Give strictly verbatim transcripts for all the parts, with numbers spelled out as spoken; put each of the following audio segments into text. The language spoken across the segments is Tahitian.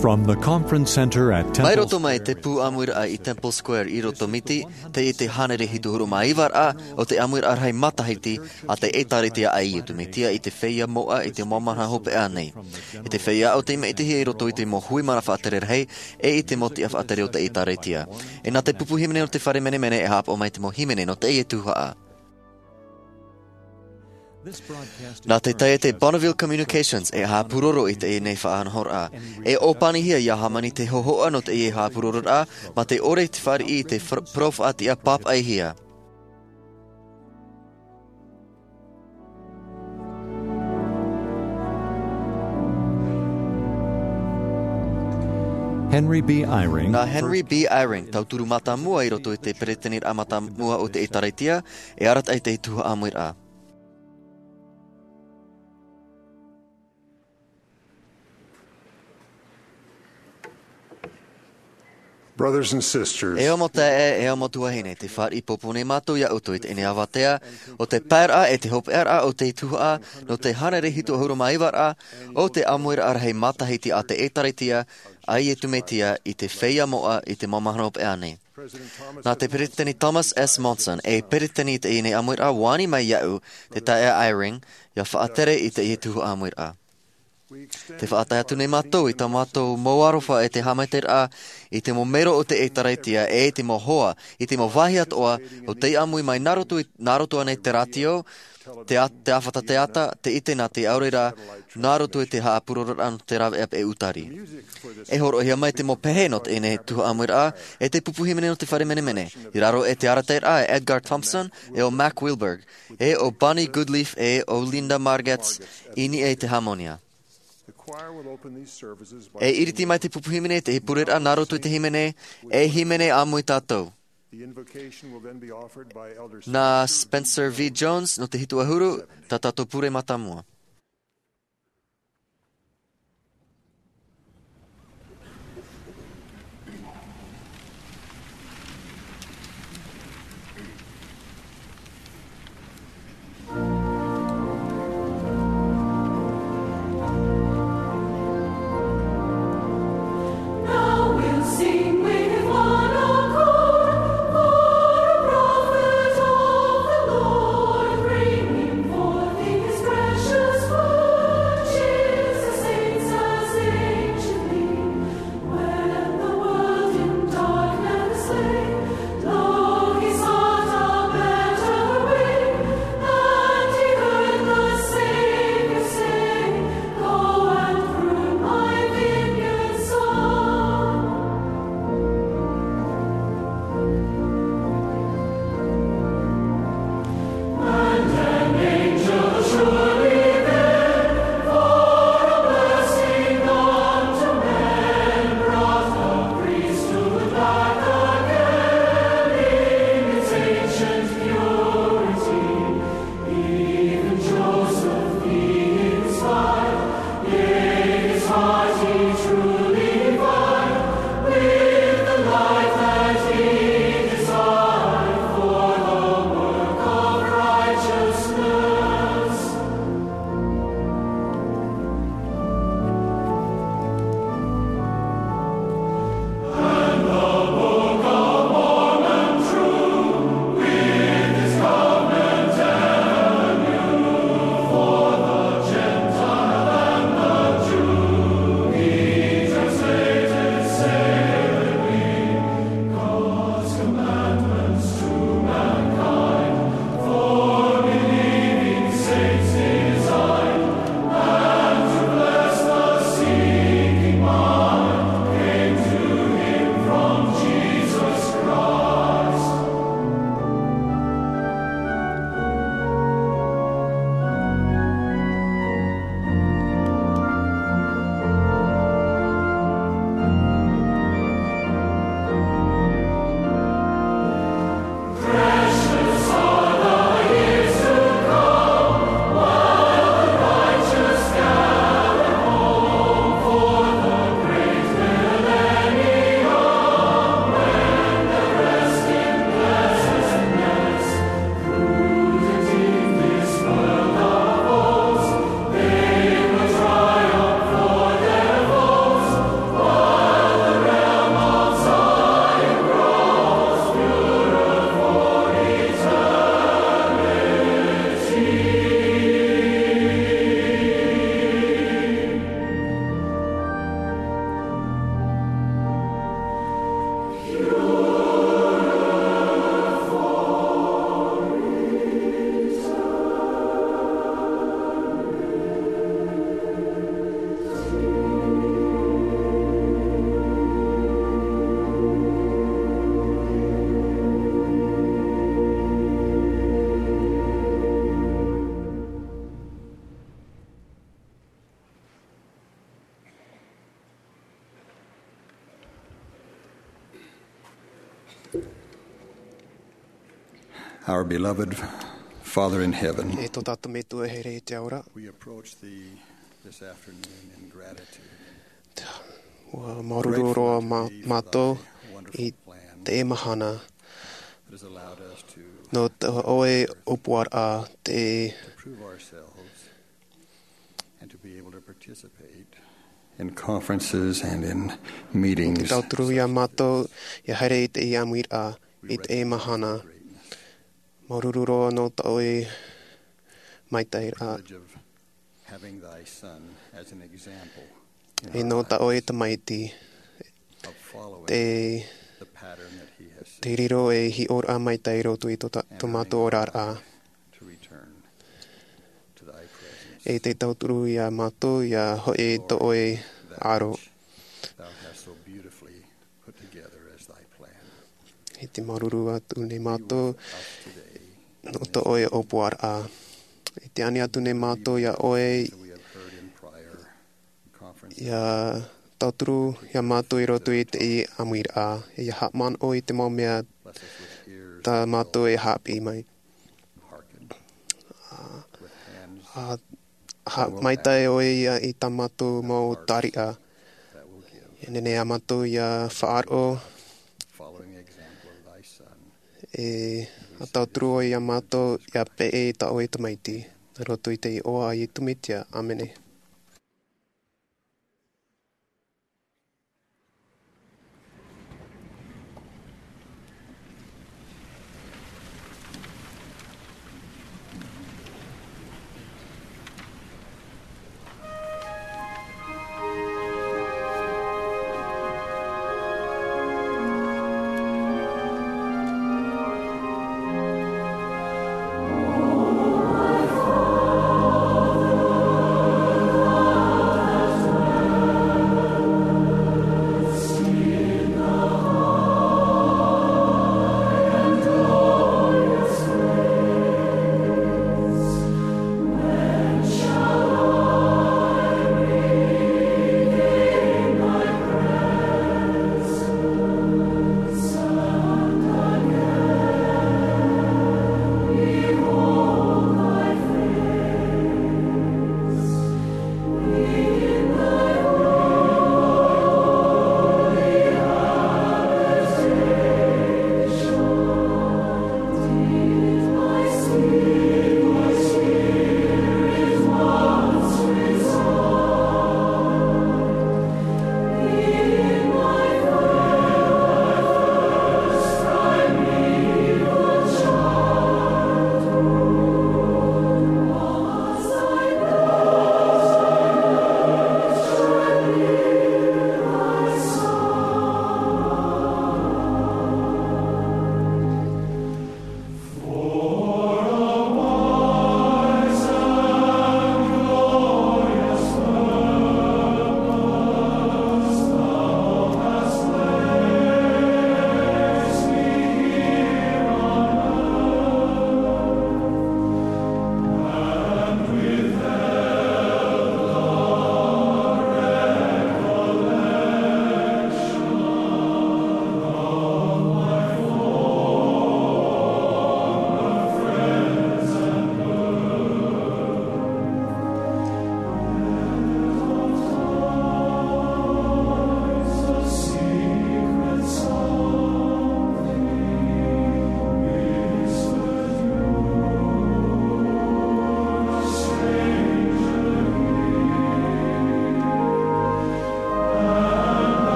From the conference center at Mai Temple roto mai Square. Te pū ʻāmuiraʻa i Temple Square i roto Miti, teie te hānere hitu ʻahuru mā iva raʻa o te ʻāmuiraʻa rahi matahiti a te ʻĒtārētia a Iesu Mesia i te feiā moʻa i te mau mahana hopeʻa nei. I te feiā ʻo tei maʻitihia i roto i te mau hui mana faʻatere rahi, e i te mau tiʻa faʻatere o te ʻĒtārētia. E nā te pupu hīmene o te fare menemene e haʻapaʻo mai te mau hīmene nō teie tuhaʻa. Nā te taiete Bonneville Communications e haʻapūroro i teie nei faʻanahoraʻa. E ʻōpanihia ia hāmani te hōhoʻa nō teie haʻapūrororaʻa, mā te ʻore i te fāriʻi i te fr-, parau faʻatiʻa pāpaʻihia. Henry B. Eyring. Nā Henry B. Eyring, tauturu mātāmua i roto i te pereteniraʻa mātāmua o te ʻĒtārētia, e arataʻi i te tuhaʻa ʻāmuiraʻa. Brothers and sisters. E ʻo mau taeaʻe, e ʻo mau tuahine, tē fāriʻi pōpō nei mātou ia ʻoutou i teie nei avatea, ʻo te paeraʻa e te hopeʻaraʻa o te tuhaʻa, nō te hānere hitu ʻahuru mā iva raʻa, o te ʻāmuiraʻa rahi matahiti a te ʻĒtārētia, a Iesu Mesia i te feiā moʻa i te mau mahana hopeʻa nei. Nā te peretiteni Thomas S. Monson, e peretiteni i teie nei ʻāmuiraʻa, ani mai iāʻu, te taeaʻe Eyring, ia faʻatere i teie tuhaʻa ʻāmuiraʻa. Tē faʻatae atu nei mātou i tā mātou mau aroha e te haʻamaitaʻiraʻa i te mau mero o te ʻĒtārētia e i te mau hoa, i te mau vāhi atoʻa, o tei ʻāmui mai nā roto i, nā roto aʻenei te rātio, te a-, te ʻāfata teata, te ʻite nā te ʻaore rā, nā roto i te haʻapūrororaʻa nō te rāveʻa peʻe ʻūtari. E hōroʻahia mai te mau pehe nō teie nei tuhaʻa ʻāmuiraʻa, e te pupu hīmene nō te fare menemene, i raro i te arataʻiraʻa a Edgar Thompson, e ʻo Mack Wilberg, e ʻo Bonnie Goodleaf, e ʻo Linda Margetts, i niʻa i te hāmoni. E ʻiriti mai te pupu hīmene i te pureraʻa nā roto i te hīmene, e hīmene ʻāmui tātou. Nā Spencer V. Jones, nō te hitu ʻahuru, tā tātou pure mātāmua. Our beloved Father in heaven, E tō tātou Metua e here i te ao ra. We approach thee this afternoon in gratitude. Ua māuruuru roa mā-, mātou i teie mahana. That has allowed us to nō tā ʻoe ʻōpuaraʻa te to prove ourselves and to be able to participate in conferences and in meetings. Te tauturu ia mātou ia haere i teie ʻāmuiraʻa i teie mahana. Māuruuru roa nō tā ʻoe maitaʻiraʻa. Privilege of having thy son as an example in our lives. E nō tā ʻoe tamaiti of following te, the pattern that he has set. Te riro ei hiʻoraʻa maitaʻi i roto i tō ta-, tō mātou oraraʻa. And I invite to return to thy presence. E te tauturu ia mātou ia hoʻi i tō ʻoe aro. Thou hast so beautifully put together as thy plan. E te māuruuru atu nei mātou nō tō ʻoe ʻōpuaraʻa. E te ani atu nei mātou ia ʻoe, ia tauturu ia mātou i roto i teie ʻāmuiraʻa. E ia haʻamanaʻo i te mau mea tā mātou e haʻapiʻi mai. Ā, ā, maitaʻi ʻoe ia i tā mātou mau tariʻa. E nehenehe ā mātou ia faʻaroʻo, e tauturu ʻoe ia mātou ia peʻe i tā ʻoe tamaiti. Nā roto i te iʻoa a Iesu Mesia. ʻĀmene.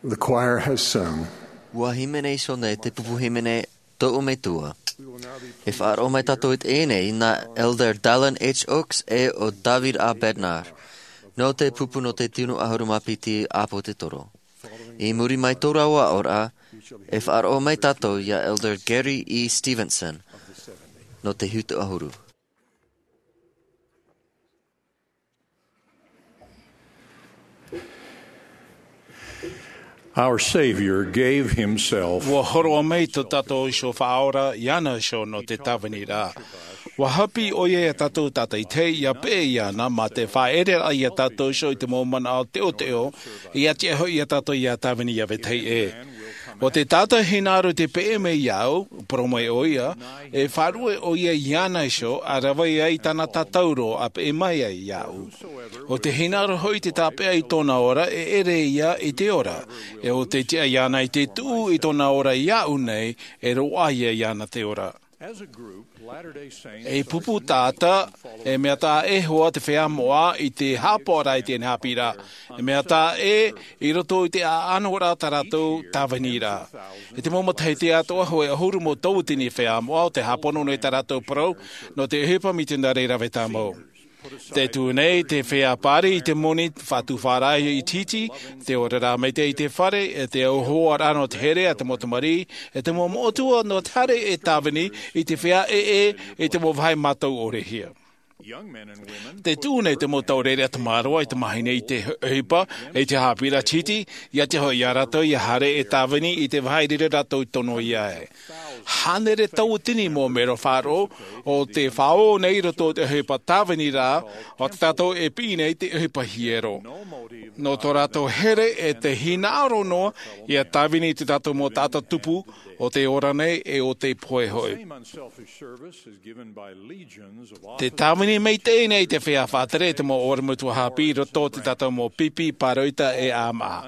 The choir has sung. Ua hīmene iho nei te pupu hīmene Tōʻu Metua. E faʻaroʻo mai tātou i teie nei nā Elder Dallin H. Oaks ʻe ʻo David A. Bednar, nō te pupu nō te tino ʻahuru mā piti ʻāpōsetolo. I muri mai tō rāua aʻoraʻa, e faʻaroʻo mai tātou iā Elder Gary E. Stevenson, nō te hitu ʻahuru. Our Savior gave himself. Ua hōroʻa mai tō tātou iho Faʻaora iāna iho nō te tāviniraʻa. Ua haʻapiʻi ʻoia iā tātou tātaʻitahi, ʻia peʻe iāna, mā te faʻaʻereraʻa iā tātou iho i te mau manaʻo teʻoteʻo, ʻia tiʻa hoʻi iā tātou ʻia tāvini iā vetahi ʻē. ʻO te taʻata hinaʻaro tē peʻe mai iāʻu, parau mai ʻoia, e faʻaruʻe ʻoia iāna iho, ʻa rave ai tāna tātauro ʻa peʻe mai ai iāʻu. ʻO te hinaʻaro hoʻi tē tāpeʻa i tōna ora, e ʻere ia i te ora. ʻE ʻo te tiʻa iāna i te tuʻu i tōna ora iāʻu nei, e roaʻa ia iāna te ora. Ei pupu taʻata, e mea taʻa ʻē hoʻi te feiā moʻa i te haʻapaʻoraʻa i teie nei haʻapiʻiraʻa. E mea taʻa ʻē i roto i te ʻaʻanoraʻa tā rātou tāviniraʻa. I te mau matahiti atoʻa, hōʻē ʻahuru mau tauatini feiā moʻa o tē hāpono nei tā rātou parau nō te ʻohipa mitionare rave tāmau. Tē tuʻu nei te feiā pāri i te moni faʻatupu faʻaroʻo i te iti, te oraraʻa maitaʻi i te fare, ʻe te auhoaraʻa nō te here a te mau tamariʻi, ʻe te mau moʻotua nō te haere e tāvini i te feiā ʻē, i te mau vāhi mātau ʻore hia. Tē tuʻu nei te mau taureʻareʻa tamaroa i te mahine i te ʻohipa, i te haʻapiʻiraʻa iti, ʻia tiʻa hoʻi iā rātou ʻia haere e tāvini i te vāhi riro rātou i tono iā ʻoe. Hānere tauatini mau mero faʻaroʻo, ʻo tē faʻaō nei i roto i te ʻohipa tāviniraʻa, ʻo tā tātou e piʻi nei te ʻohipa hiero. Nō tō rātou here ʻe te hinaʻaro noa, ʻia tāvini i tō tātou mau taʻata tupu, ʻo tē ora nei ʻe ʻo tē pohe hoʻi. Te tāvini maitaʻi nei te feiā faʻatere i te mau ʻorometua haʻapiʻi i roto i tō tātou mau pipi, pāroita ʻe ʻāmaʻa.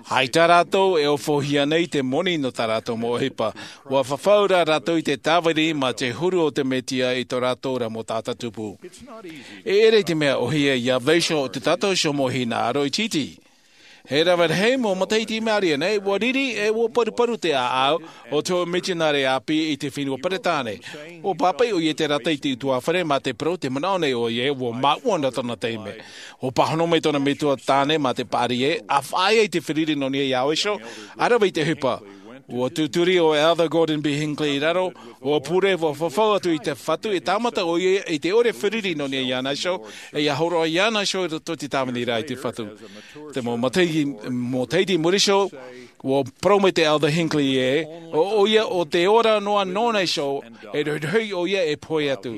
ʻAita rātou e ofohia nei te moni nō tā rātou mau ʻohipa. Ua fafau rā rātou i te tāvini mā te huru o te Mesia i tō rātou ra mau taʻata tupu. E ʻere i te mea ʻōhie ʻia vaiiho tō tātou iho mau hinaʻaro itiiti. E rave rahi mau matahiti i maʻiri aʻe nei, ua riri ʻe ua paruparu te ʻāʻau o te hōʻē mitionare ʻāpī i te fenua Peretāne. Ua pāpaʻi ʻoia i te rata i te ʻutuāfare mā te parau, tē manaʻo nei ʻoia ē ua māʻua na tōna taime. Ua pāhono mai tōna metua tāne mā te paʻari ē, ʻa faʻaea i te feruri nō niʻa iāʻu iho, ʻa rave i te ʻohipa. Ua tūturi ʻo Elder Gordon B. Hinckley i raro, ua pure, ua fafau atu i te Fatu, e tāmata ʻoia i te ʻore feruri nō niʻa iāna iho, ʻe ʻia hōroʻa iāna iho i roto i te tāviniraʻa i te Fatu. Te mau matahiti, matahiti i muri iho, ua parau mai te Elder Hinckley ē, ʻo ʻoia ʻo tē ora noa nōna iho, e rohirohi ʻoia e pohe atu.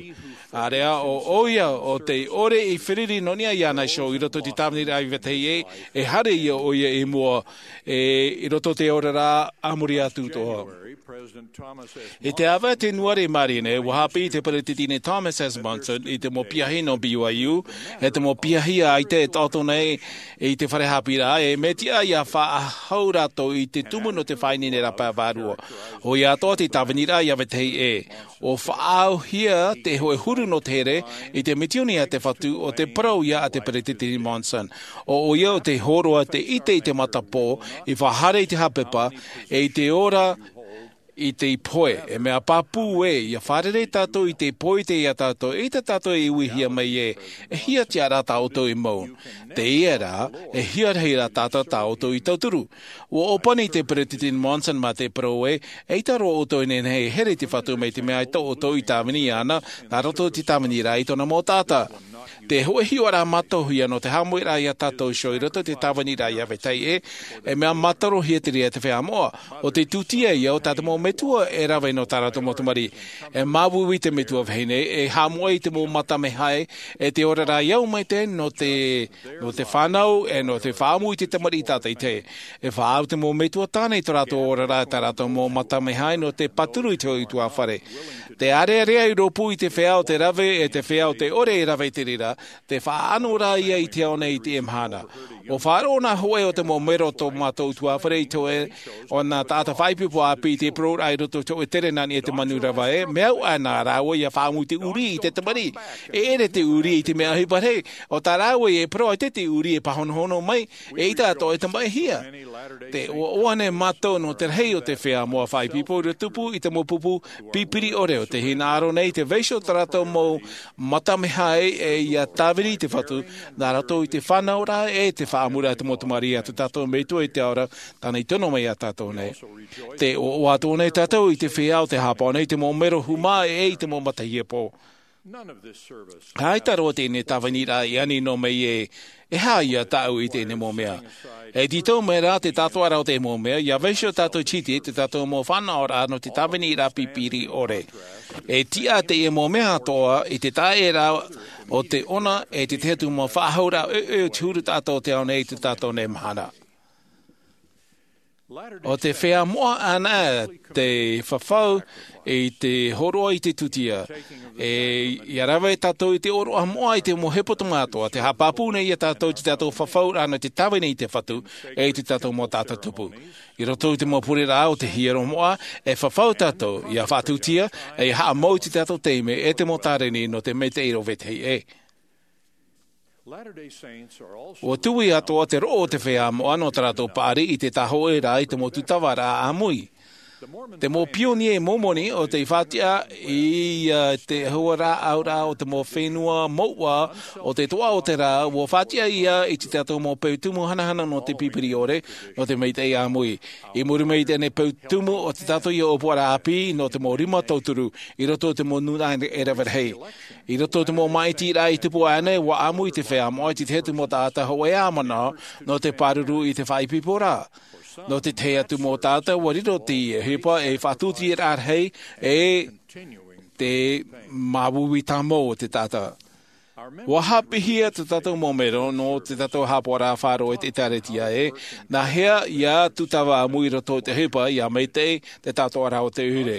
ʻĀreʻa ʻo ʻoia ʻo tē ʻore i feruri nō niʻa iāna iho i roto i te tāviniraʻa i vetahi ʻē, e haere ia ʻoia i mua, ʻe i roto i te oraraʻa a muri atoʻa. I te ʻāvaʻe tenuare i maʻiri nei, ua haʻapiʻi te peresideni Thomas S. Monson i te mau piahi nō B Y U, e te mau piahi ʻaita e taʻoto nei i te fare haʻapiʻiraʻa, e mea tiʻa ʻia faʻahou rātou i te tumu nō te faʻaineine rapae vārua. ʻOia atoʻa te tāviniraʻa ʻia vetahi ʻē. ʻUa faʻaauhia te hōʻē huru nō te here i te mitioni a te Fatu, ʻo te parau ïa a te peresideni Monson. ʻO ʻoia ʻo te hōroʻa te ʻite i te matapō, i faʻahaere i te hāpepa, e i te ora i te pohe. E mea pāpū ē, ʻia fārerei tātou i te pohe i te ia tātou, eʻita tātou e uihia mai ē, e hia tiʻa rā tā ʻoutou i mau. Teie rā, e hia rahi rā tātou tā ʻoutou i tauturu. ʻUa ʻōpani te peresideni Monson mā te parau ē, eʻita roa ʻoutou e nehenehe e here i te Fatu mai te mea ʻaita ʻoutou i tāvini iāna, nā roto i te tāviniraʻa i tōna mau taʻata. Te hōʻē hiʻoraʻa mātauhia nō te haʻamoʻeraʻa ia tātou iho i roto i te tāviniraʻa ʻia vetahi ʻē, e mea mātarohia te reira e te feiā moʻa. ʻO te tūtia ïa o tā te mau metua e rave nō tā rātou mau tamariʻi. E māuiui te metua vahine, e haʻamoʻe i te mau mata mea hae, e te oraraʻa i au mai te, nō te, nō te fānau, e nō te faʻaʻamu i te tamariʻi tātaʻitahi. E faʻaau te mau metua tāne i tō rātou oraraʻa e tā rātou mau mata mea hae nō te pāturu i te hōʻē ʻutuāfare. Te ārearea i rōpū i te feiā o te rave, e te feiā o te ʻore e rave i te reira, te faʻaʻano rā ïa i te ao nei i teie mahana. ʻUa faʻaroʻo nā hōʻē o te mau mero o tō mātou ʻutuāfare i te hōʻē o nā taʻata faʻaipoipo ʻāpī i te parau ra i roto i te hōʻē tere nā niʻa i te manu rava ē, mea au ā nā rāua ʻia faʻaʻamu i te ʻurī i te tamariʻi. E ʻere te ʻurī i te mea ʻohipa rahi, ʻo tā rāua e parau ʻaita te ʻurī e pāhonohono mai, eʻita atoʻa e tamaʻihia. Te ʻoaʻoa nei mātou nō te rahi o te feiā moʻa faʻaipoipo ʻia tupu i te mau pupu pipiri ʻore ʻo te hinaʻaro nei i te vaiiho o tā rātou mau mata mea hae, e ʻia tāvini i te Fatu, nā roto i te fānauraʻa e te faʻaʻamuraʻa i te mau tamariʻi a tō tātou Metua i te ao ra, tāna i tono mai ia tātou nei. Te ʻoaʻoa atoʻa nei tātou i te feiā o te haʻapaʻo nei i te mau mero hūmā e i te mau matahiapo. ʻAita roa teie tāviniraʻa i ani noa mai ē, e aha ïa tāʻu i teie mau mea. E tītau mai rā te tātoʻaraʻa o teie mau mea, ʻia vaiiho tātou i te hiti, te tātou mau fānaʻoraʻa nō te tāviniraʻa pipiri ʻore. E tiʻa teie mau mea atoʻa i te taʻeraʻa o te ʻona, e te tahi atu mau faʻahouraʻa ʻoiʻoi o te huru taʻata o te ao nei i tō tātou nei mahana. ʻO te feiā moʻa anaʻe te fafau i te hōroʻa i te tūtia. E, ʻia rave tātou i te ʻōroʻa moʻa i te mau hepetoma atoʻa, te haʻapāpū nei ia tātou i tō tātou fafauraʻa nō te tāvini i te Fatu, e i tō tātou mau taʻata tupu. I roto i te mau pureraʻa o te hiero moʻa, e fafau tātou, ʻia faʻatūtia, e ʻia haʻamau i tō tātou taime, e te mau tāreni nō te maitaʻi i rave tahi ē. ʻUa tuʻu atoʻa te roʻo o te feiā moʻa nō tā rātou paʻari i te tāhōʻēraʻa i te mau tūtavaraʻa ʻāmui. Te mau pionie Momoni ʻo tei faʻatiʻa i, ā, te huaraʻauraʻa o te mau fenua mouʻa o te toʻa o te rā, ʻua faʻatiʻa ïa i tō tātou mau peu tumu hanahana nō te pipiri ʻore, nō te maitaʻi ʻāmui. I muri mai i teie peu tumu o tō tātou ïa ʻōpuaraʻa ʻāpī nō te mau rima tauturu, i roto i te mau nūnaʻa e rave rahi. I roto i te mau māʻitiraʻa i tupu aʻenei, ʻua ʻāmui te feiā moʻa i te tahi atu mau taʻata hōʻē ʻāmanaʻo, nō te pāruru i te faʻaipoiporaʻa. Nō te tahi atu mau taʻata, ʻua riro teie ʻohipa ei faʻatūtiaraʻa rahi, e te māuiui tāmau o te taʻata. ʻUa haʻapiʻihia tō tātou mau mero nō tō tātou haʻapaʻoraʻa faʻaroʻo i te ʻĒkālesia ē, nāhea ʻia tūtava ʻāmui i roto i te ʻohipa ʻia maitaʻi te tātoʻaraʻa o te ʻoire.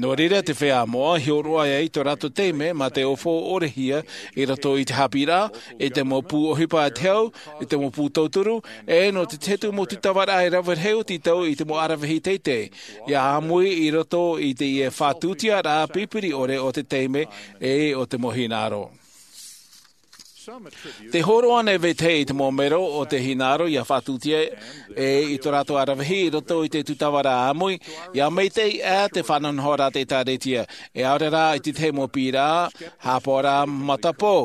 Nō reira te feiā moʻa, hiʻo roa ai i tō rātou taime mā te ofo ʻorehia i roto i te haʻapiʻiraʻa, i te mau pū ʻohipa a te hau, i te mau pū tauturu, e nō te tahi atu mau tūtavaraʻa e rave rahi o tītau i te mau ʻaravihi teitei, ʻia ʻāmui i roto i teie faʻatūtiaraʻa pipiri ʻore o te taime, e o te mau hinaʻaro. Tē hōroʻa nei vetahi i te mau mero o te hinaʻaro ʻia faʻatūtia e i tō rātou ʻaravihi i roto i te tūtavaraʻa ʻāmui, ʻia maitaʻi ā te faʻanahonahoraʻa a te ʻĒkālesia, e ʻaore rā i te tahi mau piʻiraʻa, haʻapaʻoraʻa matapō.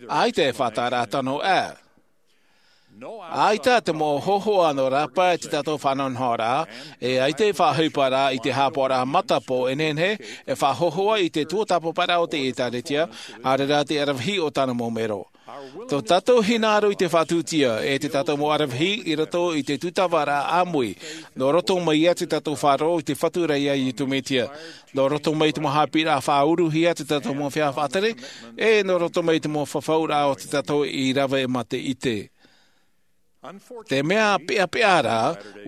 ʻAita e faʻataʻaraʻa tano ʻā. ʻAita te mau hōhoʻa nō rāpae i tō tātou faʻanahonahoraʻa, e ʻaita e faʻaʻohiparaʻa i te haʻapaʻoraʻa matapō e nehenehe e faʻahōhoʻa i te tuatāpaparaʻa o te ʻĒkālesia, ʻaore rā te ʻaravihi o tāna mau mero. Tō tātou hinaʻaro i te faʻatūtia, e tō tātou mau ʻaravihi i roto i te tūtavaraʻa ʻāmui, nō roto mai ia tō tātou faʻaroʻo i te Fatu ra ia Iesu Mesia. Nō roto mai te mau haʻapiʻiraʻa faʻauruhia a tō tātou mau feiā faʻatere, e nō roto mai te mau fafauraʻa o tō tātou i rave mā te ʻite. Te mea peʻapeʻa rā,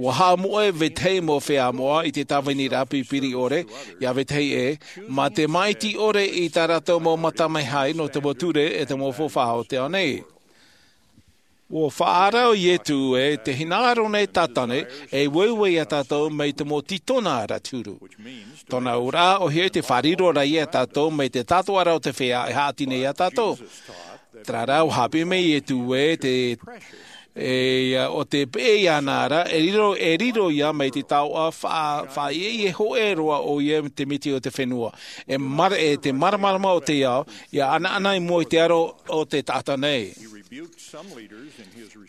ua haʻamoʻe vetahi mau feiā moʻa i te tāvini rā pipiri ʻore, ia vetahi ʻē, mā te māʻiti ʻore i tā rātou mau mata mai hai nō te mau ture e te mau faufaʻa o te ao nei. Ua faʻaara ʻo Ietu ē, te hinaʻaro nei tātane, e ueue ia tātou mai te mau tītona ra te huru. Tōna auraʻa, ʻohie te fāriroraʻa ia tātou mai te tātoʻaraʻa o te feiā e haʻati nei ia tātou. Terā rā, ua haʻapiʻi mai Ietu ē, te, e, ʻo te peʻe iāna ra, e riro, e riro ia mai te taoʻa, fa-, faʻaʻieʻie hōʻē roa ʻoia te miti o te fenua. E mara-, e te māramarama o te ao, ia ʻanaʻana i mua i te aro o te taʻata nei.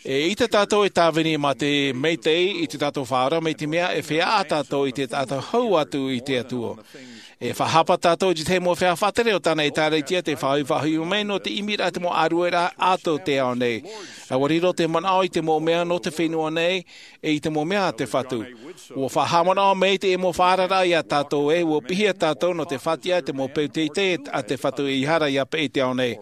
E ʻita tātou e tāvini mā te maitaʻi i tō tātou Faʻaora, mai te mea e feiā tātou i te taʻata hau atu i te Atua. E faʻahapa tātou i te mau feiā faʻatere o tāna ʻĒtārētia, te faʻaʻohipa mai nō te ʻimiraʻa i te mau ʻārueraʻa a tō te ao nei. ʻUa riro te manaʻo i te mau mea nō te fenua nei, e i te mau mea a te Fatu. ʻUa faʻahaʻamanaʻo mai te mau faʻaararaʻa ia tātou ē, ʻua piʻihia tātou nō te faʻatiʻa i te mau peu teitei a te Fatu, ʻeʻere ia peʻe i te ao nei.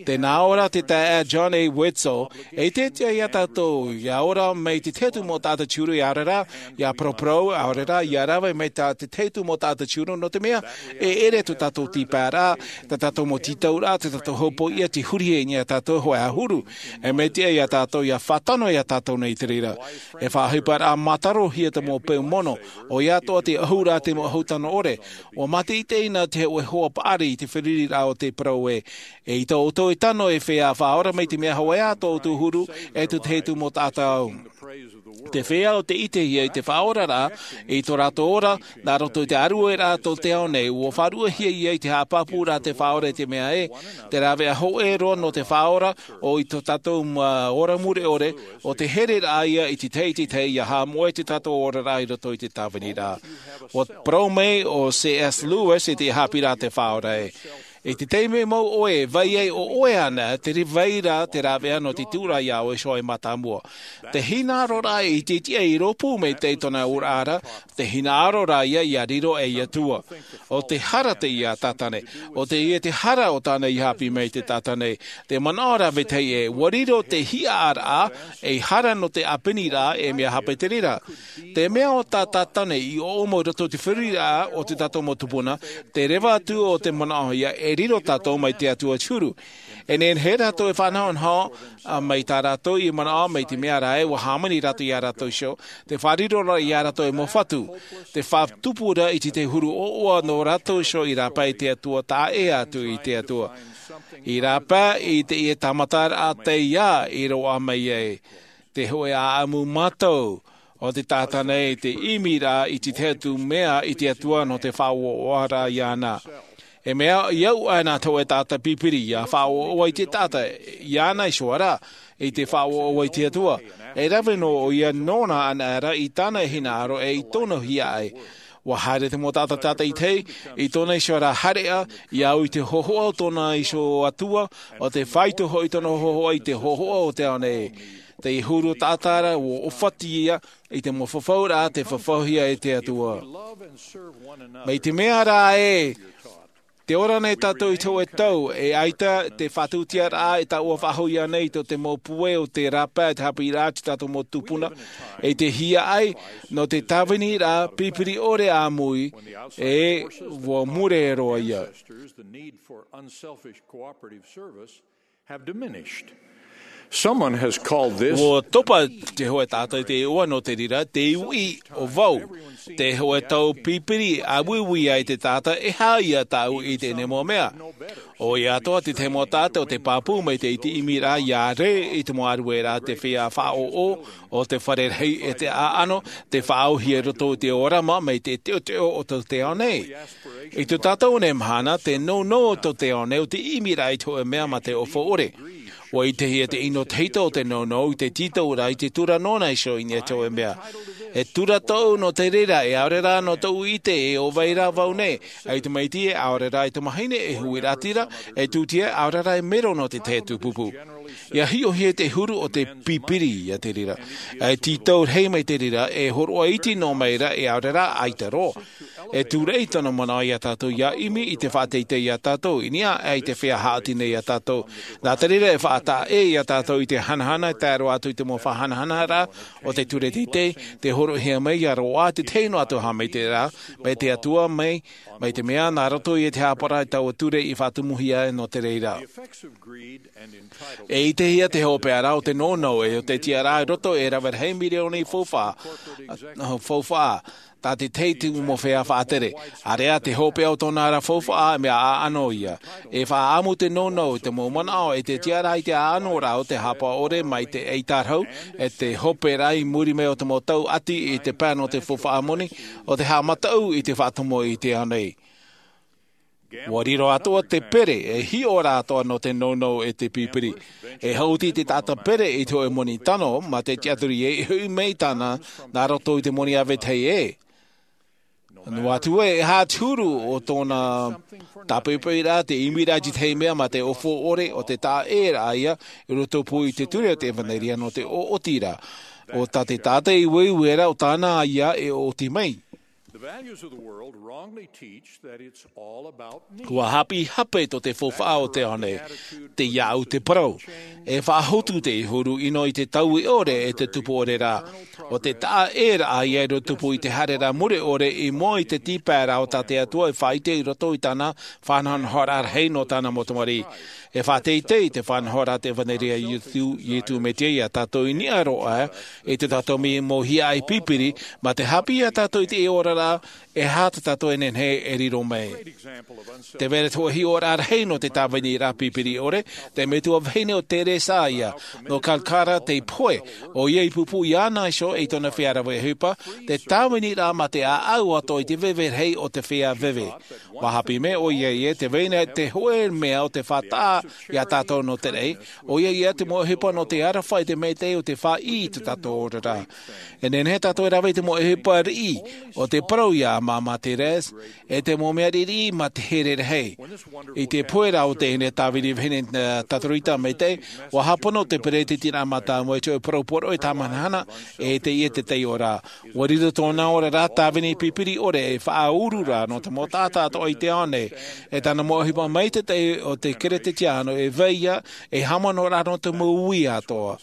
Tē nā ʻō ra te taeaʻe John A. Widtsoe, e ʻite atu ia tātou, ʻia ora mai te tahi atu mau taʻata te huru, ʻia ora rā, ʻia paraparau, ʻia ora rā, ʻia rave mai tā te tahi atu mau taʻata te huru, nō te mea, e ʻere tō tātou tīpaeraʻa, tā tātou mau tītauraʻa, tā tātou hopoiʻa, tē hurihia nei ia tātou hōʻē ʻahuru. E mea tiʻa ia tātou, ʻia fātano ia tātou nei i te reira. E faʻaʻohiparaʻa mātarohia te mau peu mono, ʻoia atoʻa te ʻahuraʻa te mau ʻahu tano ʻore. ʻUa mātaʻitaʻi na te hōʻē hoa paʻari i te feruriraʻa o te parau ē, e ʻita ʻoutou e tano e feiā Faʻaora, mai te mea hōʻē ā tō ʻoutou huru, e tō te tahi atu mau taʻata au. Te feiā o tē ʻitehia i te faʻaoraraʻa, i tō rātou ora, nā roto i te ʻārueraʻa tō te ao nei, ʻua faʻaruʻehia ia i te haʻapāpūraʻa a te Faʻaora i te mea ē, te rāveʻa hōʻē roa nō te Faʻaora, ʻo i tō tātou, ā, ora mure ʻore, ʻo te hereraʻa ia i te tahi, i te tahi, ʻia haʻamoʻe tō tātou oraraʻa i roto i te tāviniraʻa. ʻUa parau mai ʻo C S Lewis i te haʻapiʻiraʻa a te Faʻaora ē, i te taime mau ʻoe e vai ai ʻo ʻoe ānei, terā vai ra te rāveʻa nō te tuʻuraʻa iā ʻoe iho e mātāmua. Te hinaʻaroraʻa i te tiʻa i rōpū mai tei tōna auraʻa ra, te hinaʻaroraʻa ia ʻia riro ei Atua. ʻO te hara teie a Tātane, ʻo teie te hara o tāna i haʻapiʻi mai i te taʻata nei. Te manaʻo ra vetahi ē, ʻua riro te hiʻaraʻa ei hara nō te ʻāpeniraʻa, e mea hape te reira. Te mea ʻo tā Tātane i ʻoʻomo i roto i te feruriraʻa o tō tātou mau tupuna, te reva atu o te manaʻo ia e riro tātou mai te Atua te huru. E nehenehe rātou e faʻanahonaho, ā, mai tā rātou i manaʻo mai te mea ra ē, ʻua hāmani rātou iā rātou iho, te faʻariroraʻa iā rātou ei mau fatu, te faʻatupu ra i te tahi huru ʻoaʻoa nō rātou iho i rāpae i te Atua, taʻa ʻē atu i te Atua. I rāpae i teie tāmataraʻa tei ia i roaʻa mai ai. Te hōʻē ʻāʻamu mātau, ʻo te taʻata nei te ʻimiraʻa i te tahi atu mea i te Atua nō te faʻaʻoaʻoaraʻa iāna. E mea, ʻia au ʻana te hōʻē taʻata pipiri ʻia faʻaʻoaʻoa i te taʻata, iāna iho ra, i te faʻaʻoaʻoa i te Atua. E rave noa ʻoia nōna anaʻe ra i tāna hinaʻaro e i tōna hiaʻai. ʻUa haere te mau taʻata tātaʻitahi, i tōna iho ra haereʻa, ʻia au i te hōhoʻa o tōna iho Atua, ʻo tē faito hoʻi tōna hōhoʻa i te hōhoʻa o te ao nei. Te huru taʻata ra, ʻua ʻōfati ia, i te mau fafauraʻa tei fafauhia e te Atua. Mai te mea ra ē, tē ora nei tātou i te hōʻē tau, e ʻaita te faʻatūtiaraʻa e taʻua faʻahou iāna i tō te mau puai o te rāpae, te haʻapiʻiraʻa a tō tātou mau tupuna, e te hiaʻai, nō te tāviniraʻa pipiri ʻore āmui, e ʻua mure roa ia. Have diminished. Someone has called this. ʻUa topa te hōʻē taʻata i te iʻoa nō te reira, te uʻi ʻo vau. Te hōʻē tau pipiri ʻāuiui ai te taʻata, e aha ia tāʻu i teie nei mau mea. ʻOia atoʻa te tahi mau taʻata ʻo tē pāpū mai te ʻimiraʻa ʻia rē i te mau ʻārueraʻa, te feiā faʻaʻoʻo, ʻo te fare rahi e te ʻāʻano, te faʻaauhia i roto i te ʻōrama mai te teʻoteʻo o tō te ao nei. I tō tātou nei mahana, te nounou o tō te ao nei ʻo te ʻimiraʻa i te hōʻē mea mā te ʻofa ʻore. ʻUa ʻitehia te ʻino tahito o te nounou i te tītauraʻa i te tura nōna iho i niʻa i te hōʻē mea. E tura tōʻu nō te reira, e ʻaore rā nō tōʻu ʻite e ʻo vai rā vau nei, ʻaita maitaʻi e ʻaore rā i te mahine e huiraʻatira, e tūtia e ʻaore rā e mero nō te tahi atu pupu. ʻIa hiʻohia te huru o te pipiri ia te reira. E tītau rahi mai te reira, e hōroʻa iti noa mai ra e ʻaore rā ʻaita roa. E tūreʻi tōna manaʻo iā tātou ia ʻimi i te faʻateitei iā tātou i niʻa aʻe i te feiā haʻati nei iā tātou. Nā te reira e faʻataʻa ʻē iā tātou i te hanahana e tae roa atu i te mau faʻahanahana rā o te ture teitei te horoʻahia mai iā roaʻa te tahi noa atu haʻamaitaʻiraʻa mai te atua mai mai te mea nā roto i te hāpaʻo rā i taua ture i faʻatumuhia nō te reira. E ʻitehia te hopeʻa rā o te nounou e o te tiʻaraʻa i roto e rave rahi mirioni faufaʻa faufaʻa tā te tahi mau feiā faʻatere. Area te hopeʻa o tōna ra faufaʻa mea ʻaʻano ia e faʻaʻamu te nounou i te mau manaʻo e te tiʻaraʻa i te ʻaʻano rā o te hāpaʻo ʻore mai te ʻaitarahu e te hope rā i muri mai o te mau tau ʻati i te pae nō te faufaʻa moni o te haʻamataʻu i te faʻatomo i te ao nei. Ua riro atoʻa te pere e hiʻo rā atoʻa nō te nounou e te pipiri. E hauti te taʻata pere i te hoʻe moni tano mā te tiʻaturi e hoʻi mai tāna nā roto i te moni ʻāvetahi ē. Noa atu ē e hāturu o tōna tāpaipai rā te ʻimi rā i te tahi mea mā te ʻōfo ʻore o te taʻa ʻē rā ia i roto pū i te ture o te ʻevanelia nō te ʻoʻoti rā o tā te taʻata i ueue rā o tāna ia e ʻoʻoti mai. Ua haʻapiʻi hape tō te faufaʻa o te ao nei. Te iaʻu te parau e faʻahotu te huru ʻino i te taui ʻore e te tupu ʻore rā o te taʻa ʻē rā ia i roto pū i te haere rā mure ʻore i mua i te tīpaeraʻa o tā te atua i faʻaʻite i roto i tāna faʻanahonahoraʻa rahi nō tāna mau tamariʻi. E faʻateitei te faʻanahoraʻa te ʻevanelia a iesu mesia iā tātou i niʻa roa i tō tātou mau hiaʻai pipiri mā te haʻapiʻi iā tātou i te oraraʻa e aha tā tātou e nehenehe e riro mai. Te vai ra te hoʻe hiʻoraʻa rahi nō te tāviniraʻa pipiri ʻore te metua vahine o teresa ia nō kalkara te pohe ʻoia i pūpū iāna iho i tōna feiā rave ʻohipa te tāviniraʻa mā te ʻāʻau atoʻa i te veve rahi o te feiā veve. Ua haʻapiʻi mai ʻoia ia te vai ra te hoʻe mea o te faʻataʻa iā tātou nō te raʻi ʻoia ia te mau ʻohipa nō te aroha i te maitaʻi o te faʻaʻī i tō tātou oraraʻa. E nehenehe tātou e rave i te mau ʻohipa riʻi o te parau iā māmā teresa e te mau mea riʻiriʻi mā te here rahi. I te pohe rā o teie nei tāvini vahine tatarita maitaʻi ua hāpono te peretitiraʻa mātāmua i te hoʻe parau poroʻi tāmahanahana e teie te taiʻo rā. Ua riro tōna oraraʻa tāvini pipiri ʻore e faʻauru rā nō te mau taʻata atoʻa i te ao nei. E tāna mau ʻohipa mai te taʻi o te kerisetiano e vai ia e haʻamanaʻo rā nō te mau ui atoʻa.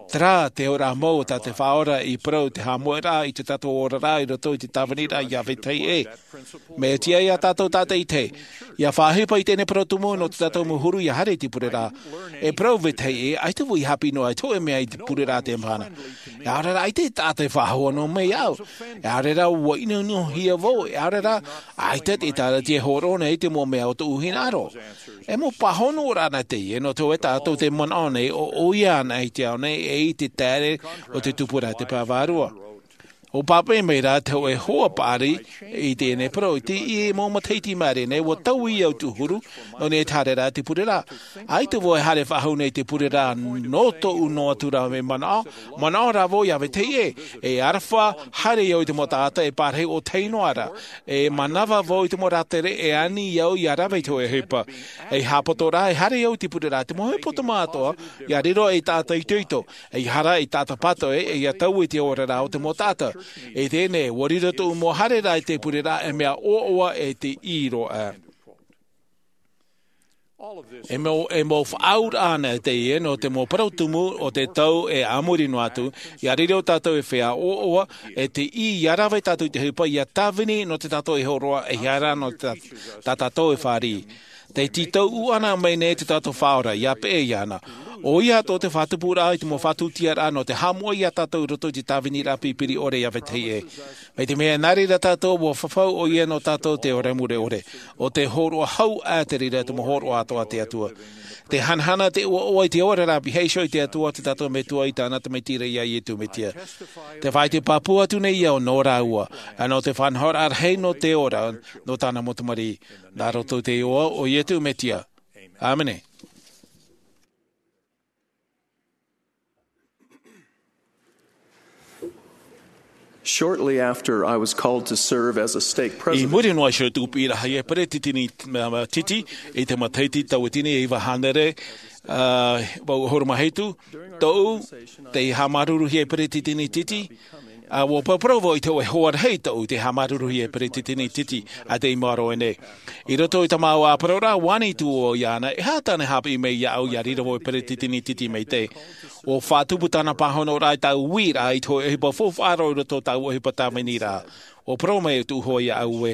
Terā te oraraʻa mau o tā te faʻaora i parau te haʻamoʻeraʻa i tō tātou oraraʻa i roto i te tāviniraʻa iā vetahi ē. Mea tiʻa iā tātou tātaʻitahi ia faʻaʻohipa i teie nei parau tumu nō tō tātou mau huru ia haere i te pureraʻa. E parau vetahi ē ʻaita vau i haʻapiʻi noa i te hoʻe mea i te pureraʻa te mahana. E ʻaore rā ʻaita e taʻata e faʻahoa noa mai au. E ʻaore rā ua ʻinoʻinohia vau e ʻaore rā ʻaita te tāratia e hōroʻa nei te mau mea o tōʻu hinaʻaro. E mau pāhono rā na teie nō te hoʻe tātou te manaʻo nei o ʻoia ana i te ao nei e i te taere o te tupuraʻa te pae vārua. Ua pāpaʻi mai rā te hoʻe hoa paʻari i teie nei parau i te ʻī e mau matahiti māere nei ua taui au tūhuru nō nei te haere rā te pureraʻa. ʻAita vau e haere faʻahou nei te pureraʻa nō tōʻu noa atu rā mea manaʻo manaʻo rā vau iā vetahi ē e aroha haere au i te mau taʻata e pārahi ʻōtahi noa rā e manava vau i te mau rātere e ani au ia rave i te hoʻe ʻohipa. E haʻapoto rā e haere au i te pureraʻa te mau ʻohipa o te mātou ia riro ei taʻata itoito ei hara ei taʻata pātoʻi ia taui i te oraraʻa o te mau taʻata. I teie nei ua riro tōʻu mau haere rā i te pureraʻa e mea ʻoaʻoa e te ʻī roa. E mau e mau faʻaauraʻa ana teie nō te mau parau tumu o te tau e a muri noa atu ia riro tātou e feiā ʻoaʻoa e te ʻī ia rave tātou i te ʻohipa ia tāvini nō te tātou e hōroʻa e hara nō te tā tātou e fāriʻi. Te tītau ʻana mai nei te tātou faʻaora ia peʻe iāna ʻoia atoʻa te faʻatupuraʻa i te mau faʻatūtiaraʻa nō te haʻamoʻe iā tātou i roto i te tāviniraʻa pipiri ʻore iā vetahi ē. Mai te mea nā reira tātou ua fafau ʻoia nō tātou te ora mure ʻore o te hōroʻa hau ʻā te reira te mau hōroʻa atoʻa a te atua. Te hanahana te ʻoaʻoa i te oraraʻa pīhaʻi iho i te atua o te tātou metua i tāna tamaiti ra iā iesu mesia. Te faʻaite pāpū atu nei au nō rāua ʻa nō te faʻanahoraʻa rahi nō te ora nō tāna mau tamariʻi. Nā roto i te iʻoa o iesu mesia. ʻĀmene. Shortly after I was called to serve as a stake I president. Muri noa iho tū piʻiraʻa ia peretiteni titi i te matahiti tauatini e iva hānere ʻahuru mā hitu, tōʻu te haʻamāuruuruhia peretiteni titi. A ua paraparau vau i te hoʻe hoa rahi tōʻu i te haʻamāuruuruhia e peresideni titi a te i maro ʻenei. I roto i tā māua ʻāparauraʻa ua ani atu vau iāna e aha tāna e haʻapiʻi mai iāʻu ia riro vau e peresideni titi mai te. Ua faʻatupu tāna pāhonoraʻa i tāʻu uiraʻa i te hoʻe ʻohipa faufaʻa roa i roto i tāʻu ʻohipa tāviniraʻa. Ua parau mai tōʻu hoa iāʻu ē,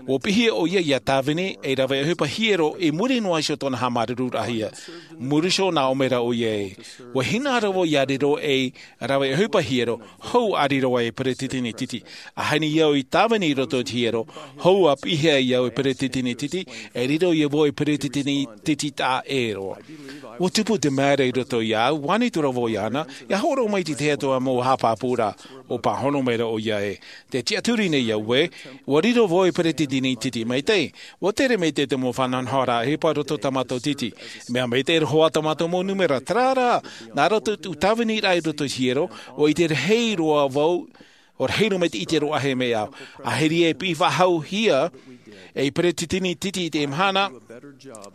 ua pīhaʻi ʻoia ia tāvini ei rave ʻohipa hiero i muri noa iho i tōna haʻamāuruururahia. Muri iho nā ʻō mai ra ʻoia ē, ua hinaʻaro vau ia riro ei rave ʻohipa hiero hou a riro ai e peresideni titi. ʻAhani au i tāvini i roto i te hiero hou a pīhaʻi au e peresideni titi, e riro ia vau e peresideni titi taʻa ʻē roa. Ua tupu te mea ra i roto iāʻu, ua ani atu ra vau iāna ia hōroʻa mai te tahi atu mau haʻapāpūraʻa. Ua pāhono mai ra ʻoia ē, te tiʻaturi nei au ē, ua riro vau e peresideni titi mai te. Ua tere mai te te mau faʻanahonahoraʻa ʻohipa i roto i tā mātou titi. Mea mai te roa tā mātou mau nūmera, terā rā, nā roto i tōʻu tāviniraʻa i roto i te hiero, ua ʻite rahi roa vau, ua rahi roa mai te ʻite roa ʻāhei mai au. ʻAhiri e piʻi faʻahouhia ei peresideni titi i te mahana,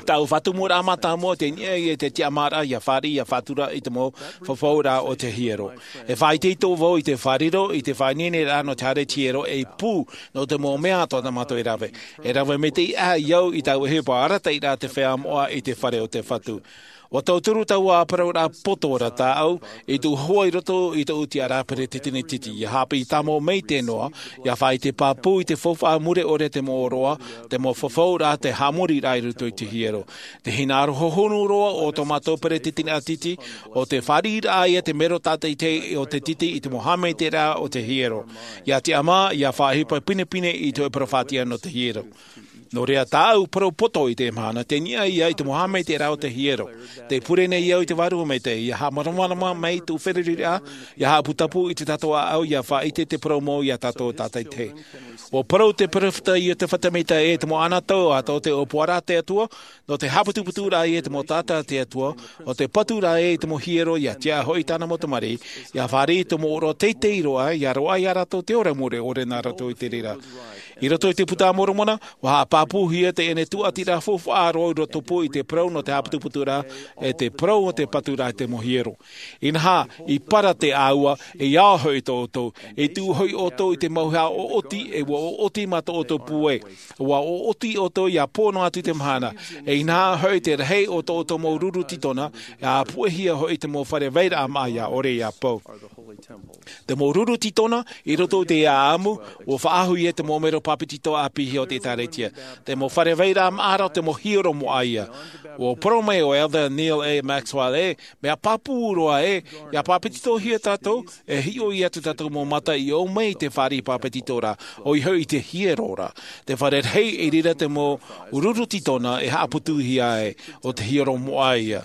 tāʻu faʻatumuraʻa mātāmua te niʻa i te tiʻamāraʻa ia fāriʻi ia faʻatura i te mau fafauraʻa o te hiero. E faʻaitoito vau i te faʻariro i te faʻaineineraʻa nō te haere i te hiero ei pū nō te mau mea atoʻa tā mātou e rave. E rave mai te iʻa i au i tāʻu ʻohipa arataʻiraʻa te feiā moʻa i te fare o te Fatu. Ua tauturu taua ʻāparauraʻa poto ra tāʻu i tōʻu hoa i roto i tōʻu tiʻaraʻa peresideni titi ia haʻapiʻi tāmau mai te noa, ia faʻaʻite pāpū i te faufaʻa mure ʻore te mau ʻōroʻa, te mau fafauraʻa, te haʻamoriraʻa i roto i te hiero. Te hinaʻaro hohonu roa o tō mātou peresideni titi, ʻo te fāriʻiraʻa ia te mero tātaʻitahi o te titi i te mau haʻamaitaʻiraʻa o te hiero. Ia tiʻamā ia faʻaʻohipa pinepine i te hoʻe parau faʻatiʻa nō te hiero. Nō reira tāʻu parau poto i te mahana te niʻa ia i te mau haʻamaitaʻiraʻa o te hiero. Te pure nei au i te Vārua Maitaʻi ia haʻamāramarama mai tōʻu feruriraʻa, ia haʻaputapū i tā tātou ʻāʻau ia faʻaʻite te parau mau ia tātou tātaʻitahi. Ua parau te peropheta Iotefa Semita ē, te mau ʻānaʻa tau atoʻa te ʻōpuaraʻa a te Atua, nō te haʻaputuputuraʻa ia te mau taʻata a te Atua, ʻo te paturaʻa ia i te mau hiero ia tiʻa hoʻi tāna mau tamariʻi, ia fāriʻi i te mau ʻōroʻa teitei roa ia roaʻa ia rātou te ora mure ʻore nā rātou i te reira. I roto i te Buka a Moromona, ua haʻapāpūhia teie tuʻatiraʻa faufaʻa roa i roto pū i te parau nō te haʻaputuputuraʻa, e te parau o te paturaʻa i te mau hiero. Inaha, i para te ʻāua, e ao hoʻi tō ʻoutou, e tuʻu hoʻi ʻoutou i te mau hea ʻoʻoti, e ua ʻoʻoti mā tō ʻoutou pūai. Ua ʻoʻoti ʻoutou ia pō noa atu te mahana, e inaha hoʻi te rahi o tō ʻoutou mau ruru tītona, e ʻāpuʻehia hoʻi te mau fare vairaʻa māʻa ia ʻore ia pau. Te mau ruru tītona, i roto i te ʻāʻamu, ua faʻahoʻi ia te mau mero pāpetitoraʻa piʻihia o te ʻĒtārētia. Te mau fare vairaʻa māʻa ra, te mau hiero moʻa ia. Ua parau mai ʻo Elder Neal A. Maxwell ē, mea pāpū roa ē, ia pāpetitohia tātou, e hiʻo ia tō tātou mau mata i ʻō mai i te fāriʻi pāpetitoraʻa, ʻoia hoʻi i te hiero ra. Te fare rahi i reira te mau ruru tītona e haʻaputuhia ai, ʻo te hiero moʻa ia.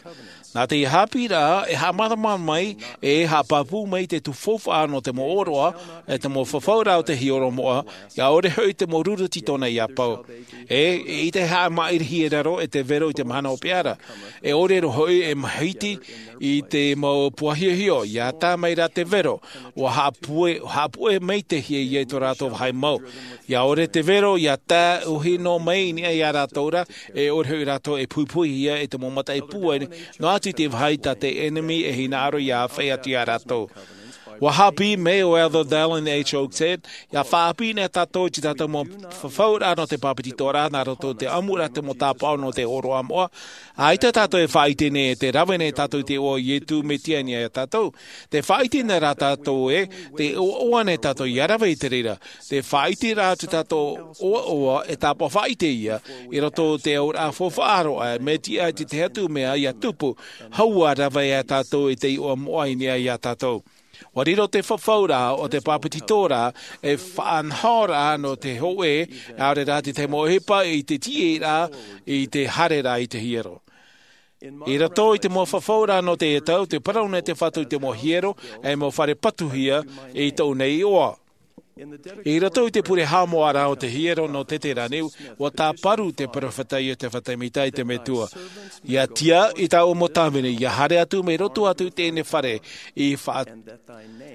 Nā te haʻapiʻiraʻa e haʻamāramarama mai, e haʻapāpū mai te tupu faufaʻa nō te mau ʻōroʻa, e te mau fafauraʻa o te hiero moʻa, ia ʻore hoʻi te mau ruru tītona ia pau. E, eʻita e haʻamaʻirihia e raro e te vero i te mahana hopeʻa ra. E ʻore roa hoʻi e mahiti i te mau puahiahio, ia tā mai rā te vero, ua haʻapue, haʻapue mai te hia ia i tō rātou vāhi mau. Ia ʻore te vero, ia tae ʻohi noa mai i niʻa ia rātou ra, e ʻore hoʻi rātou e puhipuhihia e te mau mataʻi pūai, noa atu i te vāhi tā te ʻenemi e hinaʻaro ia āfaʻi atu ia rātou. Ua haʻapiʻi mai ʻo Elder Dallin H. Oaks ē, ia faʻaʻāpī nei tātou i tā tātou mau fafauraʻa nō te pāpetitoraʻa, nā roto i te ʻamuraʻa te mau tāpaʻo nō te ʻōroʻa moʻa. ʻAita tātou e faʻaʻite nei, te rave nei tātou i te iʻoa o Iesu Mesia i niʻa ia tātou. Te faʻaʻite nei rā tātou ē, te ʻoaʻoa nei tātou ia rave i te reira. Te faʻaʻite rā tō tātou ʻoaʻoa e tāpaʻo faʻaʻite ia, i roto i te auraʻa faufaʻa roa, mea tiʻa i te tahi atu mea ia tupu, hou ʻa rave ia tātou i te iʻoa moʻa i niʻa ia tātou. Ua riro te fafauraʻa o te pāpetitoraʻa ei faʻanahoraʻa nō te hōʻē, ʻaore rā te tahi mau ʻohipa i te tiʻaraʻa, i te haereraʻa i te hiero. I roto i te mau fafauraʻa nō teie tau, te parau nei te Fatu i te mau hiero, ei mau fare patuhia i tōʻu nei iʻoa. I roto i te pure haʻamoʻaraʻa o te hiero nō Teterane, ua tāparu te peropheta Iotefa Semita i te Metua. Ia tiʻa i tāʻu mau tāvini, ia haere atu mai roto atu i teie fare, i fa-,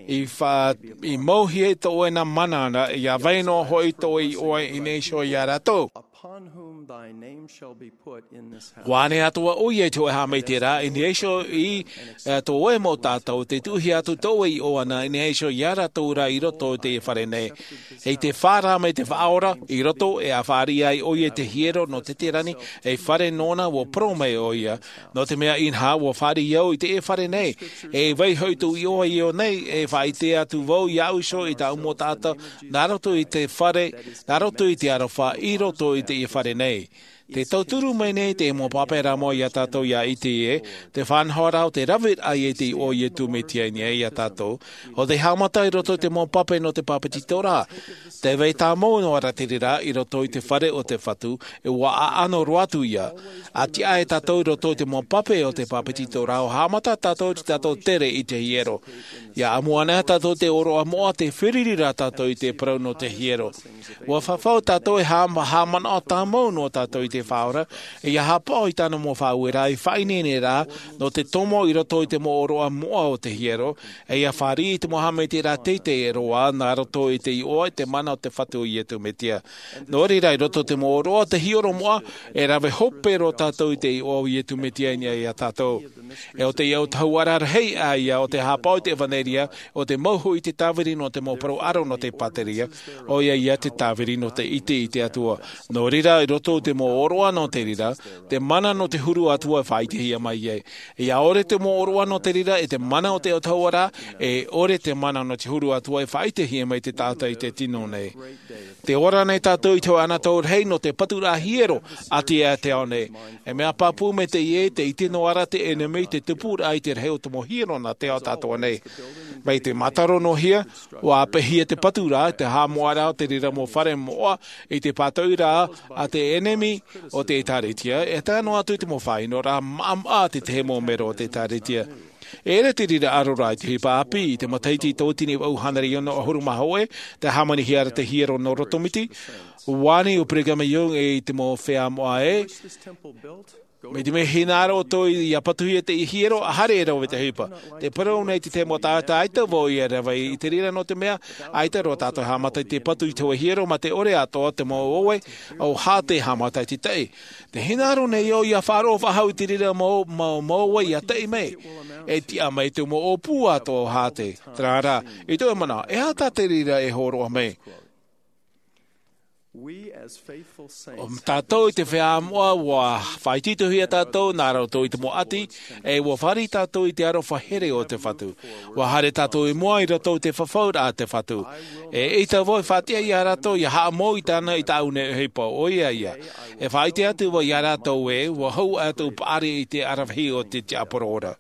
i fa-, i mauhia i tō ʻoe nā mana ra, ia vai noa hoʻi tō ʻoe iʻoa i niʻa iho ia rātou. Upon whom thy name shall be put in this house. Ua ʻane atoʻa ʻoia i te hōʻē haʻamaitaʻiraʻa, i niʻa iho i, ā, tō ʻoe mau taʻata, tē tuʻuhia atu tō ʻoe iʻoa na, i niʻa iho ia rātou ra i roto i teie fare nei. ʻE i te fā rā mai te Faʻaora i roto, e ʻa fāriʻi ai ʻoia i te hiero nō Teterani, ei fare nōna, ua parau mai ʻoia. Nō te mea inaha, ua fāriʻi au i teie fare nei, e vai hoʻi tō iʻoa i ʻō nei, e faʻaʻite atu vau iāʻu iho i tāʻu mau taʻata, nā roto i te fare, nā roto i te aroha, i roto i teie fare nei. Tē tauturu mai nei te mau pape rā mau iā tātou ia ʻite ē, te faʻanahoraʻa o te raveraʻa i te iʻoa o Iesu Mesia i niʻa iā tātou, ʻo tē haʻamata i roto i te mau pape nō te bāpetizoraʻa. Tē vai tāmau noa ra te reira i roto i te fare o te Fatu, e ua ʻaʻano roa atu ïa. ʻA tiʻa e tātou i roto i te mau pape o te bāpetizoraʻa, ʻua haʻamata tātou i te tātou tere i te hiero. ʻIa ʻamu anaʻe tātou i te ʻōroʻa moʻa, tē fāriʻi ra tātou i te parau nō te hiero. ʻUa fafau tātou e haʻa-, haʻamanaʻo tāmau noa tātou i te Faʻaora, ʻe ʻia haʻapaʻo i tāna mau faʻaueraʻa i faʻaineineraʻa nō te tomo i roto i te mau ʻōroʻa moʻa o te hiero, ʻe ʻia fāriʻi i te mau haʻamaitaʻiraʻa teitei roa, nā roto i te iʻoa, i te mana o te Fatu o Iesu Mesia. Nō reira, i roto i te mau ʻōroʻa o te hiero moʻa, e rave hope roa tātou i te iʻoa o Iesu Mesia i niʻa iā tātou. ʻE ʻo te autahuʻaraʻa rahi ïa o te haʻapaʻo i te ʻevanelia, ʻo te mau hoʻi i te tāviri nō te mau parau ʻaro nō te pāteria, ʻoia ïa te tāviri nō te ʻite i te Atua. Nō reira, i roto i te mau ʻōroʻa nō te reira, te mana nō te huru atu ā e faʻaʻitehia mai ai. ʻIa ʻore te mau ʻōroʻa nō te reira ʻe te mana o te autahuʻaraʻa, e ʻore te mana nō te huru atu ā e faʻaʻitehia mai te taʻata i te tino nei. Tē ora nei tātou i te hōʻē anotau rahi nō te paturaʻa hiero a te, a te ao nei. E mea pāpū mai teie, tē ʻite noa ra te ʻenemi te tupuraʻa i te rahi o te mau hiero nā te ao atoʻa nei. Mai te mātaro noa hia, ʻua ʻāpeʻehia te paturaʻa, te haʻamoʻaraʻa o te reira mau fare moʻa, i te pātoʻiraʻa a te ʻenemi o te ʻĒtārētia, e tae noa atu i te mau faʻaʻinoraʻa maʻamaʻa a te tahi mau mero o te ʻĒtārētia. E ʻere te reira ʻaroraʻa i te ʻohipa ʻāpī, i te matahiti tauatini vaʻu hānere ono ʻahuru mā hōʻē, tē hāmanihia ra te hiero nō Rotomiti, ʻua ani ʻo Brigham Young ē i te mau feiā moʻa ē, mai te mea hinaʻaro ʻoutou ʻia patuhia te hiero, ʻa haere e rave te ʻohipa. Tē parau nei te tahi mau taʻata, ʻaita vau ʻia rave i te reira nō te mea, ʻaita roa tātou e haʻamata i te patu i te hōʻē hiero mā te ʻore atoʻa te mau ō ē, ʻo Hāte e haʻamata i te taʻi. Tē hinaʻaro nei au ʻia faʻaroʻo faʻahou i te reira mau, mau, mau ō ē ʻia taʻi mai. E tiʻa mai te mau ʻōpū atoʻa o Hāte. Terā rā, i tō ʻoe manaʻo, e aha tā te reira e hōroʻa mai? We as faithful saints ʻO tātou i te feiā moʻa, ʻua faʻaitoitohia tātou nā roto i te mau ʻati, ʻe ʻua fāriʻi tātou i te aroha here o te Fatu. ʻUa haere tātou i mua i roto i te fafauraʻa a te Fatu. E ʻaita vau e faʻatiʻa ia rātou ʻia haʻamou i tāna i tāʻu nei ʻohipa, ʻoia ïa. E faʻaʻite atu vau ia rātou ē, ʻua hou atu paʻari i te aravihi o te tiaporo ora.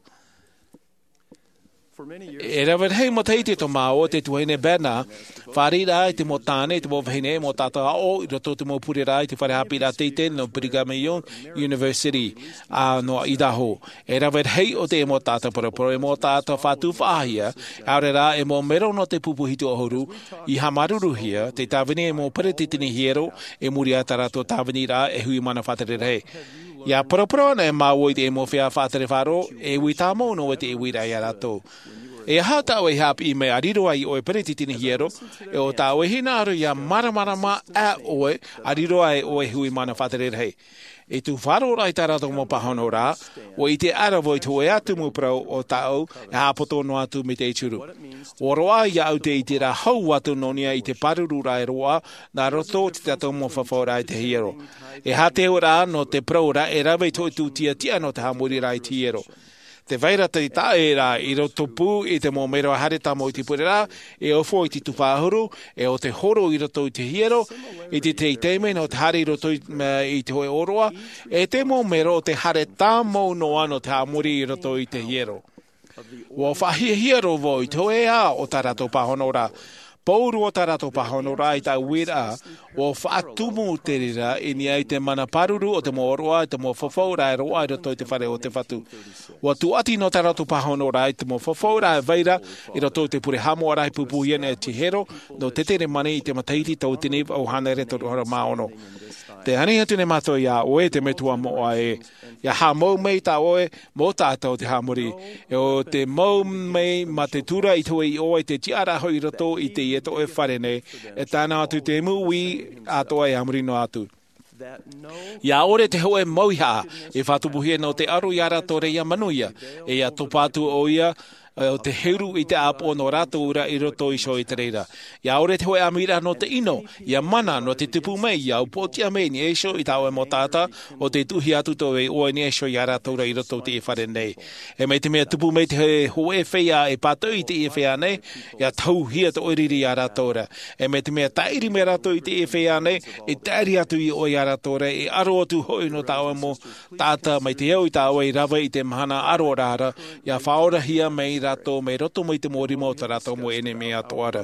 E rave rahi matahiti atoʻa mā ʻō, te tuahine Bednar, fāriʻi ra i te mau tāne, i te mau vahine, mau taʻata aʻo, i roto i te mau pureraʻa i te fare haʻapiʻiraʻa teitei nō Brigham Young University, ā, nō Idaho. E rave rahi ʻo te mau taʻata paraparau, e mau taʻata fatu faʻahia, ʻaore rā, e mau mero nō te pupu hitu ʻahuru, i haʻamāuruuruhia, tē tāvini e mau peretiteni hiero, i muri i tā rātou tāviniraʻa e hui mana faʻatere rahi. ʻIa paraparau anaʻe māua i te mau feiā faʻatere faʻaroʻo, e ui tāmau noa te uiraʻa ia rātou. E aha tā ʻoe i haʻapiʻi mai ʻa riro ai ʻoe peretiteni hiero, ʻe ʻo tā ʻoe hinaʻaro ʻia māramarama ā ʻoe, ʻa riro ai ʻoe hui mana faʻatere rahi. I tū faʻaroʻo ra i tā rātou mau pāhonoraʻa, ʻua ʻite ʻara vau i te hōʻē ā tumu parau o tāʻu, e haʻapoto noa atu mai te ʻituru. ʻUa roaʻa iāʻu te ʻiteraʻa hau atu nō niʻa i te pāruru ra e roaʻa, nā roto i tā tātou mau fafauraʻa i te hiero. E aha te auraʻa nō te parau ra e rave i te hōʻē tūtia tiʻa nō te haʻamoriraʻa i te hiero. Tē vai ra te taʻeraʻa i roto pū i te mau mero e haere tāmau i te pureraʻa, e ofo i te tufa ʻahuru, ʻe ʻo te horo i roto i te hiero, i te taime nō te haere i roto i, i te hōʻē ʻōroʻa, ʻe te mau mero ʻo te haere tāmau noa nō te haʻamori i roto i te hiero. ʻUa faʻahiahia roa vau i te hōʻē ā o tā rātou pāhonoraʻa. Pauroa tā rātou pāhonoraʻa i tāʻu uiraʻa, ʻua faʻatumu te reira i niʻa i te mana pāruru o te mau ʻōroʻa, i te mau fafauraʻa e roaʻa i roto i te fare o te Fatu. ʻUa tūʻati noa tā rātou pāhonoraʻa i te mau fafauraʻa e vai ra i roto i te pure haʻamoʻaraʻa i pūpūhia nei e te hiero, nō Teteremani i te matahiti tauatini vaʻu hānere toru ʻahuru mā ono. Tē ani atu nei mātou iā ʻoe te metua moʻa ē, ʻia haʻamou mai tā ʻoe mau taʻata o te haʻamori, ʻe ʻo te mau mai mā te tura i te hōʻē iʻoa i te tiʻaraʻa hoʻi i roto i teie tō ʻoe fare nei, e tae noa atu te mau uʻi atoʻa e a muri noa atu. Ia ʻore te hoʻe mauihaʻa e faʻatupuhia nō te aro iā rātou ra ia manuia, e ia topa atu ʻo ia o te heru i te ʻāpoʻo nō rātou ra i roto iho i te reira. Ia ʻore te hoʻe ʻamiraʻa nō te ʻino, ia mana nō te tupu mai ia upoʻotiʻa mai i niʻa iho i tā ʻoe mau taʻata, o te tuʻuhia atu tō ʻoe iʻoa i niʻa iho iā rātou ra i roto i te fare nei. E mai te mea tupu mai te hoʻe feiā e pātoʻi i te feiā nei, ia tauhia tō ʻoe riri iā rātou ra. E mai te mea tāʻiri mai rātou i te feiā nei, e tāʻiri atu iʻoa iā rātou ra, e aro atu hoʻi nō tā ʻoe mau taʻata mai te au i tā ʻoe i rave i te mahana aro rā ra, ia faʻaorahia mai rātou mai roto mai te mau rima o tā rātou mau ʻenemi atoʻa ra.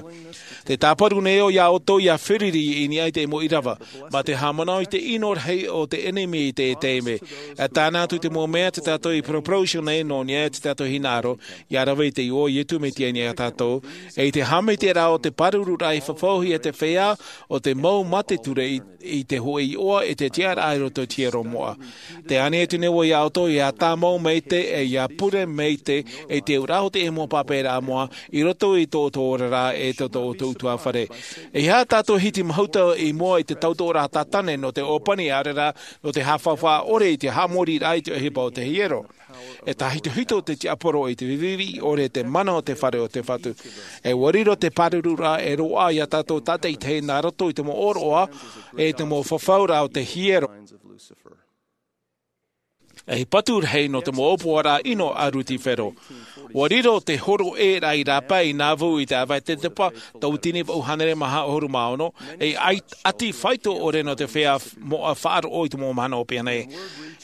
Te tāparu nei au iā ʻoutou ia feruri i niʻa i te mau ʻīrava, mā te haʻamanaʻo i te ʻino rahi o te ʻenemi i te taime. E tāna atu te mau mea tā tātou i poroporosio nei nō niʻa i tā tātou hinaʻaro, ia rave i te iʻoa o Iesu Mesia i niʻa iā tātou, e i te haʻamaitaʻiraʻa o te pārururaʻa i fafauhia te feiā o te mau mā te ture i, i te hoʻe iʻoa e te tiʻaraʻa i roto i te hiero moʻa. Te ani atu nei au iā ʻoutou ia tāmau maite, e ia pure maite, e te ura o te mau pāpaʻiraʻa moʻa, i roto i tō ʻoutou oraraʻa e tō, tō ʻoutou ʻutuāfare. E aha tātou hiti mahuta i mua i te tautoʻoraʻa tātane nō te ʻōpani ʻaore rā, nō te haʻafaufaʻa ʻore i te haʻamoriraʻa i te ʻohipa o te hiero. E tāhitohito te tiaporo i te viviʻi ʻore te mana o te fare o te Fatu. E ʻua riro te pārururaʻa e roaʻa iā tātou tātaʻitahi nā roto i te mau ʻōroʻa, e te mau fafauraʻa o te hiero. E patu rahi nō te mau ʻōpuaraʻa ʻino a Lusifero. ʻUa riro te horo ʻē rā i rāpae i Nauvoo i te ʻāvaʻe tetepa, tauatini vaʻu hānere maha ʻahuru mā ono, e ʻati faito ʻore nō te feiā moʻa faʻaroʻo i te mau mahana ʻōpani nei.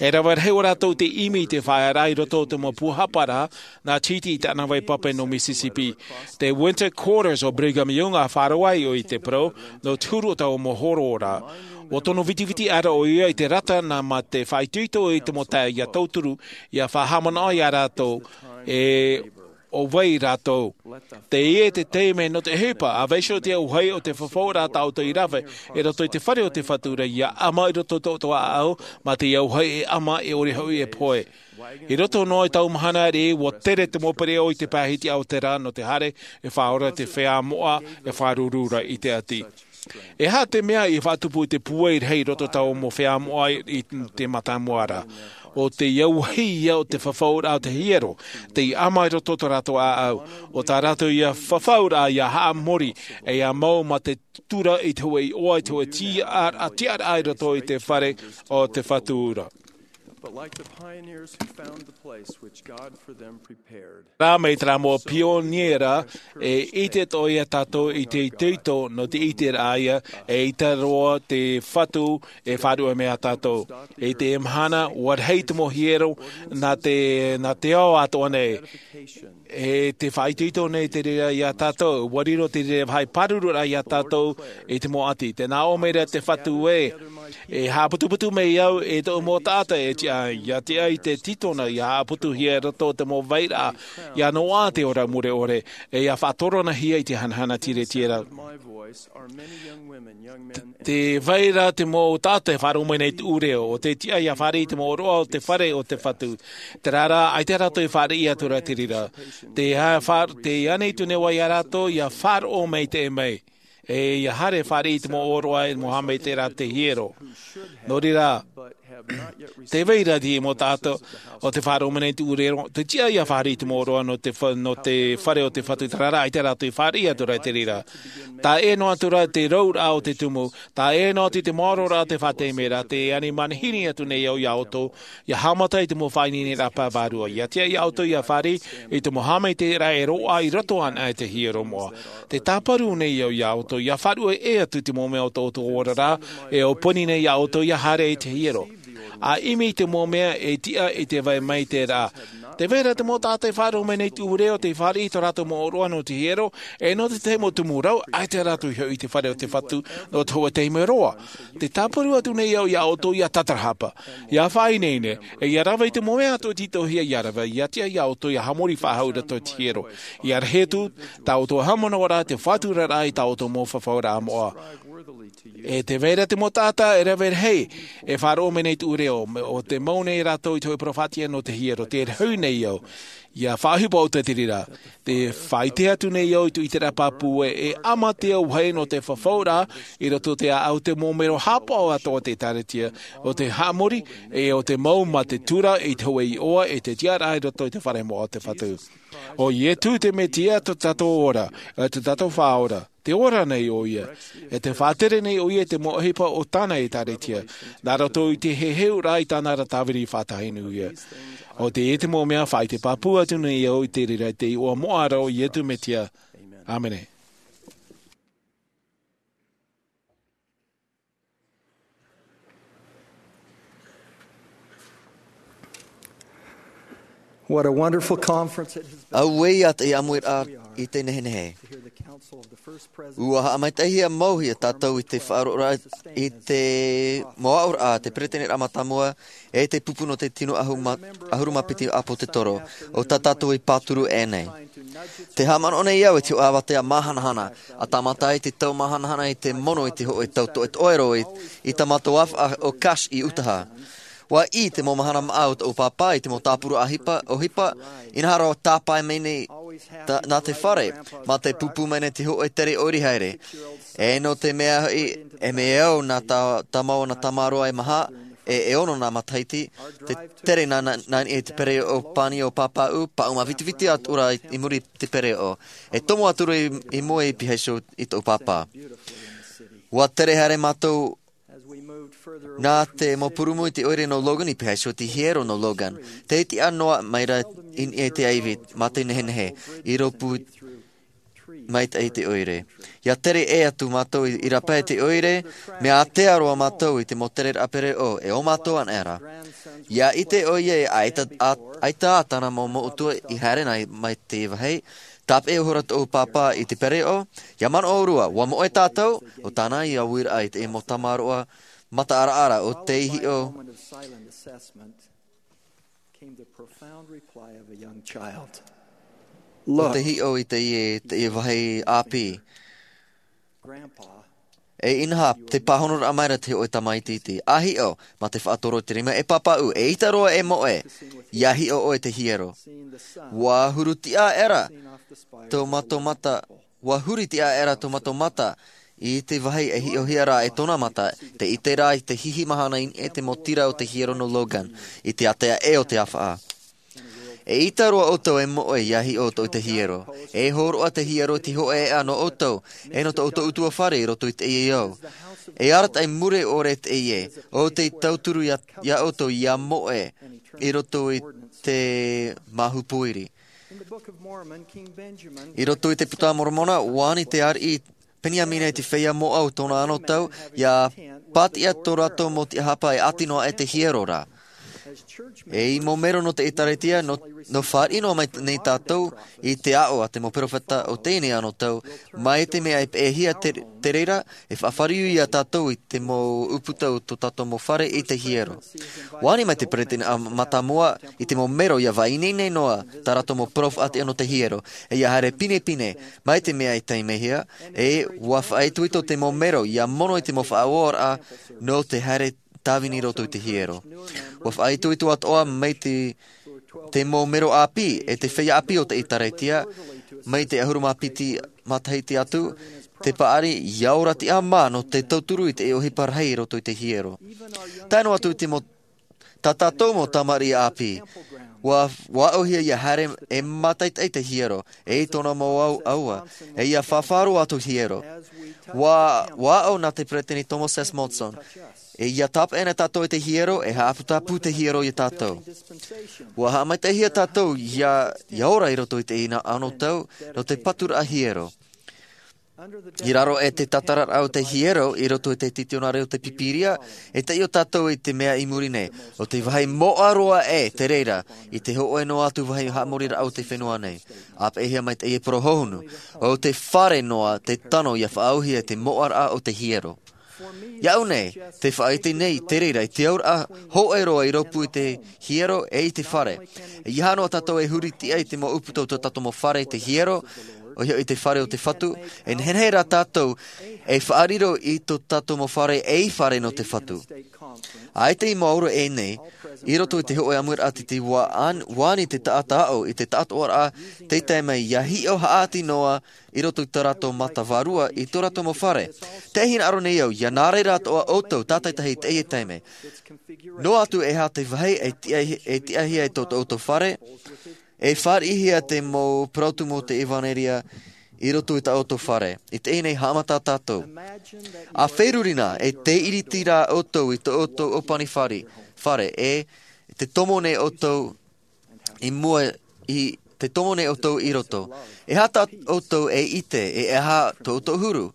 E rave rahi ʻo rātou te ʻimi i te faʻaearaʻa i roto o te mau pūhaparaʻa, nā Chiti i tāna vai pape nō Mississippi. Te Winter Quarters o Brigham Young a faʻaroʻo ai i te parau, nō te huru o taua mau hororaʻa. ʻUa tono vitiviti ʻara ʻo ia i te rata nā mā te faʻaitoito i te mau taeaʻe ia tauturu, ia faʻahaʻamanaʻo iā rātou, e ʻo vai rātou. Teie te taime nō te ʻohipa, ʻa vaiiho te auahi o te fafauraʻa tā ʻoutou i rave, i roto i te fare o te Fatu ra ia ʻama i roto tō ʻoutou ʻāʻau, mā te auahi e ʻama e ʻore hoʻi e pohe. I roto noa i taua mahana ariʻi, ʻua tere te mau pereʻoʻo i te pae hitiʻa o te rā nō te haere, e faʻaora te feiā moʻa, e faʻaruru ra i te ʻati. E aha te mea i faʻatupu i te pūai rahi i roto taua mau feiā moʻa i te mātāmua ra? ʻO te auahi ia o te fafauraʻa o te hiero, tei ʻama i roto tō rātou ʻāʻau, ʻo tā rātou ia fafauraʻa ia haʻamori, e ia mau mā te tura i te hoʻe iʻoa, i te hoʻe tiʻa-, tiʻaraʻa i roto i te fare o te Fatu ra. But like the pioneers who found the place which God for them prepared. Rā mai terā mau pioniera, e ʻite atoʻa ia tātou i te itoito nō te ʻiteraʻa ia, e ʻaita roa te Fatu e faʻaruʻe mai iā tātou. I te mahana, ʻua rahi te mau hiero nā te, nā te ao atoʻa nei. E te faʻaitoito nei te reira iā tātou, ʻua riro te reira vāhi pārururaʻa iā tātou i te mau ʻati. Tē nā ʻō mai ra te Fatu ē, e haʻaputuputu mai au e tōʻu mau taʻata e tiʻa, ia tiʻa i te tītona, ia haʻaputuhia i roto o te mau vairaʻa, ia noaʻa te ora mure ʻore, e ia faʻatoronahia i te hanahana tiretiera. Te vai ra te mau taʻata e faʻaroʻo mai nei tuʻu reo, ʻo te tiʻa ia fāriʻi i te mau ʻōroʻa o te fare o te Fatu. Terā rā, ʻaita rātou i fāriʻi atu ra te reira. Te ha-, fa-, tē ani atu nei au iā rātou, ia faʻaroʻo mai te mai. E ia haere fāriʻi i te mau ʻōroʻa e mau haʻamaitaʻiraʻa te hiero. Nō reira, tē vai ra te mau taʻata, ʻo te faʻaroʻo mai nei tuʻu reo, te tiʻa ia fāriʻi i te mau ʻōroʻa nō te fa-, nō te fare o te Fatu, terā rā, ʻaita rātou i fāriʻi atu ra te reira. Taʻa ʻē noa atu ra te rauraʻa o te tumu, taʻa ʻē noa atu te maororaʻa o te faʻateitei ra, tē ani manihini atu nei au iā ʻoutou, ia haʻamata i te mau faʻaineineraʻa pae vārua. Ia tiʻa iā ʻoutou ia fāriʻi i te mau haʻamaitaʻiraʻa e roaʻa i roto anaʻe i te hiero moʻa. Tē tāparu nei au iā ʻoutou, ia faʻaruʻe atu te mau mea o tō ʻoutou oraraʻa, e ʻōpani nei iā ʻoutou ia haere i te hiero. ʻA ʻimi i te mau mea e tiʻa i te vai mai te rā. Tē vai ra te mau taʻata e faʻaroʻo mai nei tuʻu reo, tei fāriʻi i tō rātou mau ʻōroʻa nō te hiero, e nō te tahi mau tumu rau, ʻaita rātou i hoʻi i te fare o te Fatu, nō te hōʻē taime roa. Tē tāparu atu nei au iā ʻoutou ia tatarahapa, ia faʻaineine, e ia rave i te mau mea atoʻa e tītauhia ia rave, ia tiʻa iā ʻoutou ia haʻamori faʻahou i roto i te hiero. Ia rahi atu, tā ʻoutou haʻamanaʻoraʻa te faʻaturaraʻa i tā ʻoutou mau fafauraʻa moʻa. E tē vai ra te mau taʻata e rave rahi, e faʻaroʻo mai nei tuʻu reo, me-, ʻo tē mau nei rātou i te hōʻē parau faʻatiʻa nō te hiero, tē rahi nei au. Ia faʻaʻohipa ʻoutou i te reira. Te faʻaʻite atu nei au i te ʻiteraʻa pāpū ē, e ʻāmui te au hei nō te fafauraʻa i roto i te ʻāʻau te mau mero haʻapaʻo atoʻa o te ʻĒkālesia, o te haʻamori, e o te mau mā te tura i te hōʻē iʻoa e te tiʻaraʻa i roto i te fare moʻa o te Fatu. ʻO Ietu te Mesia tō tātou ora, e tō tātou Faʻaora. Te ora nei ʻo ia, e te faʻatere nei ʻo ia i te mau ʻohipa o tāna ʻĒkālesia, nā roto i te heheuraʻa i tāna ra tāviri faʻatahinuhia. ʻO teie te mau mea faʻaʻite pāpū atu nei au i te reira i te iʻoa moʻa ra ʻo Ietu Mesia. ʻĀmene. What a wonderful conference it has been. Auē ia te ʻāmuiraʻa i te nehenehe. To hear the counsel of the first president. ʻUa haʻamaitaʻihia mau hia tātou i te faʻaroʻoraʻa i te mau aʻoraʻa a te peresideni mātāmua, e te pupu nō te tino ʻahuru mā, ʻahuru mā piti ʻāpōsetolo. ʻO tā tātou i pāturu aʻenei. Te haʻamanaʻo nei au i te hōʻē avatea māhanahana, ʻa tāmata ai te tau māhanahana i te mono i te hōʻē tau toʻetoʻero i, i tā mātou ʻāfaʻa ʻo Cache i Utaha. ʻUa ʻī te mau mahana māʻa o tōʻu pāpā i te mau tāpura ʻohipa, ʻohipa, inaha rā tāpae mai nei tā, nā te fare, mā te pūpū mai nei te hōʻē tere ʻoire haere. E nō te mea hoʻi, e mea au nā tā, tāmau nā tamaroa e maha, e, e ono nā matahiti, te tere nā, nā, nā niʻa i te pereoʻo pani o pāpaʻu, paʻuma vitiviti atu ra i, i muri i te pereoʻo. E tomo atu ra i, i mua i Piha iho i tōʻu pāpā. ʻUa tere haere mātou nā te mau purumu i te ʻoire nō Logan i Piha iho te hiero nō Logan. Te tiʻa noa mai ra i niʻa i te ʻaivi, mā te nehenehe, i rōpū maitaʻi te ʻoire. ʻIa tere ʻē atu mātou i, i rāpae te ʻoire, mea ātea roa mātou i te mau tereraʻa pereoʻo, e ʻo mātou anaʻe ra. ʻIa ʻite ʻoia e ʻaita, ʻa, ʻaita ā tāna mau moʻotua i haere nei mai te vāhi, tāpeʻa ihora tōʻu pāpā i te pereoʻo, ʻia manaʻo ʻōrua, ʻua moʻe tātou, ʻo tāna ia uiraʻa i te mau tamaroa mataʻaraʻara ʻo tei hiʻo. Came the profound reply of a young child. ʻO tei hiʻo i teie, teie vāhi ʻāpī. Grandpa, e inaha, te pāhonoraʻa mai ra te hōʻē tamaiti iti. ʻA hiʻo, mā te faʻatoro i te rima, e pāpaʻu, eʻita roa e moʻe, ʻia hiʻo ʻoe i te hiero. ʻUa huru tiʻa aʻera tō mātou mata, ʻua huri tiʻa aʻera tō mātou mata, i te vāhi e hiʻohia ra e tōna mata, tē ʻite ra i te hihi mahana i niʻa i te mau tira o te hiero nō Logan, i te ātea ʻē o te ʻāfaʻa. Eʻita roa ʻoutou e moʻe ʻia hiʻo ʻoutou i te hiero. E hōroʻa te hiero i te hōʻē ʻēʻa nō ʻoutou, e nō tō ʻoutou ʻutuāfare i roto i teie ao. E arataʻi mure ʻore teie, ʻo tei tauturu ia, ia ʻoutou ʻia moʻe, i roto i te māhu pōiri. I roto i te Puta a Moromona, ʻua ani te ariʻi Peniamina i te feiā moʻa o tōna anotau, ʻia pātiʻa tō rātou mau tiʻahapa e ʻati noa aʻe te hiero ra. E mau mero nō te ʻĒkālesia, nō, nō fāriʻi noa mai nei tātou i te aʻo a te mau perofeta o teie nei anotau, mai te mea e peʻehia te, te reira, e faʻafāriu ia tātou i te mau ʻūputa o tō tātou mau fare i te hiero. ʻUa ani mai te peresideni mātāmua i te mau mero ʻia faʻaineine noa tā rātou mau perofeta nō te hiero, e ʻia haere pinepine, mai te mea e taimahia, e ʻua faʻaitoito te mau mero ʻia mono i te mau faʻaoraraʻa nō te haere tāvini i roto i te hiero. ʻUa faʻaitoito atoʻa mai te, te mau mero ʻāpī, e te feiā ʻāpī o te ʻĒkālesia, mai te ʻahuru mā piti matahiti atu, te paʻari ʻia ora tiʻa mā nō te tauturu i te ʻohipa rahi i roto i te hiero. Tae noa atu i te mau, tā tātou mau tamariʻi ʻāpī, ʻua, ʻua aʻohia ʻia haere e mātaʻitaʻi te hiero, e i tōna mau au, aua, e ʻia faʻaroʻo atu hiero. ʻUa, ʻua aʻo nā te peresideni Thomas S. Monson, e ʻia tāpeʻa na tātou i te hiero, e haʻaputapū te hiero ia tātou. ʻUa haʻamaitaʻihia tātou ʻia, ʻia ora i roto i teie anotau, nō te paturaʻa hiero. I raro aʻe i te tātararaʻa o te hiero, i roto i te titionare o te Pīpīria, e taiʻo tātou i te mea i muri nei, ʻo te vāhi moʻa roa aʻe te reira, i te hōʻē noa atu vāhi haʻamoriraʻa o te fenua nei. ʻA peʻehia mai teie parau hohonu, ʻo te fare noa te tano ʻia faʻaauhia i te moʻaraʻa o te hiero. Iāʻu nei, te faʻaʻite nei te reira i te auraʻa hōʻē roa i rōpū i te hiero e i te fare. E ʻeiaha noa tātou e huri tiʻa i te mau ʻūputa o tō tātou mau fare i te hiero, ʻoia hoʻi te fare o te Fatu, e nehenehe rā tātou e faʻariro i tō tātou mau fare ei fare nō te Fatu. ʻAita i mau ora ʻēnei, i roto i te hōʻē ʻāmuiraʻa titi, ua ani te taʻata aʻo i te taʻatoʻaraʻa, tei tae mai ʻia hiʻo haʻati noa i roto i tō rātou mata vārua i tō rātou mau fare. Tē hinaʻaro nei au, ʻia nā reira atoʻa ʻoutou tātaitahi i teie taime. Noa atu e aha te vāhi e tiʻa-, e tiʻahia e tō, tō ʻoutou fare, e fāriʻihia te mau parau tumu o te ʻevanelia i roto i tā ʻoutou fare. I teie nei haʻamata tātou. ʻA feruri na, e tē iriti ra ʻoutou i tō ʻoutou ʻōpani fare, fare, e te tomo nei ʻoutou i mua, i te tomo nei ʻoutou i roto. E aha tā ʻoutou e ʻite, e aha tō ʻoutou huru?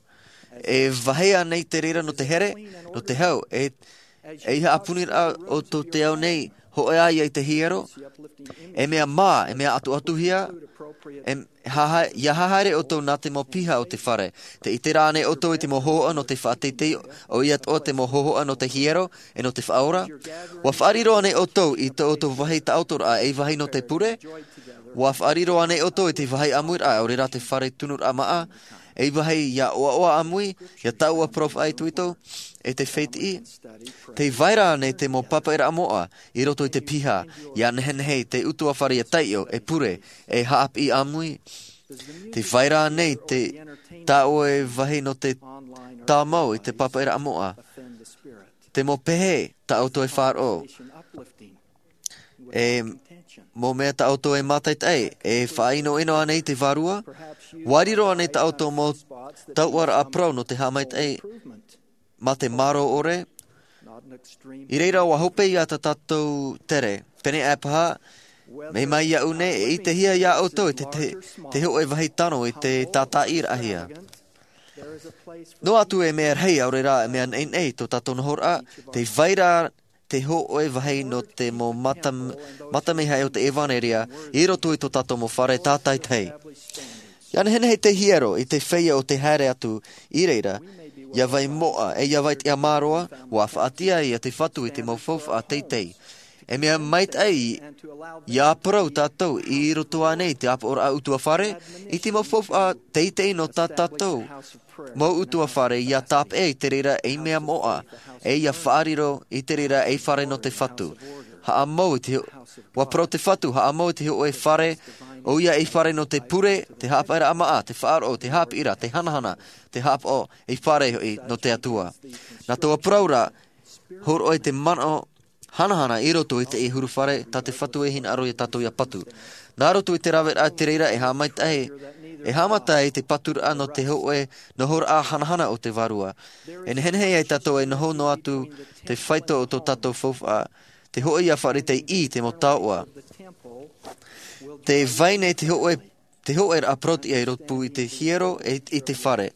E vāhi ānei te reira nō te here, nō te hau, e, e haʻapūniraʻa ʻoutou te ao nei, hōʻē ā ia i te hiero, e mea mā, e mea atuatuhia, e haha-, ʻia hahaere ʻoutou nā te mau piha o te fare. Tē ʻite ra ānei ʻoutou i te mau hōhoʻa nō te faʻateitei, ʻoia atoʻa te mau hōhoʻa nō te hiero, e nō te faʻaora? ʻUa faʻariro ānei ʻoutou i tō ʻoutou vāhi taʻotoraʻa ei vāhi nō te pure? ʻUa faʻariro ānei ʻoutou i te vāhi ʻāmuiraʻa, ʻaore rā te fare tunuraʻa māʻa, ei vāhi ʻia ʻoaʻoa ʻāmui, ʻia taʻua parau faʻaitoito, e te fētiʻi? Tē vai ra ānei te mau pāpaʻiraʻa moʻa i roto i te piha, ʻia nehenehe te ʻutuāfare ʻia taiʻo, e pure, e haʻapiʻi ʻāmui? Tē vai ra ānei te, tā ʻoe vāhi nō te tāmau i te pāpaʻiraʻa moʻa? Te mau pehe tā ʻoutou e faʻaroʻo. E mau mea tā ʻoutou e mātaʻitaʻi, e faʻaʻinoʻino ānei te Vārua? ʻUa riro ānei tā ʻoutou mau tauʻaraʻa parau nō te haʻamaitaʻi mā te mārō ʻore? I reira ʻua hope ia tā tātou tere. Pēnei aʻe paha, mai, mai iāʻu nei, e ʻitehia iā ʻoutou te, te, te hōʻē vāhi tano i te tātaʻiraʻahia. Noa atu e mea rahi, ʻaore rā e mea neʻineʻi tō tātou nohoraʻa, tē vai ra te hōʻē vāhi nō te mau mātam-, mātāmihai o te ʻevanelia i roto i tō tātou mau fare tātaitahi. ʻIa nehenehe te hiero i te feiā o te haere atu i reira, ʻia vai moʻa, e ʻia vai tiʻamāroa, ʻua faʻatiʻa ia te Fatu i te mau faufaʻa teitei. E mea maitaʻi ʻia parau tātou i roto ānei i te ʻāpoʻoraʻa ʻutuāfare, i te mau faufaʻa teitei nō tā tātou mau ʻutuāfare ʻia tāpeʻa i te reira ei mea moʻa, e ʻia faʻariro i te reira ei fare nō te Fatu. Haʻamau i te ho-, ʻua parau te Fatu, haʻamau i te hōʻē fare, ʻoia ei fare nō te pure, te haʻapaʻiraʻa māʻa, te faʻaroʻo, te haʻapiʻiraʻa, te hanahana, te haʻapaʻo, ei fare hoʻi nō te Atua. Nā taua parau ra, hōroʻa i te manaʻo hanahana i roto i te huru fare, tā te Fatu e hinaʻaro ia tātou ʻia patu. Nā roto i te raveraʻa i te reira e haʻamaitaʻi, e haʻamata i te paturaʻa nō te hōʻē nohoraʻa hanahana o te Vārua. E nehenehe ai tātou e noho noa atu te faito o tō tātou faufaʻa, te hōʻē ʻia faʻaʻite i te mau taoʻa. Tē vai nei te hōʻē te hōʻēraʻa parauʻtiʻa i rōpū i te hiero e i te fare.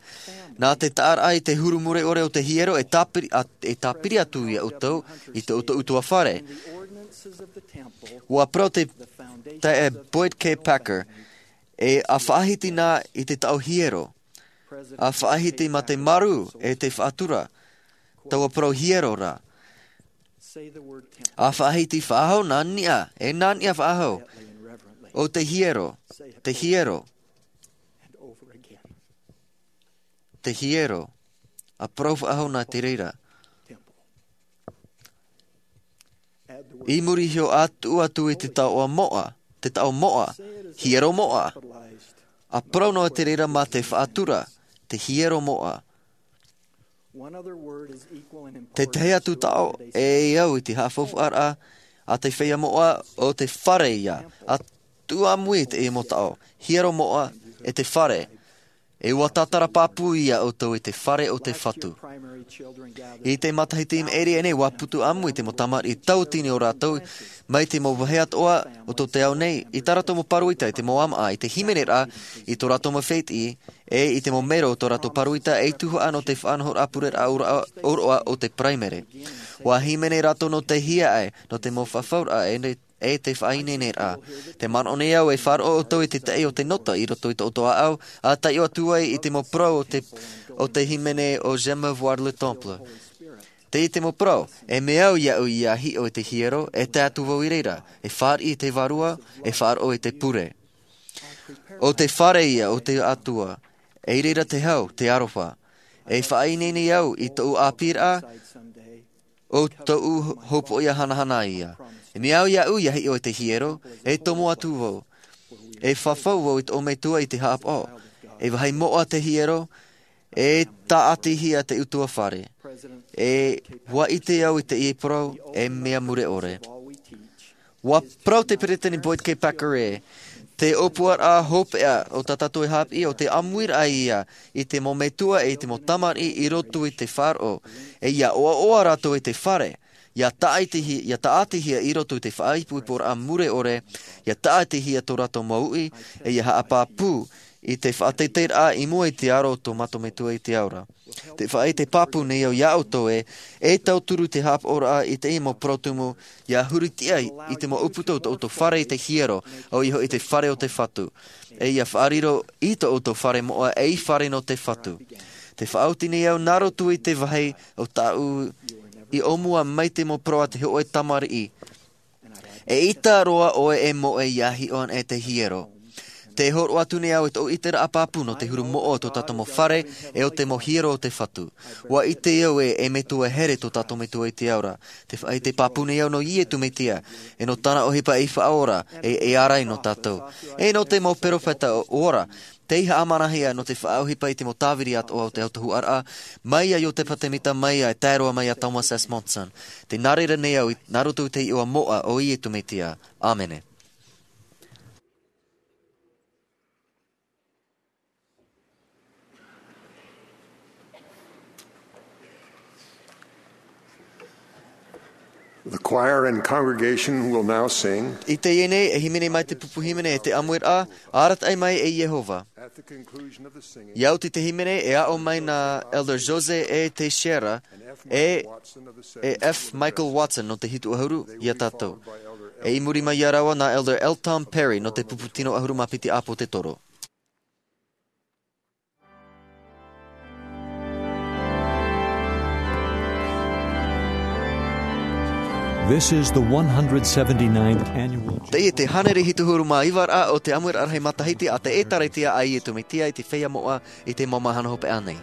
Nā te taʻaraʻa i te huru mure ʻore o te hiero e tāpiri, a, e tāpiri atu ia ʻoutou i tō ʻoutou ʻutuāfare. ʻUa parau te, te, e Boyd K. Packer, e ʻa faʻahiti na i te taʻo hiero. ʻA faʻahiti mā te marū e te faʻatura. Taua parau hiero ra. ʻA faʻahiti faʻahou nā niʻa, e nā niʻa faʻahou. ʻO te hiero, te hiero, te hiero. ʻA parau faʻahou nā te reira. I muri iho atu, atu i te taoʻa moʻa, te taʻo moʻa, hiero moʻa. ʻA parau noa te reira mā te faʻatura, te hiero moʻa. Tētahi atu taʻo e au i te haʻafaufaʻaraʻa a te feiā moʻa, ʻo te fare ia. ʻA tuʻu ʻāmui i te mau taʻo, hiero moʻa, e te fare. E ʻua tātara pāpū ia ʻoutou i te fare o te Fatu. I te matahiti i maʻiri aʻe nei, ʻua putu ʻāmui te mau tamariʻi tauatini o rātou, mai te mau vāhi atoʻa o tō te ao nei, i tā rātou mau pāroita, i te mau ʻāmaʻa, i te hīmeneraʻa, i tō rātou mau fētiʻi, e i te mau mero o tō rātou pāroita, ei tuhaʻa nō te faʻanahoraʻa pureraʻa ʻōroʻa, ʻōroʻa o te paraimere. ʻUa hīmene rātou nō te hiaʻai, nō te mau fafauraʻa, e ne-, e te faʻaineineraʻa. Tē manaʻo nei au e faʻaroʻo ʻoutou i te taʻi o te nota i roto i tō ʻoutou ʻāʻau, ʻa taiʻo atu ai i te mau parau o te, o te hīmene o J'aime voir le temple. Tei te mau parau, e mea au iāʻu ʻia hiʻo i te hiero, e tae atu vau i reira, e fāriʻi i te Vārua, e faʻaroʻo i te pure. ʻO te fare ia o te Atua, e reira te hau, te aroha. E faʻaineine au i tōʻu ʻāpīraʻa, ʻo tōʻu hopoiʻa hanahana ia. E mea au iāʻu ia hiʻo i te hiero, e tomo atu vau. E fafau vau i tōʻu Metua i te haʻapaʻo. E vāhi moʻa te hiero, e tāʻatihia te ʻutuāfare. E ʻua ʻite au i teie parau, e mea mure ʻore. ʻUa parau te Peresideni Boyd K. Packer ē, te ʻōpuaraʻa hopeʻa o tā tātou e haʻapiʻi ʻo te ʻāmuiraʻa ia i te mau metua e i te mau tamariʻi i roto i te faʻaroʻo, e ʻia ʻoaʻoa rātou i te fare, ʻia tāʻatihia, ʻia tāʻatihia i roto i te faʻaipoiporaʻa mure ʻore, ʻia tāʻatihia tō rātou mau uʻi, e ʻia haʻapāpū i te faʻateiteiraʻa i mua i te aro o tō mātou Metua i te ao ra. Te faʻaʻite pāpū nei au iā ʻoutou ē, e tauturu te haʻapaʻoraʻa i teie mau parau tumu, ʻia hurihia i te mau ʻūputa o tō ʻoutou fare i te hiero, ʻoia hoʻi te fare o te Fatu. E ʻia faʻariro i tō ʻoutou fare moʻa ei fare nō te Fatu. Te faʻaoti nei au nā roto i te vāhi o tāʻu i ʻōmua mai te mau parau a te hōʻē tamariʻi. E ʻita roa ʻoe e moʻe ʻia hiʻo anaʻe te hiero. Tē hōroʻa atu nei au i tōʻu ʻiteraʻa pāpū nō te huru moʻa o tō tātou mau fare, e o te mau hiero o te Fatu. ʻUa ʻite au ē, e Metua here tō tātou Metua i te ao ra. Te faʻaʻite pāpū nei au nō Iesu Mesia, e nō tāna ʻohipa ei faʻaora, e, e ārai nō tātou. E nō te mau peropheta ora, tei haʻamanahia nō te faʻaʻohipa i te mau tāviri atoʻa o te autahuʻaraʻa, mai iā Iotefa Temita, mai iā, e tae roa mai iā Thomas S. Monson. Tē nā reira nei au i, nā roto i te iʻoa moʻa o Iesu Mesia. ʻĀmene. The choir and congregation will now sing. I teie nei, e hīmene mai te pupu hīmene e te ʻāmuiraʻa, Arataʻi mai e Iehova. At the conclusion of the singing, ʻia oti te hīmene, e aʻo mai nā Elder Jose E. Teixeira, e, e F. Michael Watson nō te hitu ʻahuru iā tātou. E i muri mai iā rāua nā Elder L. Tom Perry nō te pupu tino ʻahuru mā piti ʻāpōsetolo. This is the one hundred seventy-ninth annual. Teie te hānere hitu ʻahuru mā iva ra o te ʻāmuiraʻa rahi matahiti a te ʻĒtārētia a Iesu Mesia i te feiā moʻa i te mau mahana hopeʻa nei.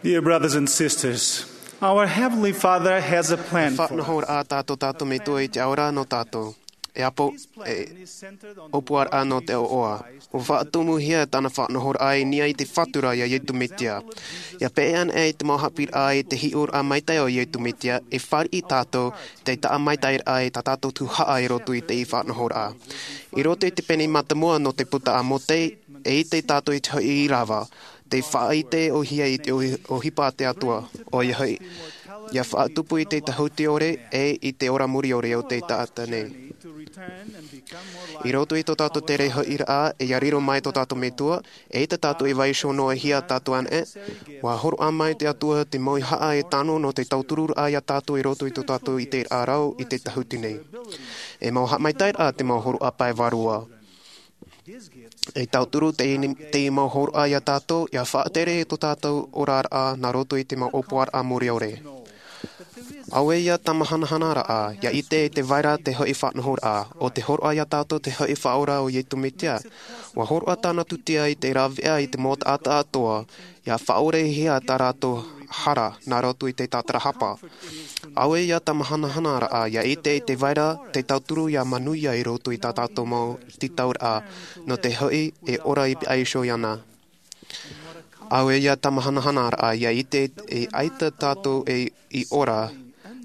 Dear brothers and sisters, our Heavenly Father has a plan for us. Faʻanahoraʻa tā tō tātou Metua i te ao ra nō tātou. E apo, e ʻōpuaraʻa nō te ʻoaʻoa. ʻUa faʻatumuhia tāna faʻanahoraʻa i niʻa i te Fatu ra iā Iesu Mesia. ʻIa peʻe ana i te mau haʻapiʻiraʻa i te hiʻoraʻa maitaʻi o Iesu Mesia, e fāriʻi tātou tei taʻa maitaʻi ra i tā tātou tuhaʻa i roto i te faʻanahoraʻa. I roto i te pene mātāmua nō te puta a Mōse, e ʻite tātou i te hoʻi ʻīrava, tei faʻaʻite ʻōhie i te ʻohi-, ʻohipa a te Atua, ʻoia hoʻi, ʻia faʻatupu i te tāhuti ʻore, e i te ora mure ʻore o te taʻata nei. I roto i tō tātou tere hoʻiraʻa, e ʻia riro mai tō tātou Metua, e ʻaita tātou e vaiiho noa hia tātou anaʻe, ʻua hōroʻa mai te Atua te mau haʻa e tano nō te tautururaʻa iā tātou i roto i tō tātou ʻiteraʻa rau i te tāhuti nei. E mau haʻamaitaʻiraʻa te mau hōroʻa pae vārua. E tauturu te, te mau hōroʻa iā tātou, ʻia faʻatere i tō tātou oraraʻa nā roto i te mau ʻōpuaraʻa mure ʻore. Auē ʻia tāmahanahanaraʻa, ʻia ʻite i te vai ra te hoʻi faʻanahoraʻa, ʻo te hōroʻa iā tātou te hoʻi Faʻaora o Iesu Mesia. ʻUa hōroʻa tāna tūtia i te rāveʻa i te mau taʻata atoʻa, ʻia faʻaorehia tā rātou hara nā roto i te tātarahapa. Auē ʻia tāmahanahanaraʻa, ʻia ʻite i te vai ra te tauturu ʻia manuia i roto i tā tātou mau tītauraʻa, nō te hoʻi e ora i pihaʻi iho iāna. Auē ʻia tāmahanahanaraʻa, ʻia ʻite e ʻaita tātou e i ora,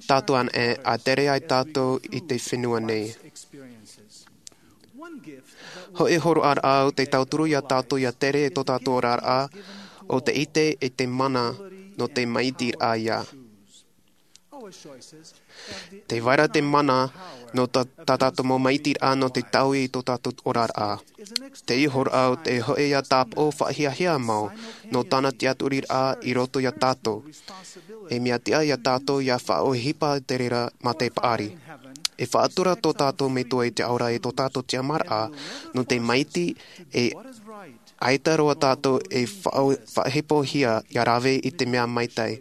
tātou anaʻe, ʻa tere ai tātou i te fenua nei. Hoʻi hōroʻaraʻa o te tauturu iā tātou ʻia tere i tō tātou oraraʻa, ʻo te ʻite e te mana nō te maitiraʻa ia. Te vai ra te mana nō tā, tā tātou mau maitiraʻa nō te taui i tō tātou oraraʻa. Te hōroʻa o te hoʻi ʻia tāpaʻo faʻahiahia mau nō tāna tiʻaturiraʻa i roto iā tātou. E mea tiʻa iā tātou ʻia faʻaʻohipa te reira mā te paʻari. E faʻatura tō tātou Metua i te ao ra e tō tātou tiʻamāraʻa, nō te maitaʻi e ʻaita roa tātou e faʻa-, faʻahepohia ʻia rave i te mea maitaʻi.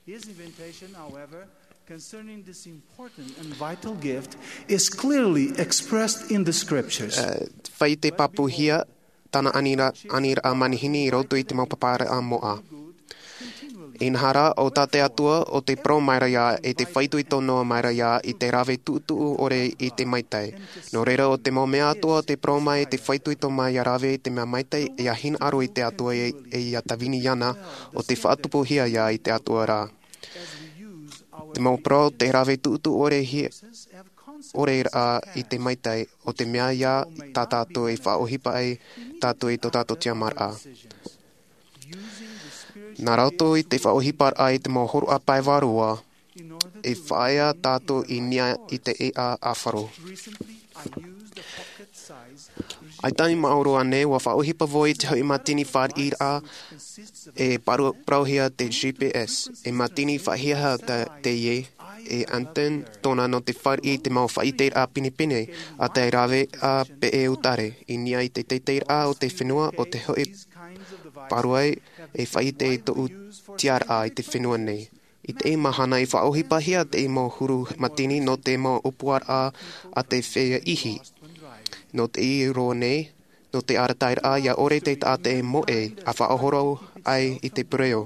His invitation, however, concerning this important and vital gift is clearly expressed in the scriptures. Eh, faʻaite pāpūhia tāna anira-, aniraʻa manihini i roto i te mau pāpāraʻa moʻa. Inaha rā, ʻo tā te Atua, ʻo tē parau mai ra ia, e tē faʻaitoito noa mai ra ia i te rave tuʻutuʻu ʻore i te maitaʻi. Nō reira, ʻo te mau mea atoʻa tē parau mai e tē faʻaitoito mai ʻia rave i te mea maitaʻi, e ʻia hinaʻaro i te Atua e, e ʻia tāvini iāna, ʻo tē faʻatupuhia ia i te Atua ra. Te mau parau, te rave tuʻutuʻu ʻore hia, ʻore rā i te maitaʻi, ʻo te mea ia tā tātou e faʻaʻohipa ai tātou i tō tātou tiʻamāraʻa. Nā roto i te faʻaʻohiparaʻa i te mau hōroʻa pae vārua, e faʻaea tātou i niʻa i te ʻēʻa ʻāfaro. ʻAita i maoro ānei, ʻua faʻaʻohipa vau i te hoʻi mātini fāriʻiraʻa e paru-, parauhia te G P S. E mātini faʻahiahia tā, teie, e antenna tōna nō te fāriʻi i te mau faʻaʻiteraʻa pinepine, ʻa te rāveʻa peʻe utare, i niʻa i te teiteiraʻa o te fenua, ʻo te hoʻi pāruai e faʻaʻite i tōʻu tiʻaraʻa i te fenua nei. I teie mahana i faʻaʻohipahia te mau huru mātini nō te mau ʻōpuaraʻa a te feiā ihi. Nō teie roa nei, nō te arataʻiraʻa ʻia ʻore te taʻata e moʻe, ʻa faʻahoro ai i te pereʻoʻo.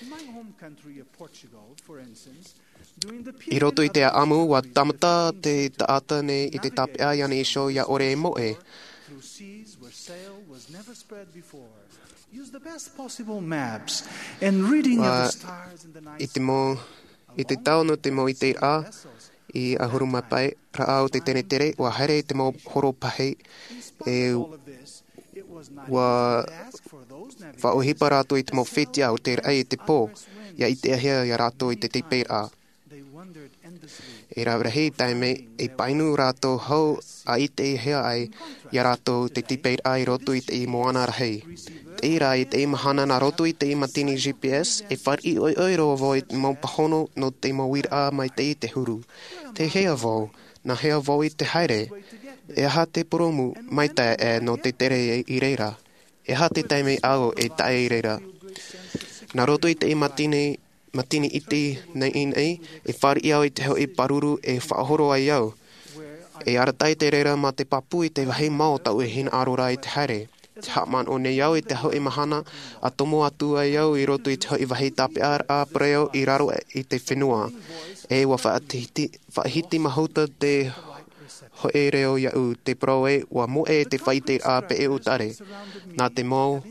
In my home country of Portugal, for instance, during the I roto i te ʻāʻamu, ʻua tāmata te taʻata nei i te tāpeʻa iāna iho ʻia ʻore e moʻe. Through seas where sail was never spread before. Use the best possible maps and reading of the stars in the night sky. I te mau, i te tau nō te mau ʻiteraʻa, i ʻahuru mā pae raʻa o te tenetere, ʻua haere i te mau horo pahi, e ʻua faʻaʻohipa rātou i te mau fetiʻa o te raʻi i te pō, ʻia ʻitehia ia rātou i te tepeiraʻa. E rave rahi taime, e painu rātou hou ʻa ʻitehia ai ia rātou te tepeiraʻa i roto i te moana rahi. Teie rā, i teie mahana nā roto i te mātini G P S, e fāriʻi ʻoiʻoi roa vau i te mau pāhono nō te mau uiraʻa mai teie te huru. Tei hea vau, nā hea vau i te haere? E aha te purōmu maitaʻi nō te tere i reira? E aha te taime ʻāʻau e tae i reira? Nā roto i te mātini, mātini iti nei, nei, e fāriʻi au i te hoʻi pāruru e faʻahoro ai au. E arataʻi te reira mā te pāpū i te vāhi mao taʻu e hinaʻaro ra i te haere. Te haʻamanaʻo nei au i te hoʻi mahana, ʻa tomo atu ai au i roto i te hoʻi vāhi tāpeʻaraʻa pereʻoʻo i raro i te fenua. E ua faʻahiti, faʻahiti mahuta te hoʻi reo iaʻu, te parau ē, ua moʻe te faʻaiteraʻa peʻe ʻutare. Nā te mau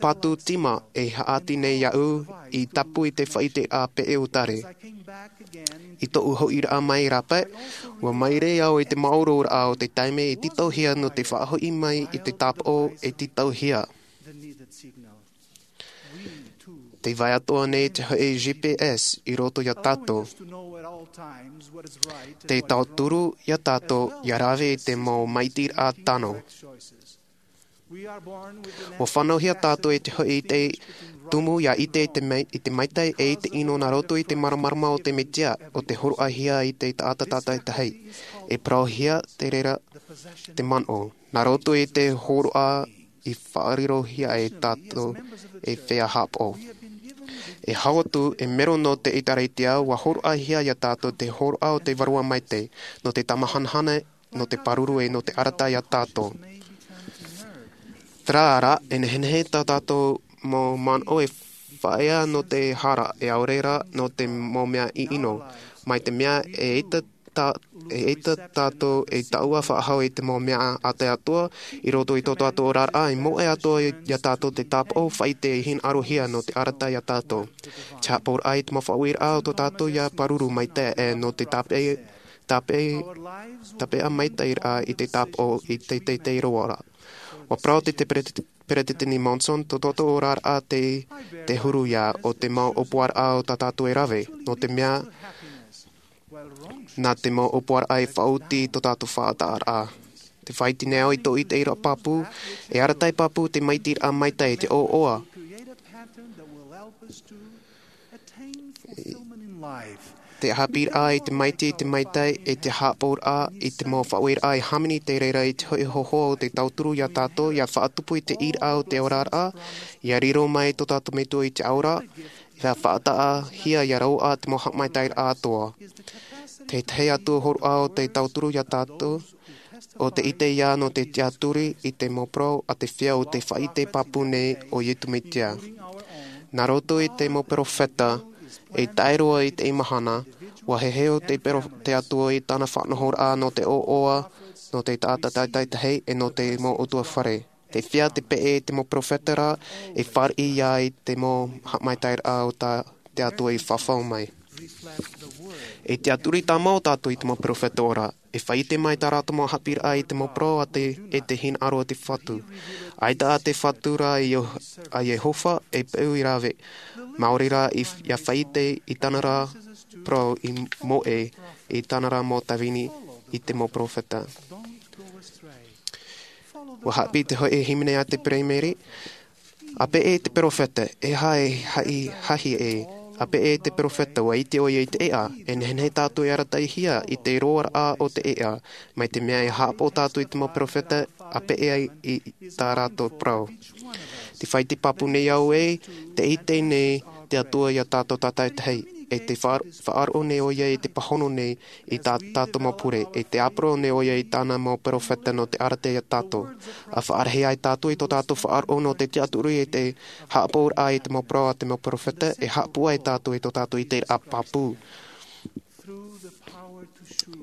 patu tīma e haʻati nei iaʻu i tapu i te faʻaiteraʻa peʻe ʻutare. I tōʻu hoʻiraʻa mai rāpae, ua maere au i te māuruururaʻa o te taime i tītauhia nō te faʻahoʻi mai i te tāpaʻo e tītauhia. Tē vai atoʻa nei te hoʻi G P S i roto iā tātou. Te tauturu iā tātou ʻia rave i te mau maitaʻiraʻa tano. Ua fānauhia tātou i te hoʻi i te tumu ʻia ʻite i te mai-, i te maitai e i te ʻino nā roto i te māramarama o te Mesia, ʻo te hōroʻahia i te taʻata tātaʻitahi. E parauhia te reira te manaʻo. Nā roto i te hōroʻa i faʻarirohia e tātou e feiā haʻapaʻo. E hau atu, e mero nō te ʻĒtārētia, ua hōroʻahia iā tātou te hōroʻa o te Vārua Maitaʻi, nō te tāmahanahana, nō te pāruru e nō te arataʻi iā tātou. Terā rā, e nehenehe tā tātou mau manaʻo e faʻaea nō te hara, e ʻaore rā nō te mau mea ʻino. Mai te mea e ʻaita tā-, e ʻaita tātou e taʻua faʻahou i te mau mea a te Atua, i roto i tō tātou oraraʻa, e moʻe atoʻa iā tātou te tāpaʻo faʻaʻite e hinaʻarohia nō te arataʻi iā tātou. Te haʻapaʻoraʻa i te mau faʻaueraʻa o tō tātou ʻia pāruru maitaʻi e nō te tāpeʻa, tāpeʻa, tāpeʻa maitaʻiraʻa i te tāpaʻo i te teitei roa ra. Ua parau te, te Pereti-, Peresideni Monson, tō tō tātou oraraʻa te, te huru ia, ʻo te mau ʻōpuaraʻa o tā tātou e rave, nō te mea, nā te mau ʻōpuaraʻa e faʻaoti i tō tātou faʻataʻaraʻa. Tē faʻaʻite nei au i tōʻu ʻiteraʻa pāpū, e arataʻi pāpū te maitaʻiraʻa maitaʻi, te ʻoaʻoa. Te haʻapiʻiraʻa i te maitaʻi, te maitaʻi, e te haʻapaʻoraʻa i te mau faʻaueraʻa e hāmani i te reira i te hoʻi hōhoʻa o te tauturu iā tātou, ʻia faʻatupu i te ʻīraʻa o te oraraʻa, ʻia riro mai tō tātou Metua i te ʻaura, ʻia faʻataʻahia ʻia rauaʻa te mau haʻamaitaʻiraʻa atoʻa. Te tahi atu hōroʻa o te tauturu iā tātou, ʻo te ʻite ia nō te tiʻaturi i te mau parau a te feiā o tē faʻaʻite pāpū nei ʻo Iesu Mesia. Nā roto i te mau perofeta, e tae roa i teie mahana, ua heheu te pero-, te Atua i tāna faʻanahoraʻa nō te ʻoaʻoa, nō te taʻata tātaʻitahi, e nō te mau ʻutuāfare. Tē feiā te peʻe i te mau perofeta ra, e fāriʻi ia i te mau haʻamaitaʻiraʻa o tā te Atua i fafau mai. E tiʻaturi tāmau tātou i te mau perofeta ora, e faʻaʻite mai tā rātou mau haʻapiʻiraʻa i te mau parau a te, e te hinaʻaro o te Fatu. ʻAita ā te Fatu ra a Io-, a Iehova, e peu i rave. Maori rā i, ʻia faʻaʻite i tāna ra parau i moʻe, i tāna ra mau tāvini i te mau perofeta. Ua haʻapiʻi te hoʻi hīmene a te Peremere, ʻa peʻe te perofeta, e aha e haʻi-, hahi ē, ʻa peʻe te perofeta, ua ʻite ʻoia i te ʻēʻa, e nehenehe tātou e arataʻihia i te roaraʻa o te ʻēʻa, mai te mea e haʻapaʻo tātou i te mau perofeta, ʻa peʻe ai i, i tā rātou parau. Tē faʻaʻite pāpū nei au ē, tē ʻite nei te Atua iā tātou tātaʻitahi, e tē faʻa-, faʻaroʻo nei ʻoia i te pāhono nei, i tā tātou mau pure, e tē ʻāparau nei ʻoia i tāna mau perofeta nō te arataʻi iā tātou. ʻA faʻarahi ai tātou i tō tātou faʻaroʻo nō te tiʻaturi e te haʻapaʻoraʻa i te mau parau a te mau perofeta, e haʻapūai tātou i tō tātou ʻiteraʻa pāpū.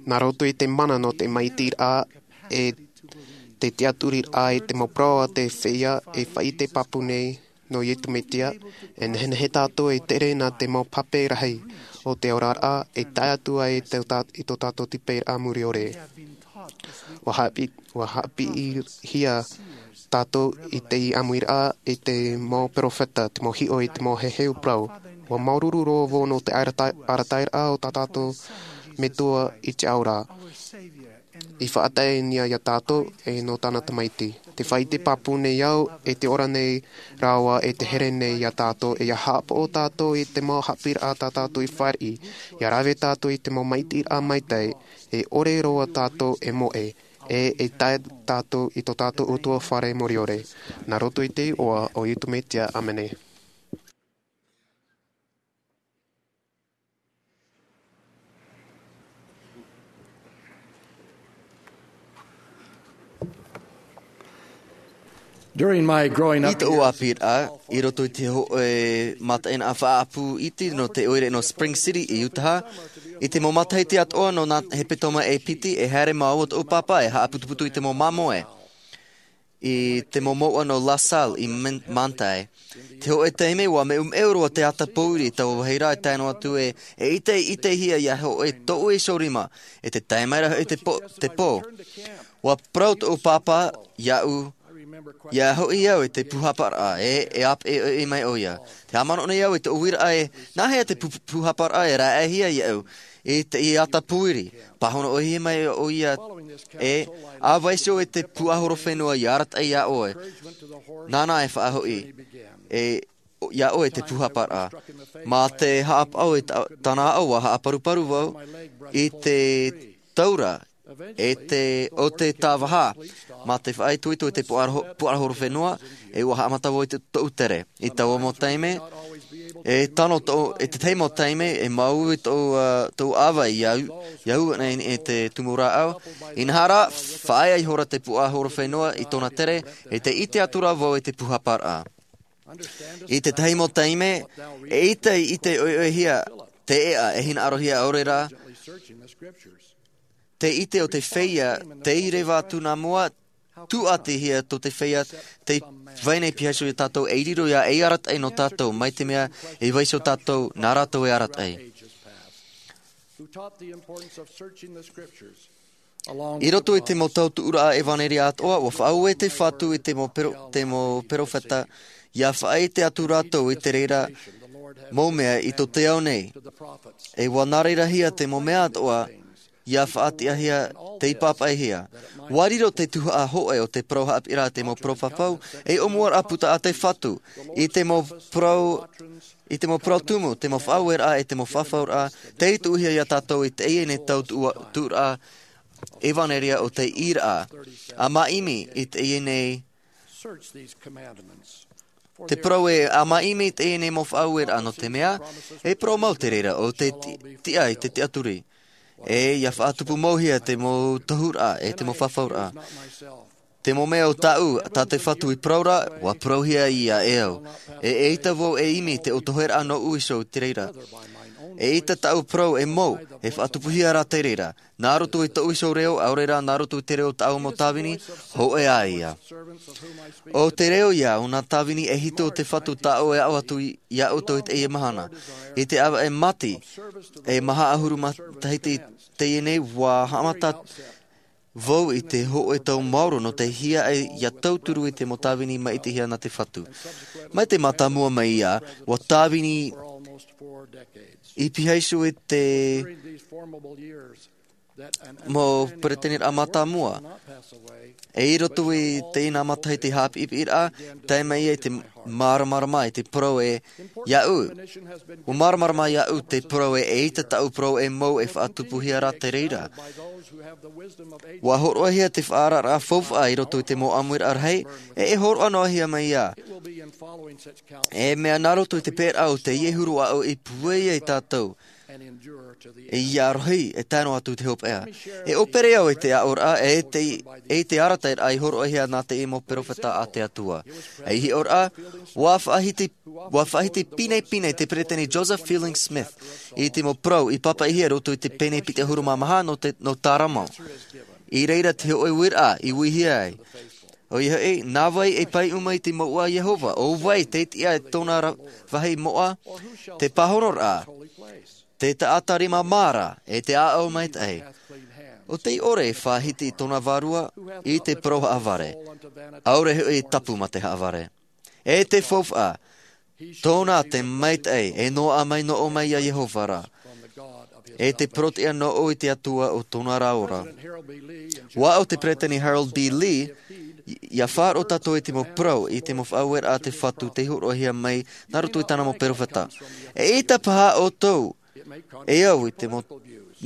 Nā roto i te mana nō te maitaʻiraʻa, e te tiʻaturiraʻa i te mau parau a te feiā, e faʻaʻite pāpū nei, nō Iesu Mesia, e nehenehe tātou e tere nā te mau pape rahi o te oraraʻa, e tae atu ai i tō tā-, i tō tātou tīpeiraʻa muriore. Ua haʻapiʻi-, ua haʻapiʻihia tātou i te ʻāmuiraʻa, i te mau perofeta, te mau hiʻo, i te mau heheu parau. Ua māuruuru roa vau nō te arata-, arataʻiraʻa o tā tātou Metua i te ʻaura. I faʻatae nei iā tātou e nō tāna Tamaiti. Tē faʻaʻite pāpū nei au, e tē ora nei rāua, e tē here nei iā tātou, e ʻia haʻapaʻo tātou i te mau haʻapiʻiraʻa tā tātou i fāriʻi, ʻia rave tātou i te mau maitaʻiraʻa maitaʻi, e ʻore roa tātou e moʻe, e, e tae tātou i tō tātou ʻutuāfare muriore. Nā roto i te iʻoa o Iesu Mesia, ʻāmene. During my growing up, i tōʻu ʻāpīraʻa, i roto i te hōʻē mataʻeinaʻa faʻaʻapu iti nō te ʻoire nō Spring City i Utah, i te mau matahiti atoʻa nō nā hepetoma e piti, e haere māua tōʻu pāpā e haʻaputuputu i te mau māmoe i te mau mouʻa nō La Salle i Manti. Te hōʻē taime ua meumeu roa te ata pōuri i taua vāhi ra e tae noa atu e ʻite ʻitehia ia hōʻē tōʻu iho rima, e te tae mai ra hoʻi te pō. Ua parau tōʻu pāpā iaʻu ia hoʻi au i te pūhaparaʻa e e ʻāpeʻe mai ʻoia. Te haʻamanaʻo nei au i tōʻu uiraʻa e nāhea te pūhaparaʻa e raʻehia iaʻu i te ata pōuri. Pāhono ʻohie mai ʻoia e ʻāvaʻe iho i te pūʻahorofenua ia arataʻi iā ʻoe. Nāna e faʻahoʻi e iā ʻoe te pūhaparaʻa. Mā te haʻapaʻo i tāna aʻo ua haʻaparuparu vau i te taura e te o te tāvaha mā te faʻaitoito i te pūʻahorofenua. E ua haʻamata vau i tōʻu tere i taua mau taime e tano tōʻu e te tahi mau taime e mau i tōʻu ʻāvaʻe iā ʻu nei e te tumu rāʻau. Inaha rā faʻaea ihora te pūʻahorofenua i tōna tere e te ʻite atu rā vau i te pūhaparaʻa. I te tahi mau taime e ʻite i ʻite ʻoiʻoihia te ʻeʻa e hinaʻarohia ʻaore rā te ʻite o te feiā tei reva atu nā mua. Tūʻatihia tō te feiā tei vai nei piha iho iā tātou ei riro ia ei arataʻi nō tātou mai te mea e vai iho tātou nā rātou e arataʻi. I roto i te mau tau tuʻuraʻa ʻevaneria atoʻa ua faʻaue te fatu i te mau perofeta ia faʻaʻite atu rātou i te reira mau mea i tō te ao nei. E ua nā reirahia te mau mea atoʻa ia faʻatiʻahia tei pāpaʻihia. Ua riro te tuhaʻa hoʻe o te parau haʻapiʻiraʻa te mau parau e ʻōmuaraʻa puta a te fatu i te mau parau i te mau parau tumu te mau faʻaueraʻa e te mau fafauraʻa tei tuʻuhia iā tātou i teie nei tau tuʻuraʻa ʻevaneria o te ʻīraʻa a māʻimi i teie nei te parau e a māʻimi i teie nei mau faʻaueraʻa nō te mea e parau mau te reira o te tiʻa i te tiʻaturi e ia faʻatupu mauhia te mau tohuraʻa e te mau fafauraʻa. Te mau mea o tāʻu tā te fatu i parau ra ua parauhia ia e au. E ʻeita vau e ʻimi te ʻotoheraʻa nōʻu iho i te reira. E ʻeita tāʻu parau e mau e faʻatupuhia rā te reira nā roto i tōʻu iho reo ʻaore rā nā roto i te reo tāʻu mau tāvini. Hoʻe ā ia o te reo ia o nā tāvini e hitu o te fatu tāʻu e aʻo atu iā ʻoutou i teie mahana i te ʻāvaʻe mati e maha ʻahuru matahiti teie nei ua haʻamata vau i te hoʻe tau maoro nō te hiaʻai ia tauturu i te mau tāvini maʻitihia nā te fatu. Mai te mātāmua mai ia ua tāvini i piha iho i te mau pereteniraʻa mātāmua. E i roto i teie nā matahiti haʻapiʻipiʻiraʻa tae mai ia i te māramarama i te parau e iā ʻu. Ua māramarama iā ʻu te parau e ʻeita tāʻu parau e mau e faʻatupuhia rā te reira. Ua hōroʻahia te faʻaararaʻa faufaʻa i roto i te mau ʻāmuiraʻa rahi e e hōroʻa noa hia mai ia e mea nā roto i te pēraʻa o teie huru aʻo i puai ai tātou. Ia rohi e tae noa atu te hopeʻa. E ʻōpere au i te aʻoraʻa e i te arataʻiraʻa i hōroʻahia nā teie mau perofeta a te atua. Ei hiʻoraʻa ua faʻahiti ua faʻahiti pinepine te peretiteni joseph fielding smith i te mau parau i pāpaʻihia roto i te pene piti ʻahuru mā maha nō tārama. I reira te hoʻe uiraʻa i uihia ai. ʻOia hoʻi nā vai e paiʻuma i te mouʻa a iehova ʻo vai te tiʻa i tōna vāhi moʻa? Te pāhonoraʻa te taʻata rima māra e te ʻāʻau maitaʻi. ʻO tei ʻore e faʻahiti i tōna vārua i te parau haʻavare ʻaore hoʻi e tapu mā te haʻavare. E te faufaʻa tōna te maitaʻi e noaʻa mai noʻo mai iā iehova rā. E te porotiʻa noʻo i te atua o tōna rā ora. Ua aʻo te peretiteni harold b lee ia faʻaroʻo tātou i te mau parau i te mau faʻaueraʻa a te fatu tei hōroʻahia mai nā roto i tāna mau perofeta. E ʻeita paha ʻoutou e au i te mau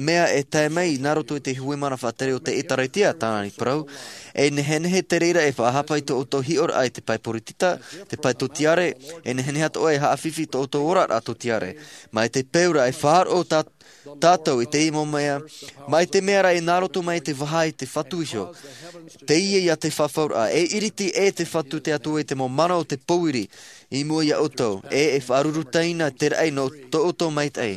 mea e tae mai nā roto i te hui mana faʻatere o te ʻĒtārētia, tāna i parau. E nehenehe te reira e faʻahapa i tō ʻoutou hiʻoraʻa i te pae poritita, te pae tōtiare, e nehenehe atoʻa e haʻafifi i tō ʻoutou oraraʻa tōtiare. Mai te peu ra e faʻaroʻo tā-, tātou i te mau mea, mai te mea ra e nā roto mai te vaha i te Fatu iho. Teie ia te fafauraʻa, e iriti e te Fatu te Atua i te mau mana o te pōiri, i mua ia ʻoutou, e e faʻarurutaina te raʻi nō tō ʻoutou maitaʻi.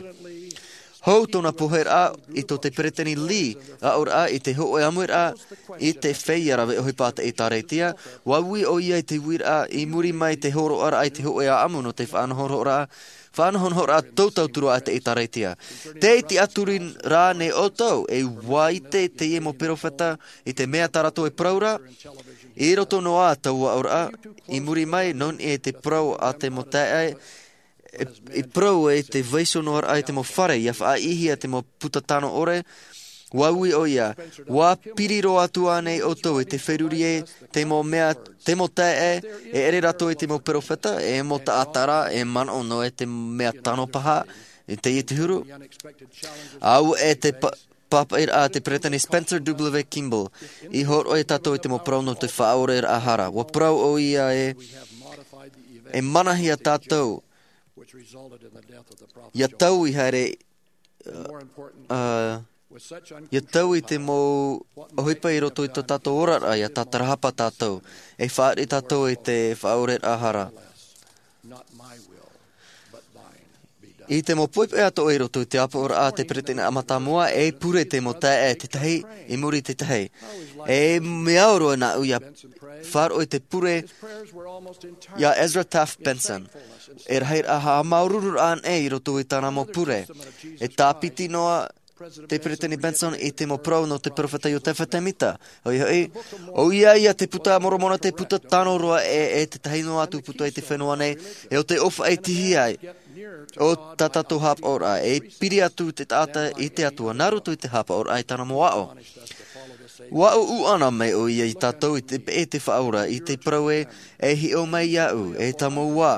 Hou tōna poheraʻa i tō te peretiteni Lee, aʻoraʻa i te hōʻē ʻāmuiraʻa i te feiā rave ʻohipa a te ʻĒtārētia, ʻua ui ʻoia i te uiraʻa i muri mai te hōroʻaraʻa i te hōʻē ʻāʻamu nō te faʻanahonahoraʻa, faʻanahonahoraʻa tōtōtū a te ʻĒtārētia. Tē tiʻaturi rānei ʻoutou, e ʻua ʻite teie mau perofeta i te mea tā rātou e parau ra? I roto noa taua aʻoraʻa, i muri mai, nō niʻa i te parau a te mau taeaʻe, e, e parau e te vaiiho noa raʻa i te mau fare, ʻia faʻaʻīhia te mau puta tano ʻore, ʻua ui ʻoia, ʻua piri roa atu ānei ʻoutou i te feruri e te mau mea, te mau taeaʻe, e ʻere rātou i te mau perofeta, e mau taʻata ra, e manaʻo noa e te mea tano paha, i teie te huru. Auē te pa-, pāpaʻiraʻa a te peretiteni Spencer W. Kimball, i hōroʻa ia tātou i te mau parau nō te faʻaoreraʻa hara. ʻUa parau ʻoia e, e manahia tātou, ʻia taui haere, ā, ʻia taui te mau ʻohipa i roto i tō tātou oraraʻa, ʻia tātarahapa tātou, e fāriʻi tātou i te faʻaoreraʻa hara. I te mau poʻipoʻi atoʻa i roto i te ʻāpoʻoraʻa a te peretiteni mātāmua, e pure te mau taeaʻe tētahi i muri i tētahi. E mea au roa nāʻu ʻia faʻaroʻo i te pure ia Ezra Taft Benson. E rahiraʻa haʻamāuruururaʻa anaʻe i roto i tāna mau pure. E tāpiti noa te peretiteni Benson i te mau parau nō te perofeta Iotefa Tēmita. ʻOia hoʻi, ʻoia ia te Puta a Moromona te puta tano roa e, e tētahi noa atu puta i te fenua nei, e ʻo te ʻōfaʻi tihi ai o tā tātou haʻapaʻoraʻa, e piri atu te taʻata i te Atua, nā roto i te haʻapaʻoraʻa i tāna mau aʻo. ʻUa ʻuʻu ʻana mai ʻoia ia tātou i te peʻe te Faʻaora, i te parau ē, e hiʻo mai iāʻu, e tāmau ā,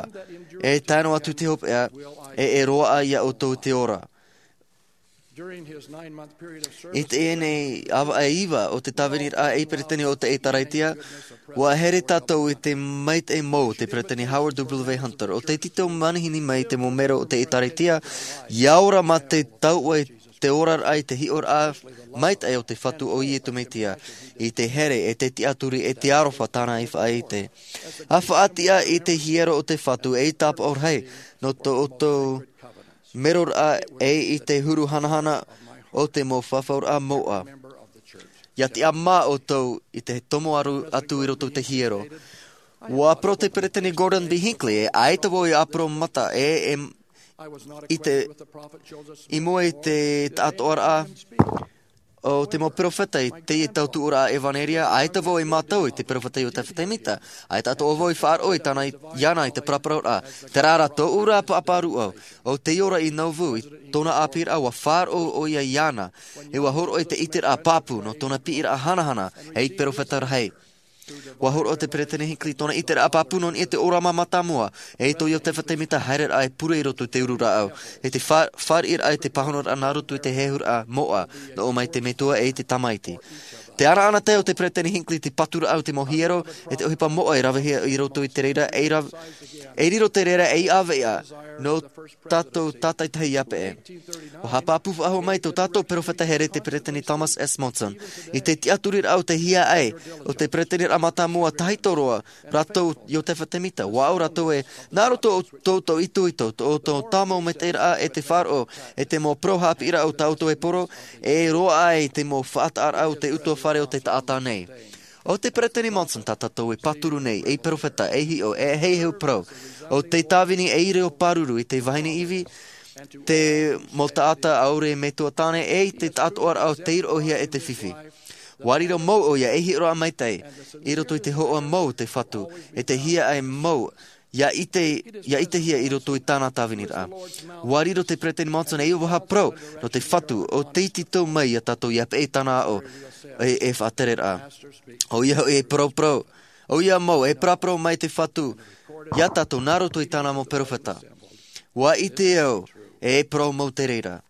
e tae noa atu te hopeʻa, e, e roaʻa ia ʻoutou te ora. I teie nei ʻāvaʻe iva o te tāviniraʻa ei peretiteni o te ʻĒtārētia, ʻua here tātou i te maitaʻi mau o te peretiteni Howard W. Hunter, ʻo tei tītau manihini mai te mau mero o te ʻĒtārētia, ʻia ora mā te tauʻa i te oraraʻa i te hiʻoraʻa maitaʻi o te Fatu ʻo Iesu Mesia, i te here e te tiʻaturi e te aroha tāna i faʻaʻite. ʻA faʻatiʻa i te hiero o te Fatu ei tāpaʻo rahi, nō tō ʻoutou meroraʻa e i te huru hanahana o te mau fafauraʻa moʻa. ʻIa tiʻamā ʻoutou i te tomo aru atu i roto i te hiero. ʻUa parau te peretiteni Gordon B. Hinckley, e ʻaita vau i ʻāparau mata, e, e, i te, i mua i te taʻatoʻaraʻa o te mau perofeta i teie tautuʻaraʻa ʻevanelia, ʻaita vau i mātau i te perofeta Iotefa Tēmita, ʻaita atoʻa vau i faʻaroʻo i tāna i, iāna i te paraparauraʻa. Terā rā tōʻu rā pāpā rūʻau, ʻo tei ora i Nauvoo, i tōna ʻāpīraʻa ʻua faʻaroʻo ʻoia iāna, e ʻua hōroʻa i te ʻiteraʻa pāpū nō tōna piʻiraʻa hanahana ei perofeta rahi. ʻUa hōroʻa te peretiteni Hinckley tōna ʻiteraʻa pāpū nō niʻa i te ʻōrama mātāmua, e tō Iotefa Tēmita haereraʻa e pure i roto i te uru rāʻau, e te fa-, fāriʻiraʻa i te pāhonoraʻa nā roto i te hehuraʻa moʻa, nō ʻō mai te Metua e te Tamaiti. Te anaana tae o te peretiteni Hinckley te paturaʻa o te mau hiero, e te ʻohipa moʻa e ravehia i roto i te reira, e ra-, e riro te reira ei ʻāvaʻe nō tātou tātaitahi ʻia peʻe. ʻUa haʻapāpū faʻahou mai tō tātou perofeta here te peretiteni Thomas S. Monson, i te tiʻaturiraʻa o te hiaʻai o te peretiteniraʻa mātāmua tahito roa rātou Iotefa Tēmita. ʻUa ʻau rātou ē, nā roto o tō ʻoutou itoito, tō ʻoutou tāmau maitaʻiraʻa e te faʻaroʻo, e te mau parau haʻapiʻiraʻa o tā ʻoutou e poro, e roaʻa ai te mau faʻataʻaraʻa o te ʻutuāfare o te taʻata nei. ʻO te peretiteni Monson tā tātou e pāturu nei, ei perofeta, ei hiʻo, e heheu parau. ʻO te tāvini ei reo pāruru i te vahine ivi, te mau taʻata ʻaore e metua tāne, e te taʻatoʻaraʻa o tei roʻohia e te fifi. ʻUa riro mau ʻoia ei hiʻoraʻa maitaʻi, i roto i te hōʻē mau o te Fatu, e te hiaʻai mau, ʻia ʻite, ʻia ʻitehia i roto i tāna tāviniraʻa. ʻUa riro te peretiteni Monson ei vaha parau nō te Fatu ʻo tei tītau mai ia tātou ʻia peʻe i tāna aʻo e, e faʻatereraʻa. ʻOia hoʻi e parauparau, ʻoia mau e parauparau mai te Fatu ia tātou nā roto i tāna mau perofeta. ʻUa ʻite au e parau mau te reira.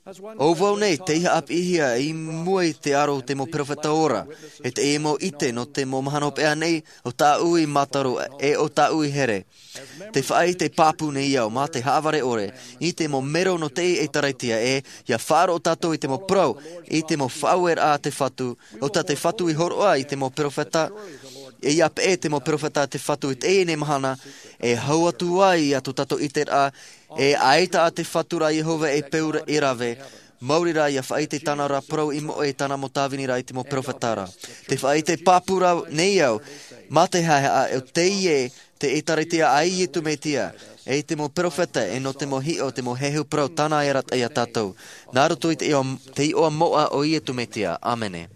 ʻO vau nei tei haʻapiʻihia i mua i te aro o te mau peropheta ora, e te mau ʻite nō te mau mahana hopeʻa nei, ʻo tāʻu i mātaro, e ʻo tāʻu i here. Te faʻaʻite pāpū nei au mā te haʻavare ʻore, i te mau mero nō te ʻēkālesia e, ʻia faʻaroʻo tātou i te mau parau, i te mau faʻaueraʻa a te Fatu, ʻo tā te Fatu i hōroʻa i te mau peropheta, e ʻia peʻe te mau peropheta a te Fatu i teie nei mahana, e hau atu ai i tō tātou ʻiteraʻa, e ʻaita ā te Fatu ra Iehova e peu e rave, maori rā ʻia faʻaʻite tāna ra parau i moʻe i tāna mau tāvini ra i te mau peropheta ra. Te faʻaʻite pāpū ra nei au, mā te haʻehaʻa, ʻo teie te ʻēkālesia a Iesu Mesia, e i te mau peropheta, e nō te mau hiʻo, te mau heheu parau tāna e arataʻi ia tātou. Nā roto i te iʻoa, te iʻoa moʻa o Iesu Mesia. ʻĀmene.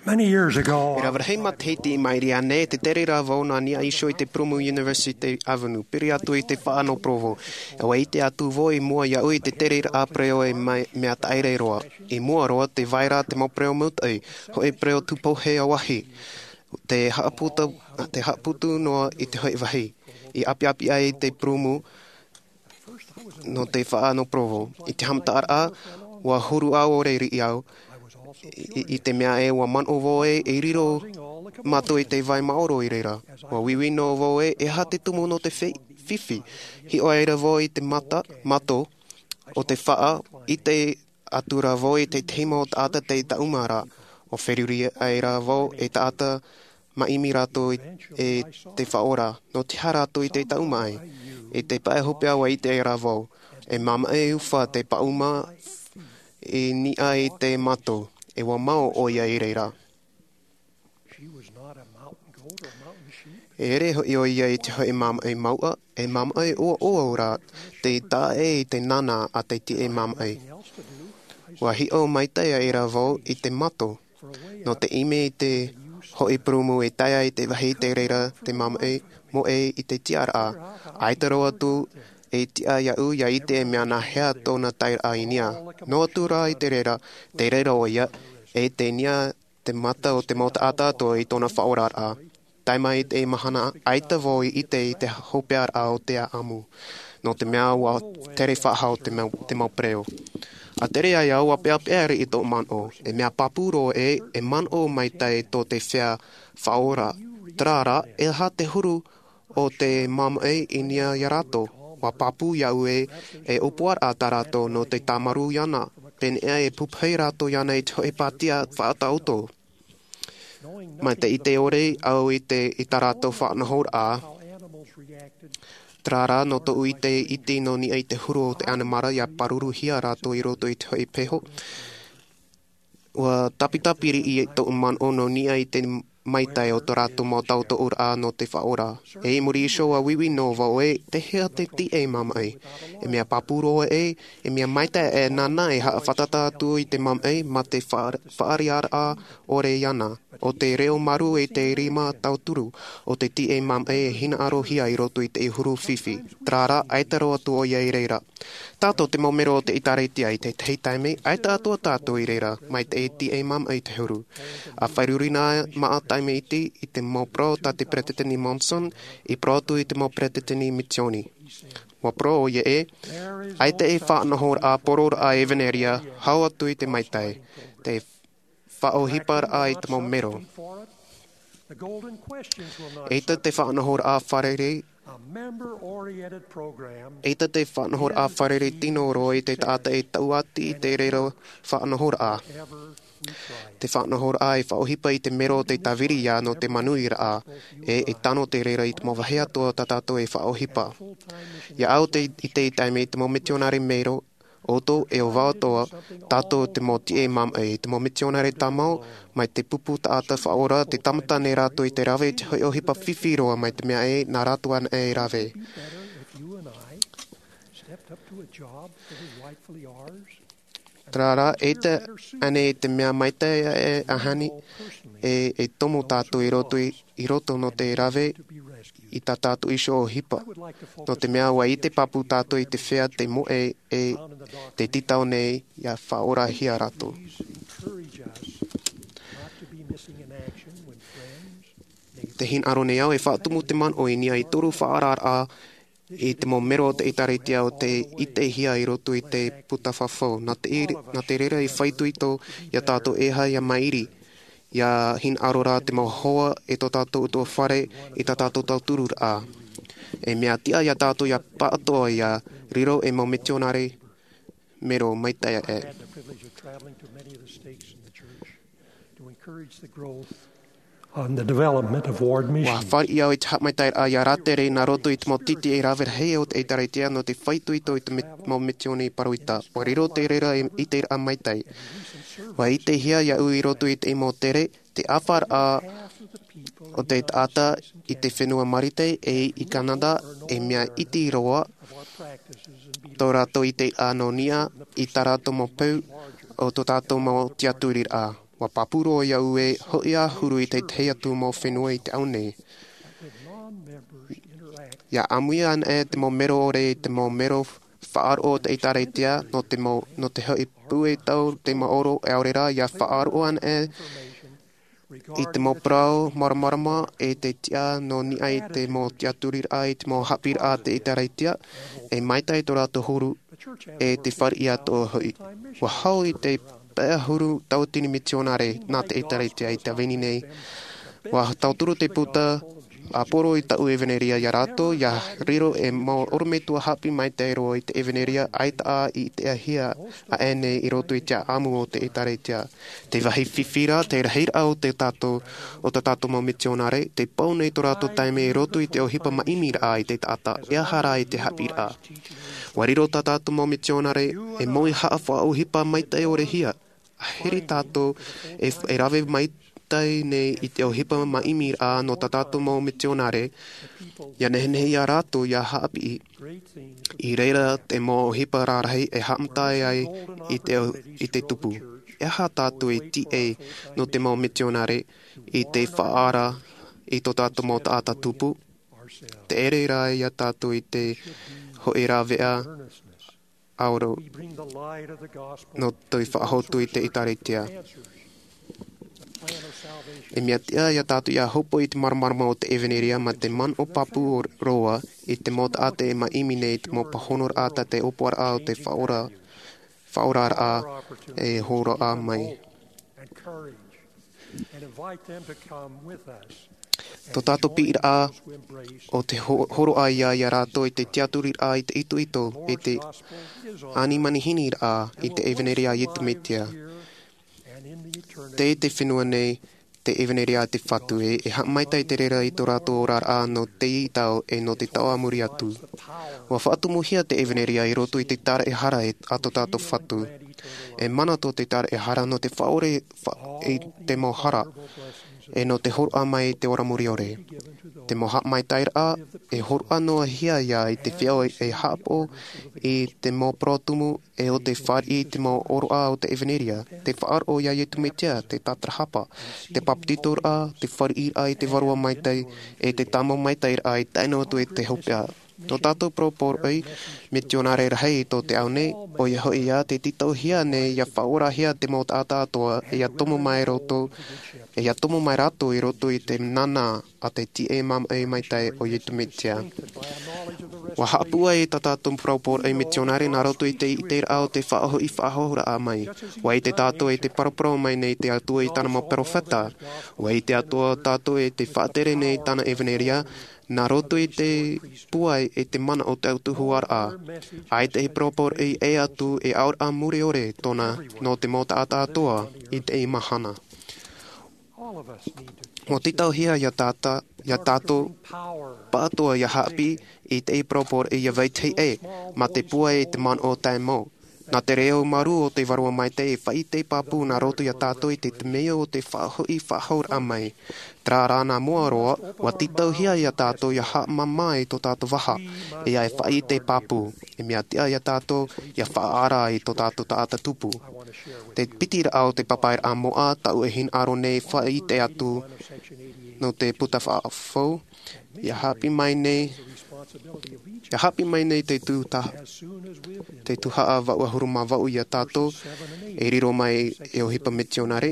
Many years ago, e rave rahi matahiti i maʻiri aʻe nei, tē tere ra vau nā niʻa iho i te Prumu University Avenue, piri atu i te faʻa nō Provo. ʻUa ʻite atu vau i mua iāʻu i te tereraʻa parau e mai, mea taʻa ʻē roa. I mua roa, tē vai ra te mau parau maitaʻi, hōʻē parau tūpohe ʻāvahi. Tē haʻaputu, tē haʻaputu noa i te hōʻē vāhi. I ʻapiʻapi ai te prumu nō te faʻa nō Provo. I te haʻamataraʻa, ʻua huru ʻāvaʻe riʻi au, i, i te mea ē ʻua manaʻo vau ē, e riro mātou i te vai maoro i reira. ʻUa uiui noa vau ē, e aha te tumu nō te fi-, fifi. Hiʻo aʻera vau i te mata, mato, o te faʻa, ʻite atu ra vau i te tahi mau taʻata tei taʻuma ra, ʻua feruri aʻera vau e taʻata maʻimi rātou i, e te Faʻaora. Nō te aha rātou i te taʻuma ai? I te pae hopeʻa ʻua ʻite aʻera vau. E māmaʻi ufa te paʻuma i niʻa i te mato. E ʻua mao ʻoia i reira. E ʻere hoʻi ʻoia i te hōʻē māmaʻi mauʻa, e māmaʻi ʻoaʻoa rā, tei taʻa ʻē i te nānā a te tiʻamāmaʻi. ʻUa hiʻo maitaʻi aʻera vau i te mato. Nō te ʻimi i te hōʻē prumu e tae ai te vāhi tei reira te māmaʻi moʻe i te tiʻaraʻa. ʻAita roa atu e tiʻa iāʻu ʻia ʻite e mea nā hea tōna taeraʻa i niʻa. Noa atu rā i te reira, tei reira ʻoia, e tei niʻa te mata o te mau taʻata atoʻa i tōna faʻaoraraʻa. Tae mai i te mahana, ʻaita vau i ʻite i te hopeʻaraʻa o te ʻāʻamu. Nō te mea ʻua tere faʻahou te mau, te mau parau. ʻA tere ai au ʻua peʻapeʻa riʻi tōʻu manaʻo, e mea pāpū roa ē, e manaʻo maitaʻi tō te feiā faʻaora. Terā rā, e aha te huru o te māmaʻi i niʻa ia rātou? ʻUa pāpū iāʻu ē, e ʻōpuaraʻa tā rātou nō te tāmarū iāna, pēneiaʻe e pupuhi rātou iāna i te hōʻē pātia faʻataʻoto. Mai te ʻite ʻore au i te, i tā rātou faʻanahoraʻa, terā rā nō tōʻu ʻite iti nō niʻa i te huru o te ʻanimara ʻia pāruruhia rātou i roto i te hōʻē peho. ʻUa tāpitapiri i tōʻu manaʻo nō niʻa i te maitaʻi o tō rātou mau tautoʻoraʻa nō te faʻaora. E i muri iho ʻua uiui noa vau ē, te hea te tiʻamāmaʻi. E mea pāpū roa ē, e mea maitaʻi e nāna e haʻafātata atu i te māmaʻi mā te faʻa-, faʻaʻiteʻaraʻa ʻore iāna. ʻO te reo marū e te rima tauturu, ʻo te tiʻamāmaʻi e hinaʻarohia i roto i te huru fifi. Terā rā, ʻaita roa atu ʻoia i reira. Tātou te mau mero o te ʻĒtārētia i te tahi taime, ʻaita atoʻa tātou i reira, mai te tiʻamāmaʻi te huru. ʻA feruri noa maʻa taime iti i te mau parau tā te Peresideni Monson, i parau atu i te mau peresideni misiōni. ʻUa parau ʻoia ē, ʻaita e faʻanahoraʻa poroʻraʻa ʻevanelia, hau atu i te maitaʻi, te faʻaʻohiparaʻa i te mau mero. ʻEita te faʻanahoraʻa fārerei, ʻeita te faʻanahoraʻa fārerei tino roa i te taʻata e tauʻati i te reira faʻanahoraʻa. Te faʻanahoraʻa e faʻaʻohipa i te mero o te tāviri ia nō te manuiraʻa, e, e tano te reira i te mau vāhi atoʻa tā tātou e faʻaʻohipa. ʻIa au te, i te taime i te mau mitionare mero, ʻoutou e ʻo vau atoʻa, tātou te mau tiʻamāmaʻi, te mau mitionare tāmau, mai te pupu taʻata faʻaora, tē tāmata nei rātou i te rave i te hōʻē ʻohipa fifi roa mai te mea ē, nā rātou anaʻe e rave. Terā rā, ʻeita ānei te mea maitaʻi e ahani, e, e tomo tātou i roto i, i roto nō te rave i tā tātou iho ʻohipa. Nō te mea ʻua ʻite pāpū tātou i te feiā tei moʻe e tei tītau nei ʻia faʻaorahia rātou. Te hinaʻaro nei au e faʻatumu te manaʻo i niʻa i toru faʻaararaʻa i te mau mero o te ʻĒtārētia o tei ʻitehia i roto i te puta fafau. Nā te, nā te reira i faʻaitoito iā tātou e aha ia mairi, ia hinaʻaro rā te mau hoa e tō tātou ʻutuāfare i tā tātou tautururaʻa. E mea tiʻa iā tātou ia pāʻatoʻa ia riro ei mau mitionare mero maitaʻi aʻe. Had the privilege of traveling to many of the stakes in the church to encourage the growth and the development of ward missions. Ua fāriʻi au i te haʻamaitaʻiraʻa ia rātere nā roto i te mau tītī e rave rahi o te ʻĒtārētia nō te faʻaitoito i te mi-, mau mitioni pāroita. Ua riro te reira e ʻiteraʻa maitaʻi. Ua ʻitehia iāʻu i roto i te mau tere, te ʻāfaraʻa o te taʻata i te fenua Marite e i Kanata, e mea iti roa tō rātou ʻiteraʻa nō niʻa i tā rātou mau peu o tō tātou mau tiaturiraʻa. Ua pāpū roa iāʻu e hoʻi ā huru i te tahi atu mau fenua i te ao nei. Ia ʻāmui ana e te mau mero ʻore i te mau mero faʻaroʻo o te ʻĒtārētia nō te mau, nō te hoʻi pūai tau te maoro e ʻaore rā, ia faʻaroʻo ana e i te mau parau māramarama e te tiʻa nō niʻa i te mau tiaturiraʻa i te mau haʻapiʻiraʻa a te ʻĒtārētia, e maitaʻi tō rātou huru e te fāriʻi atoʻa hoʻi. Ua hau i te pae ʻahuru tauatini mitionare nā te ʻĒtārētia i te vini nei. Ua tauturu te puta ʻāpōro i tāʻu ʻevaneria iā rātou, ia riro e mau ʻorometua haʻapiʻi maitaʻi roa i te ʻevaneria ʻaita ā i ʻitehia aʻe nei i roto i te ʻāʻamu o te ʻĒtārētia. Te vāhi fifi rā, te rahiraʻa o te tātou, o tā tātou mau mitionare, te pau nei tō rātou taime i roto i te ʻohipa maʻimiraʻa i te taʻata, e aha rā i te haʻapiʻiraʻa. Ua riro tā tātou mau mitionare e moʻe haʻafaʻaʻohipa maitaʻi ʻore hia. Ahiri tātou e, e rave maitaʻi nei i te ʻohipa maʻimiraʻa nō tā tātou mau mitionare, ia nehenehe iā rātou ia haʻapiʻi. I reira te mau ʻohipa rarahi e haʻamata ai i te, i te tupu. E aha tātou e tīaʻi nō te mau mitionare i te faʻaara i tō tātou mau taʻata tupu? Te ʻere rā iā tātou i te hoʻi rāveʻa ʻaore nō te faʻahotu i te ʻĒtārētia. E mea tiʻa iā tātou ia hōpoi i te māramarama o te ʻevaneria mā te manaʻo pāpū roa i te mau taʻata e maʻimi nei i te mau pāhonoraʻa tā te ʻōpuaraʻa o te faʻaora, faʻaoraraʻa e hōroʻa mai. Tō tātou piʻiraʻa o te ho-, hōroʻa ia, iā rātou i te tiaturiraʻa i te itoito, i te ani manihiniraʻa i te ʻevaneria a Iesu Mesia. Tei te fenua nei te ʻevaneria a te Fatu e, e haʻamaitaʻi te reira i tō rātou oraraʻa nō teie tau e nō te tau a muri atu. Ua faʻatumuhia te ʻevaneria i roto i te tāraʻehara e, a tō tātou Fatu. E mana tō te tāraʻehara nō te faʻaʻore fa-, i te mau hara, e nō te hōroʻa mai i te ora mure ʻore. Te mau haʻamaitaʻiraʻa, e hōroʻa noa hia ia i te feiā e haʻapaʻo i te mau parau tumu, e ʻo te fāriʻi i te mau ʻōroʻa o te ʻevaneria, te faʻaroʻo iā Iesu Mesia, te tātarahapa, te bāpetizoraʻa, te fāriʻiraʻa i te vārua maitaʻi, e te tāmau maitaʻiraʻa i tae noa atu i te hopeʻa. Tō tātou parau poroʻi mitionare rahi i tō te ao nei, ʻoia hoʻi ā, tē tītauhia nei ia faʻaorahia te mau taʻata atoʻa, e ia tomo mai roto, e ia tomo mai rātou i roto i te nānā a te tīaʻi māʻohi maitaʻi o Iesu Mesia. Ua haʻapūai tā tātou parau poroʻi mitionare nā roto i te ʻiteraʻa o te faʻahoʻi faʻahouraʻa mai. Ua ʻite tātou e tē paraparau mai nei te Atua i tāna mau perofeta. Ua ʻite atoʻa tātou e tē faʻatere nei tāna ʻevaneria, nā roto i te pūai e te mana o te autahuʻaraʻa. ʻAita e parau poroʻi ʻē atu e auraʻa mure ʻore tōna nō te mau taʻata atoʻa i teie mahana. Ua tītauhia ia tāta-, ia tātou pāʻatoʻa ia haʻapiʻi i teie parau poroʻi ia vetahi ʻē, mā te pūai i te manaʻo tae mau. Nā te reo marū o te vārua maitaʻi e faʻaʻite pāpū nā roto ia tātou i te, te mea o te faʻahoʻi faʻahouraʻa mai. Terā rā nā mua roa, ua tītauhia ia tātou ia haʻamāmā i tō tātou vaha, e ia e faʻaʻite pāpū. E mea tiʻa ia tātou ia faʻaara i tō tātou taʻata tupu. Te piti raʻa o te papaʻiraʻa moʻa, tāʻu e hinaʻaro nei e faʻaʻite atu nō te puta fafau, ia haʻapiʻi mai nei, ia haʻapiʻi mai nei te tū ta-, te tuhaʻa vaʻu ʻahuru mā vaʻu ia tātou, e riro mai e ʻohipa mitionare.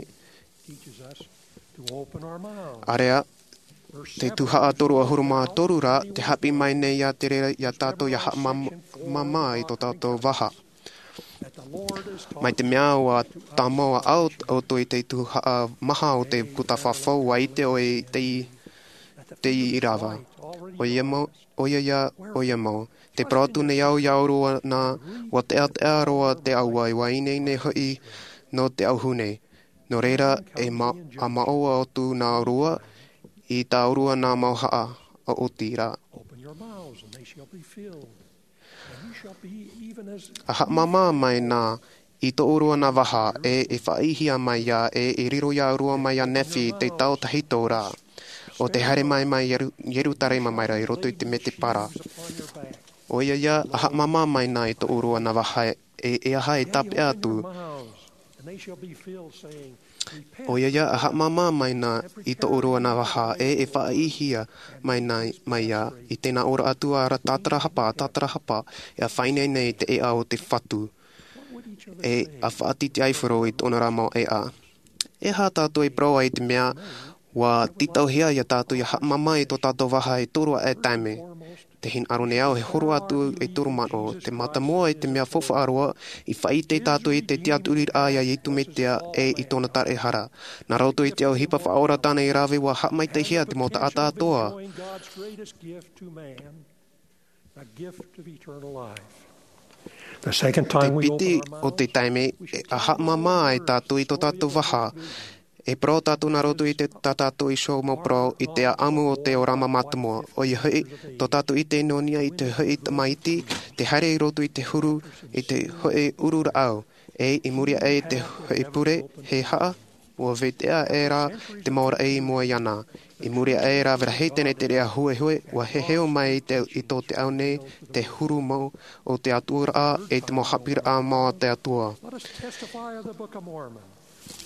ʻĀreʻa, Te tuhaʻa toru ʻahuru mā toru ra, te haʻapiʻi mai nei iā te reira iā tātou ʻia haʻamāmā i tō tātou vaha. Mai te mea ʻua tāmau ʻoutou i te tuhaʻa maha o te puta fafau, ʻua ʻite ʻoe i te, te irava. ʻOia mau, ʻoia ia, ʻoia mau. Te parau atu nei au iā ʻōrua nā, ʻua teʻateʻa roa te ʻāua, ʻua ineine hoʻi nō te auahi nei. Nō reira, e ma-, ʻa māʻoa atu nā ʻōrua i tā ʻōrua nā mauhaʻa ʻaʻoti rā. Open your mouths, and they shall be filled. And you shall be even as ʻA haʻamāmā mai nā i tō ʻōrua nā vaha, e, e faʻaʻīhia mai ā, e, e riro iā ʻōrua mai ā Nephi te tau tahito rā. ʻO te haere mai mai Ieru-, Ierutarema mai ra i roto i te mētēpara. ʻOia ia, ʻa haʻamāmā mai nā i tō ʻōrua nā vaha, e, e aha e tāpeʻa atu. ʻOia ia, ʻa haʻamāmā mai nā i tō ʻōrua nā vaha, e, e faʻaʻīhia mai nā, mai ā, i tēnā ora atu ā ra tātarahapa, tātarahapa, e ʻa faʻaineine i te ʻēʻa o te Fatu. E, ʻa faʻatitiaifaro i tōna rā mau ʻēʻa. E aha tātou e parau ai i te mea, ʻua tītauhia iā tātou ʻia haʻamāmā i tō tātou vaha e toru aʻe taime. Te hinaʻaro nei au e horo atu e toru mano. Te mātāmua i te mea faufaʻa roa, i faʻaʻite tātou i te tiʻaturiraʻa iā Iesu Mesia e i tōna taraehara. Nā roto i te ʻohipa faʻaora tāna i rave ʻua haʻamaitaʻihia te mau taʻata atoʻa. The gift of eternal life. The second Te time we piti open our o te mouth, taime, e, ʻa haʻamāmā ai tātou i tō tātou vaha. E parau tātou nā roto i te, tā tātou iho mau parau i te ʻāʻamu o te ora mātāmua. ʻOia hoʻi, tō tātou ʻite nō niʻa i te hoʻi tamaiti, te haere i roto i te huru, i te hoʻi uru rāʻau. E, i muri aʻe i te hoʻi pure, e aha, ʻua vetea aʻera te mau raʻi i mua iāna. I muri aʻe rā, ʻua rahi tēnei te reira huehue, ʻua heheu mai i te, i tō te ao nei, te huru mau o te Atua ra, e te mau haʻapiʻiraʻa mau a te Atua. Let us testify of the Book of Mormon.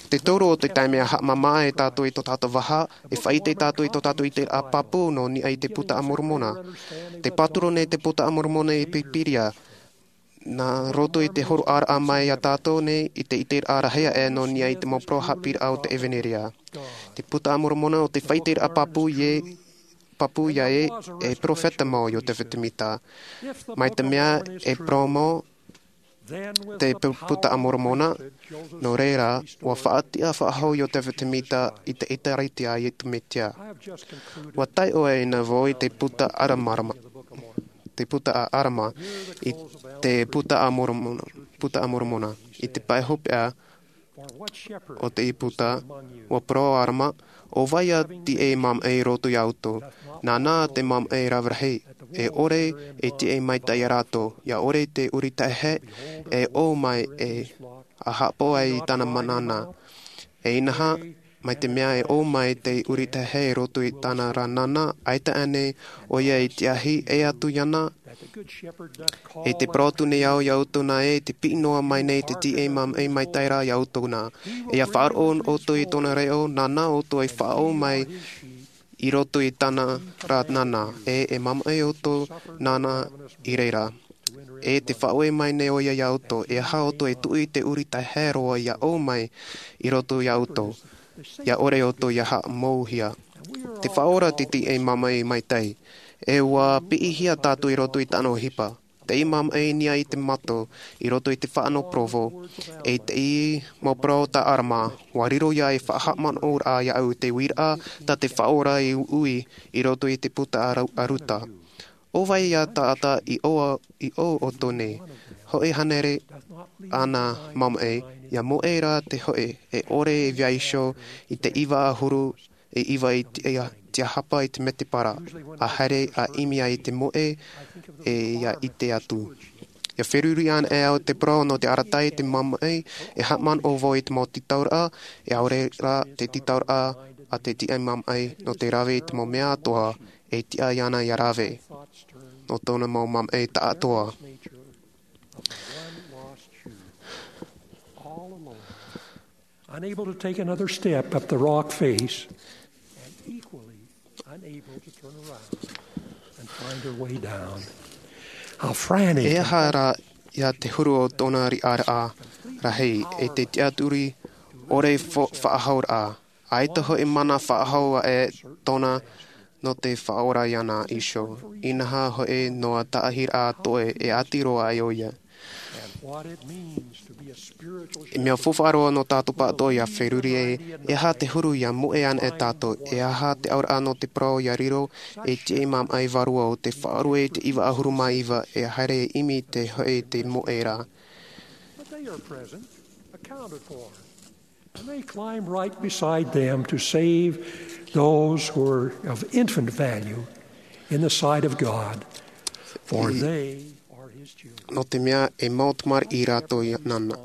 Te toru o te taime ʻa haʻamāmā ai tātou i tō tātou vaha, e faʻaʻite tātou i tō tātou ʻiteraʻa pāpū nō niʻa i te Buka a Moromona. Tē pāturu nei te Buka a Moromona i Pīpīria, nā roto i te hōroʻaraʻa mai iā tātou nei i te ʻiteraʻa rahi aʻe nō niʻa i te mau parau haʻapiʻiraʻa o te ʻEvaneria. Te Buka a Moromona ʻo te faʻaʻiteraʻa pāpū ē, pāpū ia ē, e perofeta mau Iotefa Temita. Mai te mea e parau mau te pu-, Buka a Moromona, nō reira, ʻua faʻatiʻa faʻahou Iotefa Temita i te ʻĒkālesia a Iesu Mesia. ʻUa taiʻo aʻe nei vau i te Buka a Aramarama, te Buka a Arama, i te Buka a Moromona, Buka a Moromona, i te pae hopeʻa o te Buka, ʻua parau ʻo Arama, ʻo vai ā te tīaʻi māmaʻi i roto iā ʻoutou, nāna te māmaʻi rave rahi, e ʻore e tīaʻi maitaʻi ia rātou, ʻia ʻore te ʻuri taehae, e ʻō mai e ʻa haʻapaʻo ai i tāna mana nānā. E inaha, mai te mea e ʻō mai te ʻuri taehae i roto i tāna ra nānā, ʻaita ānei ʻoia i tīaʻi, ʻē atu iāna, e tē parau atu nei au iā ʻoutou nā ē, tē piʻi noa mai nei te tīaʻi māmaʻi maitaʻi ra iā ʻoutou nā. E ʻia faʻaroʻo ʻoutou i tōna reo, nāna ʻoutou e faʻaō mai i roto i tāna ra nānā, e, e māmaʻi ʻoutou nāna i reira. E tē faʻaue mai nei ʻoia iā ʻoutou, e aha ʻoutou e tuʻu i te ʻuri taehae roa ʻia ʻō mai i roto iā ʻoutou, ʻia ʻore ʻoutou ʻia haʻamouhia. Tē faʻaora te tīaʻi māmaʻi maitaʻi, e ʻua piʻihia tātou i roto i tāna ʻohipa. Te tīaʻi māmaʻi i niʻa i te mato, i roto i te fānaʻo Provo, e te tīaʻi mau parau tā Arama, ʻua riro ia e faʻahaʻamanaʻoraʻa iāʻu te uiraʻa tā te Faʻaora i ui i roto i te Buka a Ru-, a Ruta. ʻO vai ā taʻata i ʻō, i ʻō ʻoutou nei, hoʻi hānere āna māmaʻi, ʻia moʻe rā te hoʻi, e ʻore e vaiiho i te iva ʻahuru e iva i te, ia, tiahapa i te mētēpara, ʻa haere ʻa ʻimi ai te moʻe, e ʻia ʻite atu. ʻIa feruri ana e au te parau nō te arataʻi i te māmaʻi, e haʻamanaʻo vau i te mau tītauraʻa, e ʻaore rā te tītauraʻa a te tīaʻi māmaʻi nō te rave i te mau mea atoʻa, e tiʻa iāna ʻia rave. Nō tōna mau māmaʻi taʻatoʻa. Unable to take another step up the rock face, and equally unable to turn around and find her way down. How frantic. E aha rā ia te huru o tōna riʻaraʻa rahi, e te tiʻaturi ʻore fo-, faʻahauraʻa. ʻAita hoʻi mana faʻahou aʻe tōna nō te faʻaora iāna iho. Inaha hoʻi noa tāʻahiraʻa toe e ʻati roa ai ʻo ia. E mea faufaʻa roa nō tātou pāʻatoʻa ia feruri e, e aha te huru ia moʻe ana e tātou, e aha te auraʻa nō te parau ia riro, e tiʻa i māmaʻi vārua o te faʻarue i te iva ʻahuru mā iva, e haere e ʻimi te hoʻi te moʻe rā. But they are present, accounted for. And they climb right beside them to save those who are of infant value in the sight of God, for they are his children. Nō te mea e mau tamariʻi rātou i nāna.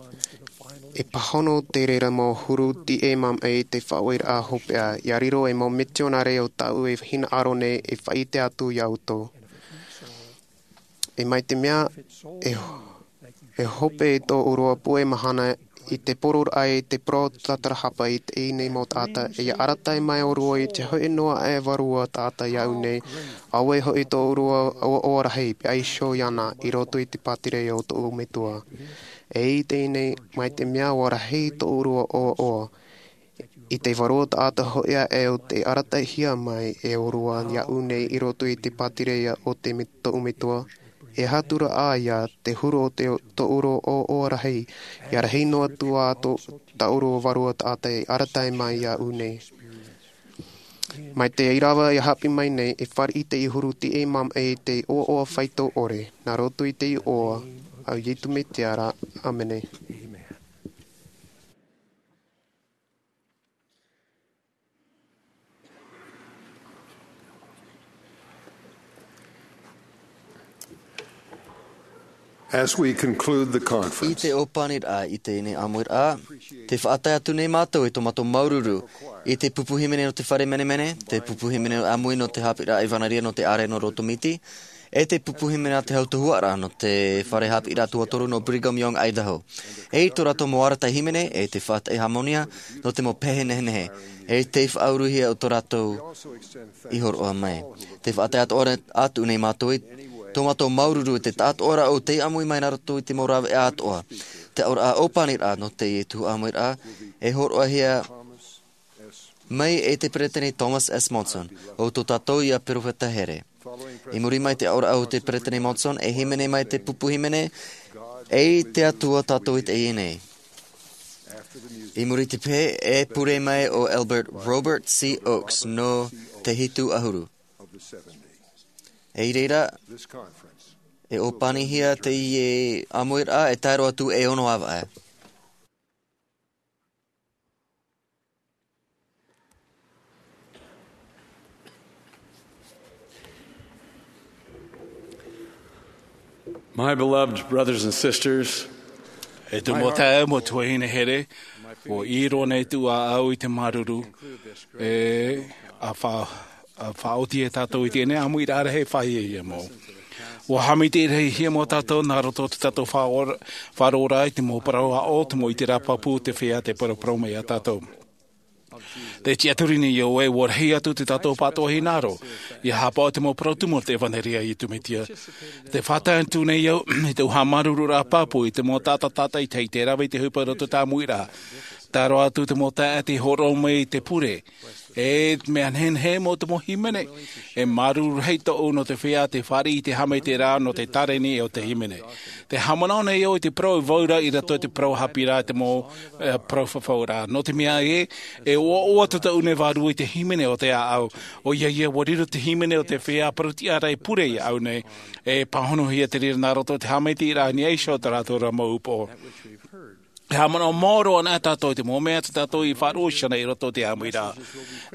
E pāhono te reira mau huru tiʻa māmaʻi te faʻaueraʻa hopeʻa, ia riro e mau mitionare o tāʻu e hinaʻaro nei e faʻaʻite atu iā ʻoutou. E mai te mea e, e hope tō ʻōrua puʻe mahana i te poroʻraʻa i te parau tātarahapa i teie nei mau taʻata, e ia arataʻi mai ʻōrua i te hoʻi noa aʻe vārua taʻata iāʻu nei, auē hoʻi tō ʻōrua ʻoaʻoa rahi, paʻi iho iāna i roto i te pātireia o tōʻu Metua. E i teie nei, mai te mea ʻua rahi tō ʻōrua ʻoaʻoa, i te vārua taʻata hoʻi aʻe o tei arataʻihia mai e ʻōrua iāʻu nei i roto i te pātireia o te me-, tōʻu Metua, e aha atu ra ʻā ia te huru o te, tō ʻōrua ʻoaʻoa rahi, ia rahi noa atu ā tō, tā ʻōrua vārua taʻata e arataʻi mai iāʻu nei. Mai te ʻīrava i haʻapiʻi mai nei, e fāriʻi te huru tiʻa māmaʻi i te ʻoaʻoa faito ʻore, nā roto i te iʻoa o Iesu Mesia ra, ʻāmene. As we conclude the conference, I te ʻōpaniraʻa i teie ʻāmuiraʻa, tē faʻatae atu nei mātou i tō mātou māuruuru i te pupu hīmene nō te fare menemene, te pupu hīmene ʻāmui nō te haʻapiʻiraʻa ʻevanelia nō te ʻāreʻa nō Roto Miti, e te pupu hīmene a te hau tuhaʻa nō te fare haʻapiʻiraʻa tuatoru nō Brigham Young, Idaho. E i tō rātou mau arataʻi hīmene, e te faʻataʻi hāmani nō te mau pehe nehenehe, e te faʻauruhia o tō rātou i hōroʻa mai. Tē faʻatae atoʻa atu nei mātou i tō mātou māuruuru i te taʻatoʻa ra o tei ʻāmui mai nā roto i te mau rāveʻa atoʻa. Te auraʻa ʻōpaniraʻa nō teie tuhaʻa ʻāmuiraʻa, e hōroʻahia mai e te Peresideni Thomas S. Monson, ʻo tō tātou ia perofeta here. I muri mai te auraʻa o te Peresideni Monson, e hīmene mai te pupu hīmene, E te Atua tātou i teie nei. I muri te pehe, e pure mai ʻo Elder Robert C. Oaks nō te hitu ʻahuru. E i reira, e ʻōpanihia teie ʻāmuiraʻa e tae roa atu e ono avaʻe. My beloved brothers and sisters, E te mau taeaʻe, mau tuahine here, ʻua ʻī roa nei atu ā ʻoe i te māuruuru, e, ʻa fa-, ʻa faʻaoti e tātou i teie nei ʻāmuiraʻa rahi e fāʻi ia mau. ʻUa haʻamaitaʻihia mai tātou nā roto i tō tātou faʻaora-, faʻaroʻoraʻa i te mau parau aʻo, te mau ʻiteraʻa pāpū, te feiā tei paraparau mai ia tātou. Tē tiʻaturi nei ʻoe, ʻua rahi atu tō tātou pāʻatoʻa hinaʻaro, ʻia haʻapaʻo i te mau parau tumu o te ʻevanelia a Iesu Mesia. Tē faʻatae atu nei au, i te haʻamāuruururaʻa pāpū, i te mau taʻata tātaʻitahi tei rave i te ʻohipa i roto i te ʻāmuiraʻa. Tae roa atu te mau taeaʻe tei hōroʻa mai i te pure. E mea nehenehe mau te mau hīmene. E māuruuru rahi tōʻu nō te feiā tei fāriʻi i te haʻamaitaʻiraʻa nō te tāreni o te hīmene. Tē haʻamanaʻo nei au i te parau e vauraʻa i roto i te parau haʻapiʻiraʻa i te mau, e, parau fafauraʻa. Nō te mea ē, e ʻoaʻoa tō tāʻu nei vārua i te hīmene o te ʻāʻau. ʻOia ia, ʻua riro te hīmene o te feiā parau tiʻa ra e pure iāʻu nei. E pāhonohia te reira nā roto i te haʻamaitaʻiraʻa i niʻa iho i tā rātou ra mau upoʻo. E haʻamanaʻo maoro ana tātou i te mau mea tā tātou i faʻaroʻo iho nei i roto i te ʻāmuiraʻa.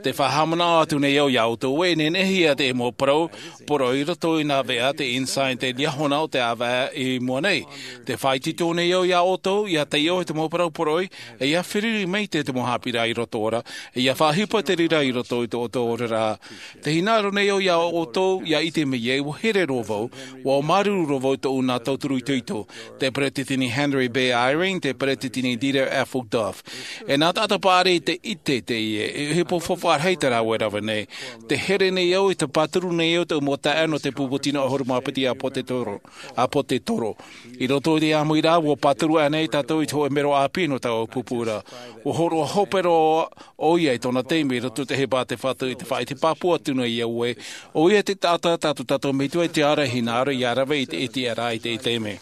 Tē faʻahaʻamanaʻo atu nei au ia ʻoutou ē, e nehenehe ia te mau parau poroʻi i roto i nā veʻa te Ensign, te liahona o te ʻāvaʻe i mua nei. Tē faʻaitoito nei au ia ʻoutou, ʻia taiʻo i te mau parau poroʻi, e ʻia feruri maitaʻi te mau haʻapiʻiraʻa i roto ra, e ʻia faʻaʻohipa te reira i roto i tō ʻoutou oraraʻa. Tē hinaʻaro nei au ia ʻoutou, ʻia ʻite mai ē, ʻua here roa vau, ʻua māuruuru roa vau i tōʻu nā tauturu itoito. Te Peresideni Henry B. Eyring, te Peresideni te tini Dieter F. Uchtdorf. E nā taʻata paʻari te ʻite teie, e ʻohipa faufaʻa rahi tā rāua e rave nei. Te here nei au, te pāturu nei au, te mau taeaʻe nō te pupu tino ʻahuru mā piti ʻāpōsetolo, ʻāpōsetolo. I roto i te ʻāmuiraʻa, ʻua pāturu ānei tātou i te hōʻē mero ʻāpī nō taua pupu ra? ʻUa hōroʻa hope roa ʻoia i tōna taime i roto i te ʻohipa a te Fatu, i te faʻaʻite pāpū atu nei au ē, ʻoia te taʻata tā tō tātou Metua i te ao ra e hinaʻaro ia rave i te ʻite ra i teie taime.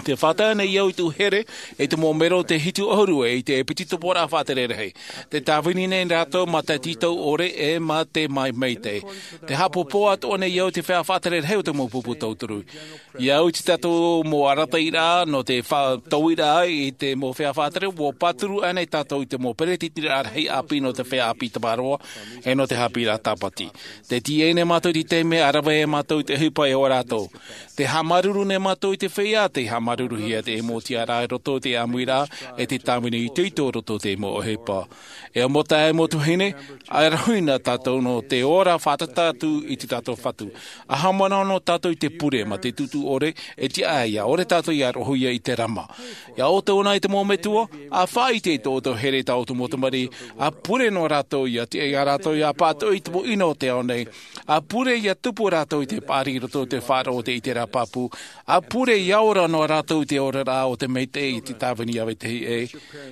Tē fātata nei au i tōʻu here i te mau mero tē hitu ʻahuru e ʻite e piti tupu ra faʻatere rahi. Tē tāvini nei rātou mā te tītau ʻore e mā te maitaʻi. Tē haʻapāpū atoʻa nei au i te feiā faʻatere rahi o te mau pupu tauturu. I au i te tātou mau arataʻiraʻa nō te faʻatauiraʻa i te mau feiā faʻatere, ʻua pāturu ānei tātou i te mau peretitiraʻa rahi ʻāpī nō te feiā ʻāpī Tamaroa e nō te haʻapiʻiraʻa Tāpati. Tē tīaʻi nei mātou i te taime, ʻa rave ai mātou i te ʻohipa e ʻō rātou. Tē haʻamāuruuru nei mātou i te feiā tei haʻamāuruuruhia te mau tiʻaraʻa i roto i te ʻāmuiraʻa, e te tāvini itoito i roto i te mau ʻohipa. E mau taeaʻe, e mau tuahine, ʻa e rahi na tātou nō te ora fātata atu i tō tātou Fatu. ʻA haʻamanaʻo noa tātou i te pure mā te tūtū ʻore, e tiʻa ïa, ʻaore tātou ia roʻohia i te rama. Ia ʻoutou na i te mau metua, ʻa faʻaʻite i tō ʻoutou here i tā ʻoutou mau tamariʻi, ʻa pure noa rātou ia tiʻa ia rātou ia pātoʻi i te mau ʻino o te ao nei, ʻa pure ia tupu rātou i te paʻari i roto i te faʻaroʻo o te ʻiteraʻa pāpū, ʻa pure ia ora noa rātou i te oraraʻa o te maitaʻi i te tāvini ʻa vetahi ʻē.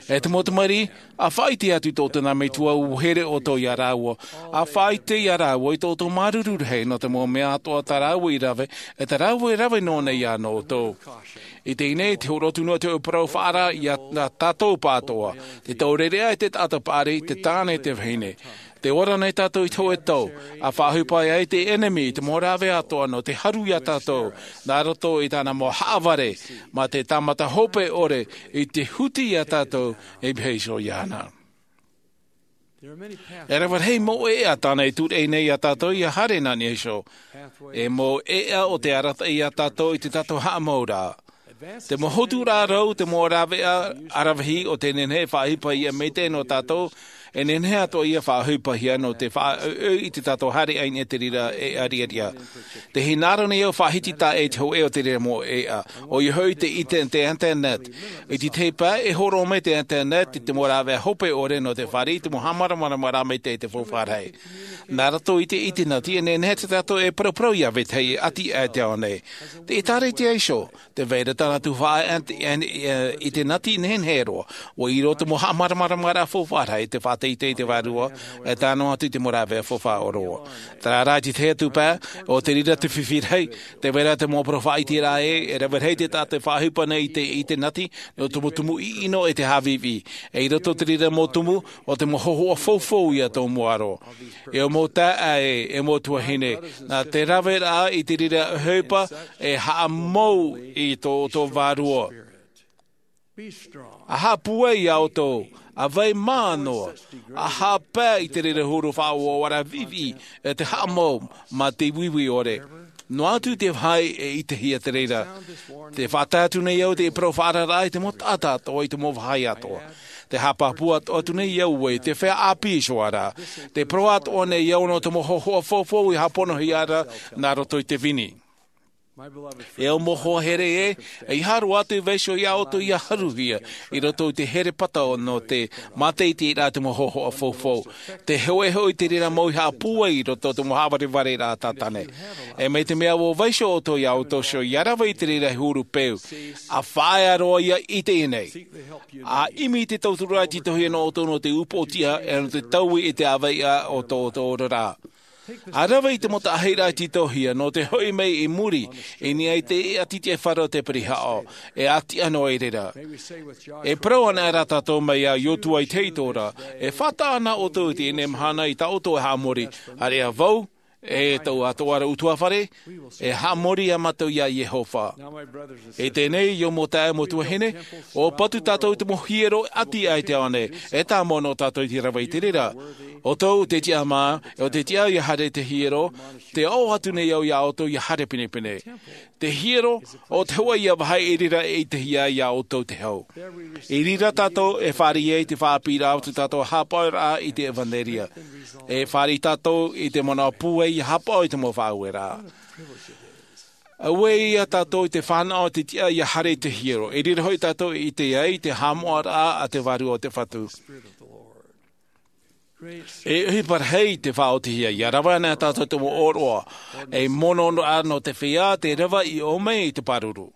E te mau tamariʻi, ʻa faʻaʻite atu i tō ʻoutou nā metua ʻua here ʻoutou ia rāua, ʻa faʻaʻite ia rāua i tō ʻoutou māuruuru rahi nō te mau mea atoʻa tā rāua i rave, e tā rāua e rave noa nei ïa nō ʻoutou. I teie nei, te hōroʻa atu noa te hōʻē parau faʻaara ia tātou pāʻatoʻa, te taureʻareʻa e te taʻata paʻari, te tāne e te vahine. Tē ora nei tātou i te hōʻē tau, ʻa faʻaʻohipa ai te ʻenemi i te mau rāveʻa atoʻa nō te haru ia tātou, nā roto i tāna mau haʻavare, mā te tāmata hope ʻore i te huti ia tātou e mea iho iāna. E rave rahi mau ʻēʻa tāna e tūreʻi nei ia tātou ia haere nā niʻa iho. E mau ʻēʻa o te arataʻi ia tātou i tō tātou haʻamauraʻa. Te mau hoturaʻa rau, te mau rāveʻa aravihi o te nehenehe e faʻaʻohipa ïa maitaʻi nō tātou, e nehenehe atoʻa ïa e faʻaʻohipahia nō te faʻaʻoiʻoi i tō tātou haere i niʻa i te reira ʻēʻa riʻariʻa. Tē hinaʻaro nei au e faʻahiti taʻa ʻē i te hōʻē o te reira mau ʻēʻa, ʻoia hoʻi te ite-, te internet. I te tahi pae, e hōroʻa mai te internet i te mau rāveʻa hope ʻore nō te fāriʻi i te mau haʻamāramaramaraʻa maitaʻi i te faufaʻa rahi. Nā roto i te ʻitenati, e nehenehe tātou e paraparau ia vetahi e ʻati aʻe i te ao nei. Te ʻĒtārētia iho, tē vai ra tāna tuhaʻa ʻe, ʻe, ʻe, ʻitenati nehenehe roa. ʻUa ʻī roa te mau haʻamāramaramaraʻa faufaʻa rahi, te faʻateitei i te vārua, e tae noa atu i te mau rāveʻa faufaʻa ʻōroʻa. Terā rā, i te tahi atu pae, ʻo te reira te fifi rahi, tē vai ra te mau parau faʻaʻiteraʻa ē, e rave rahi te taʻata e faʻaʻohipa nei i te, i te ʻitenati, nō te mau tumu ʻiʻino e te haʻaviʻiviʻi. E i roto i te reira mau tumu, ʻo te mau hōhoʻa faufaʻa ïa tō mua roa. E ʻo mau taeaʻe, e mau tuahine, nā te raveraʻa i te reira ʻohipa, e haʻamou i tō, tō vārua. ʻA haʻapūai ia ʻoutou, ʻa vai mā noa, ʻa haʻapae i te reira huru faʻaʻoaʻoaraʻa viʻiviʻi, e te haʻamou, mā te uiui ʻore. Noa atu te vāhi e ʻitehia te reira. Tē faʻatae atu nei au te parau faʻaararaʻa i te mau taʻata atoʻa, i te mau vāhi atoʻa. Tē haʻapāpū atu, atu nei au ē, te feiā ʻāpī iho ra. Tē parau atoʻa nei au nō te mau hōhoʻa faufaʻa i haʻaponohia ra, nā roto i te vini. E ʻo mau hoa here ē, ʻeiaha roa atu e vaiiho ia ʻoutou ia haruhia, i roto i te here pata nō te mātaʻitaʻiraʻa i te mau hōhoʻa faufaʻa. Tē hōʻē hoʻi te reira mau i haʻapūai i roto i te mau haʻavarevare ra a Tātane. E mai te mea ʻua vaiiho ʻoutou ia ʻoutou iho ia rave i te reira huru peu. ʻA faʻaea roa ïa i teie nei. ʻA ʻimi i te tauturu e tītauhia nō ʻoutou nō te upoʻotiʻa, e nō te taui i te ʻāvaʻe o tō, tō ʻoutou oraraʻa. ʻA rave i te mau taʻahiraʻa e tītauhia nō te hoʻi mai i muri, i niʻa i te ʻati tiʻafaʻaroʻo o te pirihaʻo, e ʻati ʻano i reira. E parau ana rā tātou mai iā Iosua i te hītora, e faʻataʻa na ʻoutou i teie nei mahana i tā ʻoutou e haʻamori, ʻāreʻa vau, e tō ʻoutou ʻutuāfare, e haʻamori ā mātou iā Iehova. I teie nei, e ʻo mau taeaʻe, mau tuahine, ʻua patu tātou i te mau hiero ʻati aʻe i te ao nei, e tāmau nō tātou i te rave i te reira. ʻOutou tē tiʻa mā, ʻo tē tiʻa ia haere i te hiero, tē aʻo atu nei au iā ʻoutou ia haere pinepine. Te hiero, ʻo te hōʻē ïa vāhi i reira e ʻitehia ai iā ʻoutou te hau. I reira tātou e fāriʻi ai i te faʻaʻāpīraʻa o tō tātou haʻapaʻoraʻa i te ʻevanelia. E fāriʻi tātou i te manaʻo pūai ia haʻapaʻo i te mau faʻaueraʻa. Auē ia tātou i te fānaʻo te tiʻa ia haere i te hiero. E riro hoʻi tātou i te ai te haʻamoʻaraʻa a te vārua o te Fatu. E ʻohipa rahi te faʻaotihia, ia rave ana tātou te mau ʻōroʻa, e mono noa nō te feiā te rave i ʻō mai i te pāruru.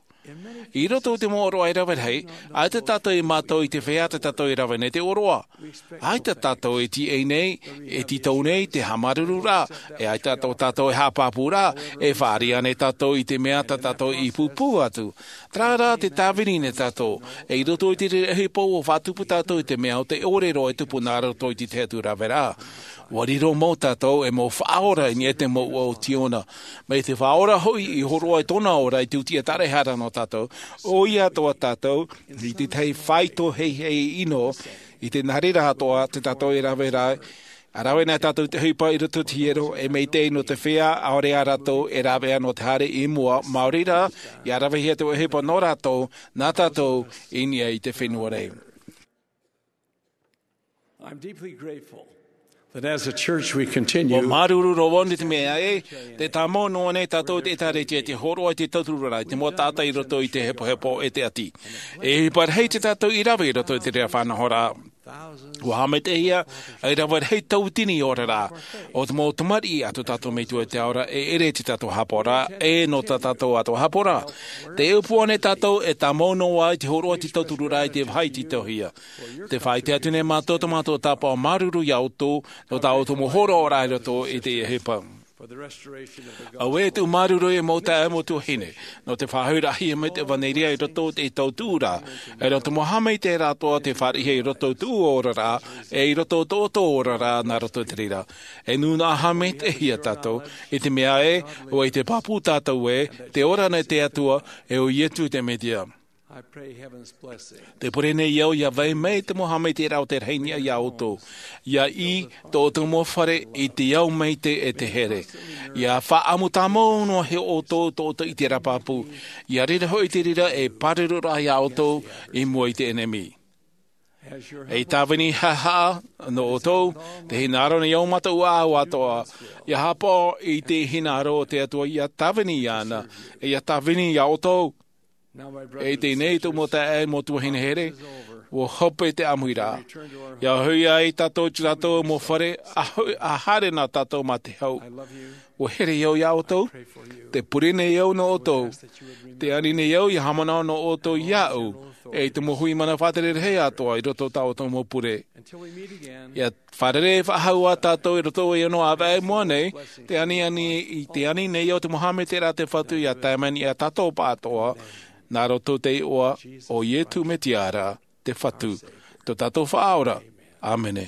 I roto i te mau ʻōroʻa e rave rahi, ʻaita tātou e mātau i te feiā tā tātou e rave nei te ʻōroʻa. ʻAita tātou e tīaʻi nei, e tītau nei te haʻamāuruuru ra, e ʻaita tō tātou e haʻapāpū ra, e fāriʻi ānei tātou i te mea tā tātou i pūpū atu. Terā rā te tāvini nei tātou, e i roto i te reira ʻohipa ʻua faʻatupu tātou i te mea o te ʻōrero e tupu nā roto i te tahi atu raveraʻa. ʻUa riro mau tātou e mau faʻaora i niʻa i te mouʻa o Ziona. Mai te Faʻaora hoʻi i hōroʻa i tōna ora i te tiʻaturi e haere nō tātou, ʻoia atoʻa tātou, i te tahi faito heihei ʻino, i te nā reira atoʻa tā tātou e rave ra, ʻa rave nei tātou te ʻohipa i roto i te hiero, e maitaʻi nō te feiā, ʻaore ā rātou e rāveʻa nō te haere i mua, maori rā, ia ravehia te ʻohipa nō rātou, nā tātou, i niʻa i te fenua nei. I'm deeply grateful that as a church we continue ʻUa māuruuru roa vau i te mea ē, tē tāmau noa nei tātou i te ʻĒtārētia i te hōroʻa i te tauturu ra, i te mau taʻata i roto i te hepohepo e te ʻati. E ʻohipa rahi tā tātou i rave i roto i te reira faʻanahoraʻa. ʻUa haʻamaitaʻihia, e rave rahi tauatini oraraʻa, ʻo te mau tamariʻi a tō tātou Metua i te ao ra, e ʻere tā tātou haʻapaʻoraʻa, e nō tā tātou atoʻa haʻapaʻoraʻa. Tē ʻōpua nei tātou e tāmau noa vau i te hōroʻa i te tauturu ra i te vāhi tītauhia. Tē faʻaʻite atu nei mātou tō mātou tāpaʻo māuruuru iā ʻoutou, nō tā ʻoutou mau hōroʻaraʻa i roto i teie ʻohipa. Auē e tuʻu māuruuru e mau taeaʻe, mau tuahine, nō te faʻahouraʻahia mai te ʻevaneria i roto i te tautuʻuraʻa, e nō te mau haʻamaitaʻiraʻa atoʻa tē fāriʻihia i roto i tō ʻoutou oraraʻa, e i roto i tō ʻoutou oraraʻa nā roto i te reira. E nūnaʻa haʻamaitaʻihia tātou, i te mea ē, ʻua ʻite pāpū tātou ē, tē ora nei te Atua, e ʻo Ietu te Metia. I pray heaven's blessing. Tē pure nei au ia vai mai te mau haʻamaitaʻiraʻa o te rahi i niʻa iā ʻoutou. Ia ʻī tō ʻoutou mau fare i te ao maitaʻi e te here. Ia faʻaʻamu tāmau noa iā ʻoutou tō ʻoutou ʻiteraʻa pāpū. Ia riro hoʻi te reira ei pāruruʻraʻa iā ʻoutou i mua i te ʻenemi. Ei tāvini haʻahaʻa nō ʻoutou, tē hinaʻaro nei au mātou ʻāʻau atoʻa. Ia haʻapaʻo i te hinaʻaro o te Atua ia tāvini iāna, e ia tāvini iā ʻoutou. E i teie nei tō mau taeaʻe, mau tuahine here, ʻua hope te ʻāmuiraʻa. Ia hoʻi ai tātou i tō tātou mau fare, ʻa ho-, ʻa haere na tātou mā te hau. ʻUa here au iā ʻoutou, tē pure nei au nō ʻoutou, tē ani nei au ia haʻamanaʻo nō ʻoutou iāʻu, e i te mau hui mana faʻatere rahi atoʻa i roto i tā ʻoutou mau pure. Ia fārerei faʻahou ā tātou i roto i ʻōna ʻāvaʻe i mua nei, tē ani, ani, tē ani nei au te mau haʻamaitaʻiraʻa a te Fatu ia tae mai i niʻa iā tātou pāʻatoʻa, nā roto i te iʻoa o Ietu Metia ra, te Fatu, tō tātou Faʻaora. ʻĀmene.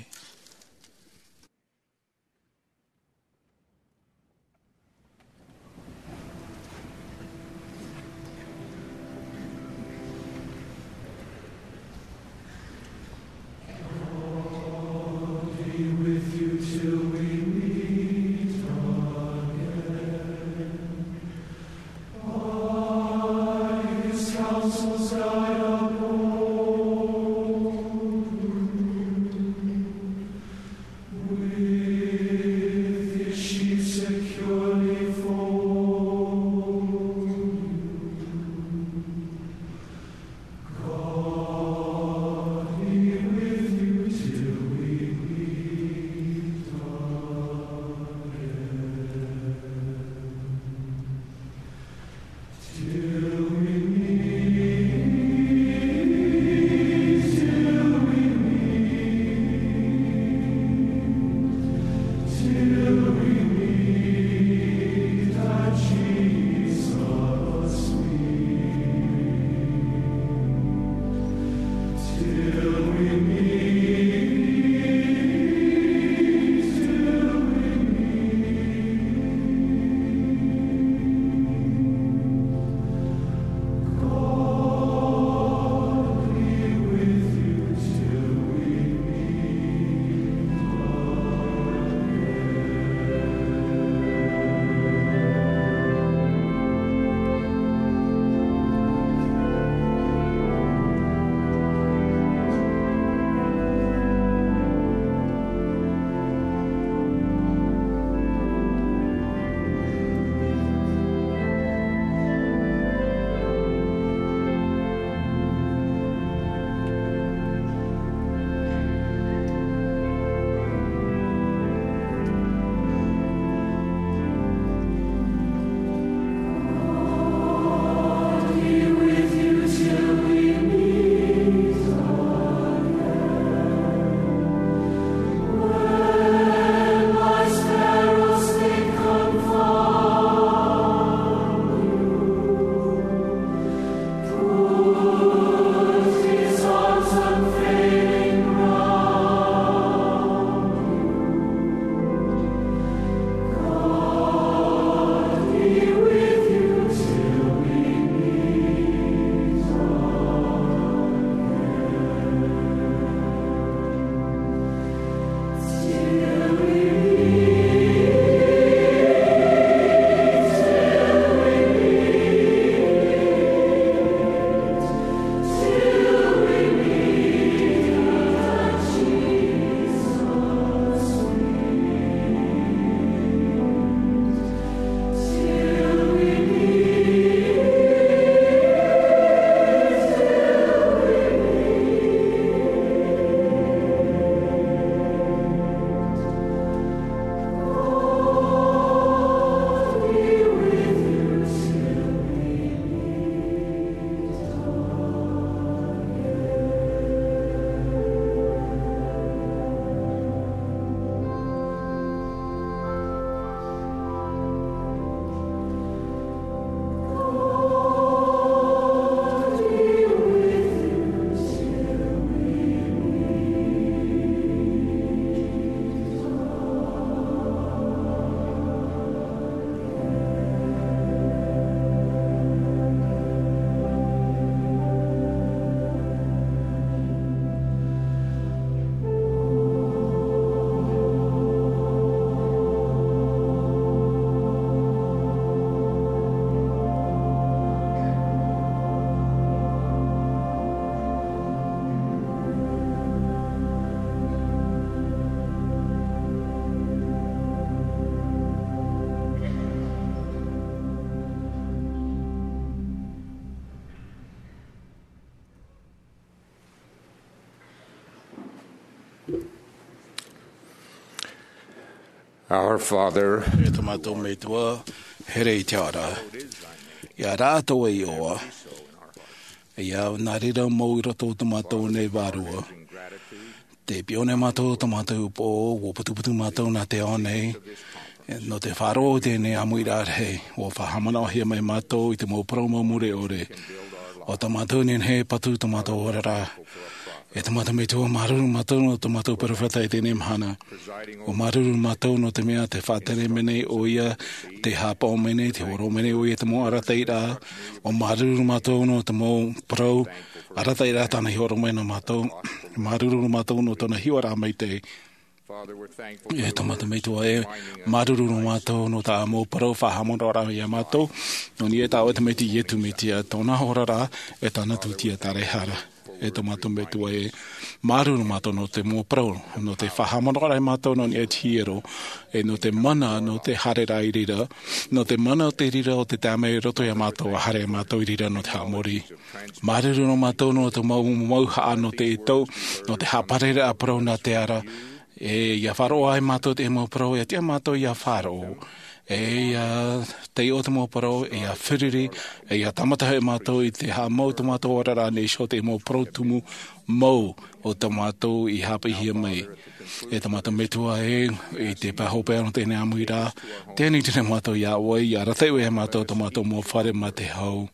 Our Father, e tō mātou Metua, here i te ao ra. Ia rātou e ʻoa. Ia nā reira mau i roto o tō mātou nei vārua. Te piʻo nei mātou tō mātou upoʻo, ʻua putuputu mātou nā te ao nei, nō te faʻaroʻo i teie nei ʻāmuiraʻa rahi, ʻua faʻahaʻamanaʻohia mai mātou i te mau parau mau mure ʻore. ʻO tā mātou nehenehe e patu tō mātou oraraʻa. E tō mātou Metua, māuruuru mātou nō tō mātou perofeta i teie nei mahana. ʻUa māuruuru mātou nō te mea tē faʻatere mai nei ʻoia, tē haʻapaʻo mai nei, tē hōroʻa mai nei ʻoia i te mau arataʻiraʻa. ʻUa māuruuru mātou nō te mau parau arataʻiraʻa tāna i hōroʻa mai nā mātou. Māuruuru mātou nō tōna hiʻoraʻa maitaʻi. E tō mātou Metua e, māuruuru nō mātou nō tā ʻoe mau parau faʻahaʻamanaʻoraʻa ia mātou, nō niʻa i tā ʻoe Tamaiti Iesu Mesia, tōna oraraʻa, e tāna tūtia tāraehara. E tō mātou Metua e, māuruuru nō mātou nō te mau parau, nō te faʻahaʻamanaʻoraʻa ia mātou nō niʻa i te hiero, e nō te mana, nō te haereraʻa i reira, nō te mana o te reira o te taime i roto ia mātou, ʻa haere ia mātou i reira nō te haʻamori. Māuruuru nō mātou nō te mau, mau haʻa nō te ʻetau, nō te haʻapareraʻa parau nā te ara, e ia faʻaroʻo ai mātou te mau parau, ia tiʻa mātou ia faʻaroʻo. E ia taiʻo te mau parau, e ia feruri, e ia tāmata hoʻi mātou i te haʻamau tō mātou oraraʻa nei iho te mau parau tumu mau o tō mātou i haʻapiʻihia mai. E tō mātou Metua e, i te pae hopeʻa nō teie nei ʻāmuiraʻa, tē ani atu nei mātou ia ʻoe, ia arataʻi ʻoe ia mātou tō mātou mau fare mā te hau.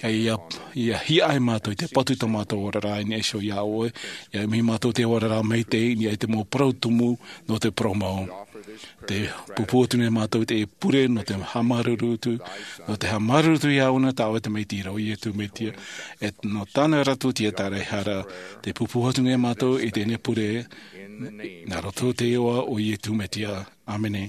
E ia, ia hiʻa ai mātou i te patu tō mātou oraraʻa i niʻa iho ia ʻoe, ia ʻimi mātou te oraraʻa maitaʻi i niʻa i te mau parau tumu nō te parau mau. Tē pūpū atu nei mātou i te pure nō te haʻamāuruuru atu, nō te haʻamāuruuru atu ia ʻoe nā tā ʻoe Tamaiti ra ʻo Iesu Mesia, e nō tāna ra tūtia tāraehara, tē pūpū atu nei mātou i teie nei pure, nā roto i te iʻoa o Iesu Mesia. ʻĀmene.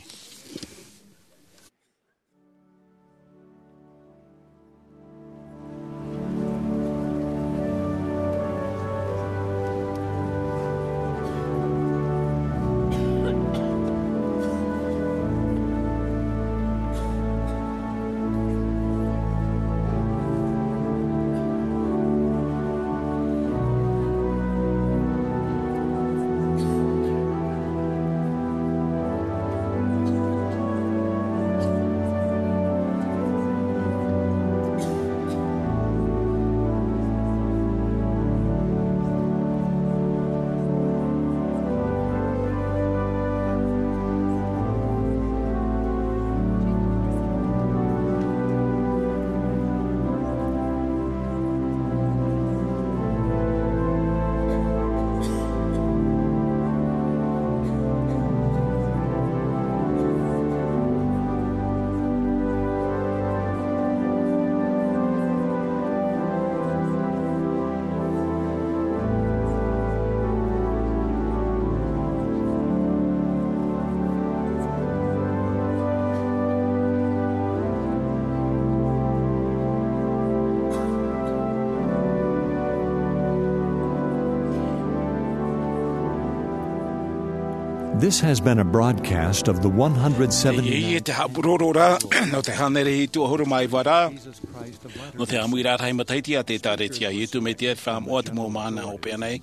This has been a broadcast of the one hundred seventy-ninth. Ia, ia te haʻapuroro ra, nō te hānere hitu ʻahuru mā iva ra, nō te ʻāmuiraʻa rahi matahiti a te ʻĒtārētia a Iesu Mesia Faʻamoʻa te mau mahana hopeʻa nei.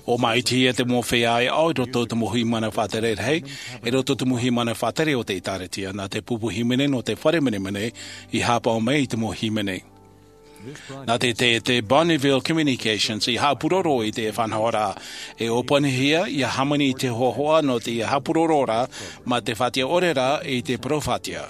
ʻO māʻitihia te mau feiā ʻāʻau i roto i te mau hīmene faʻatere rahi, i roto i te mau hīmene faʻatere o te ʻĒtārētia, nā te pupu hīmene nō te fare menemene i haʻapaʻo mai i te mau hīmene. Nā te, te, te Bonneville Communications i haʻapuroro i te faʻanahoraʻa, e ʻōpuahia, ia hāmani i te hohoʻa nō te ia haʻapuroro ra, mā te faʻatiʻa ʻore ra i te parau faʻatiʻa.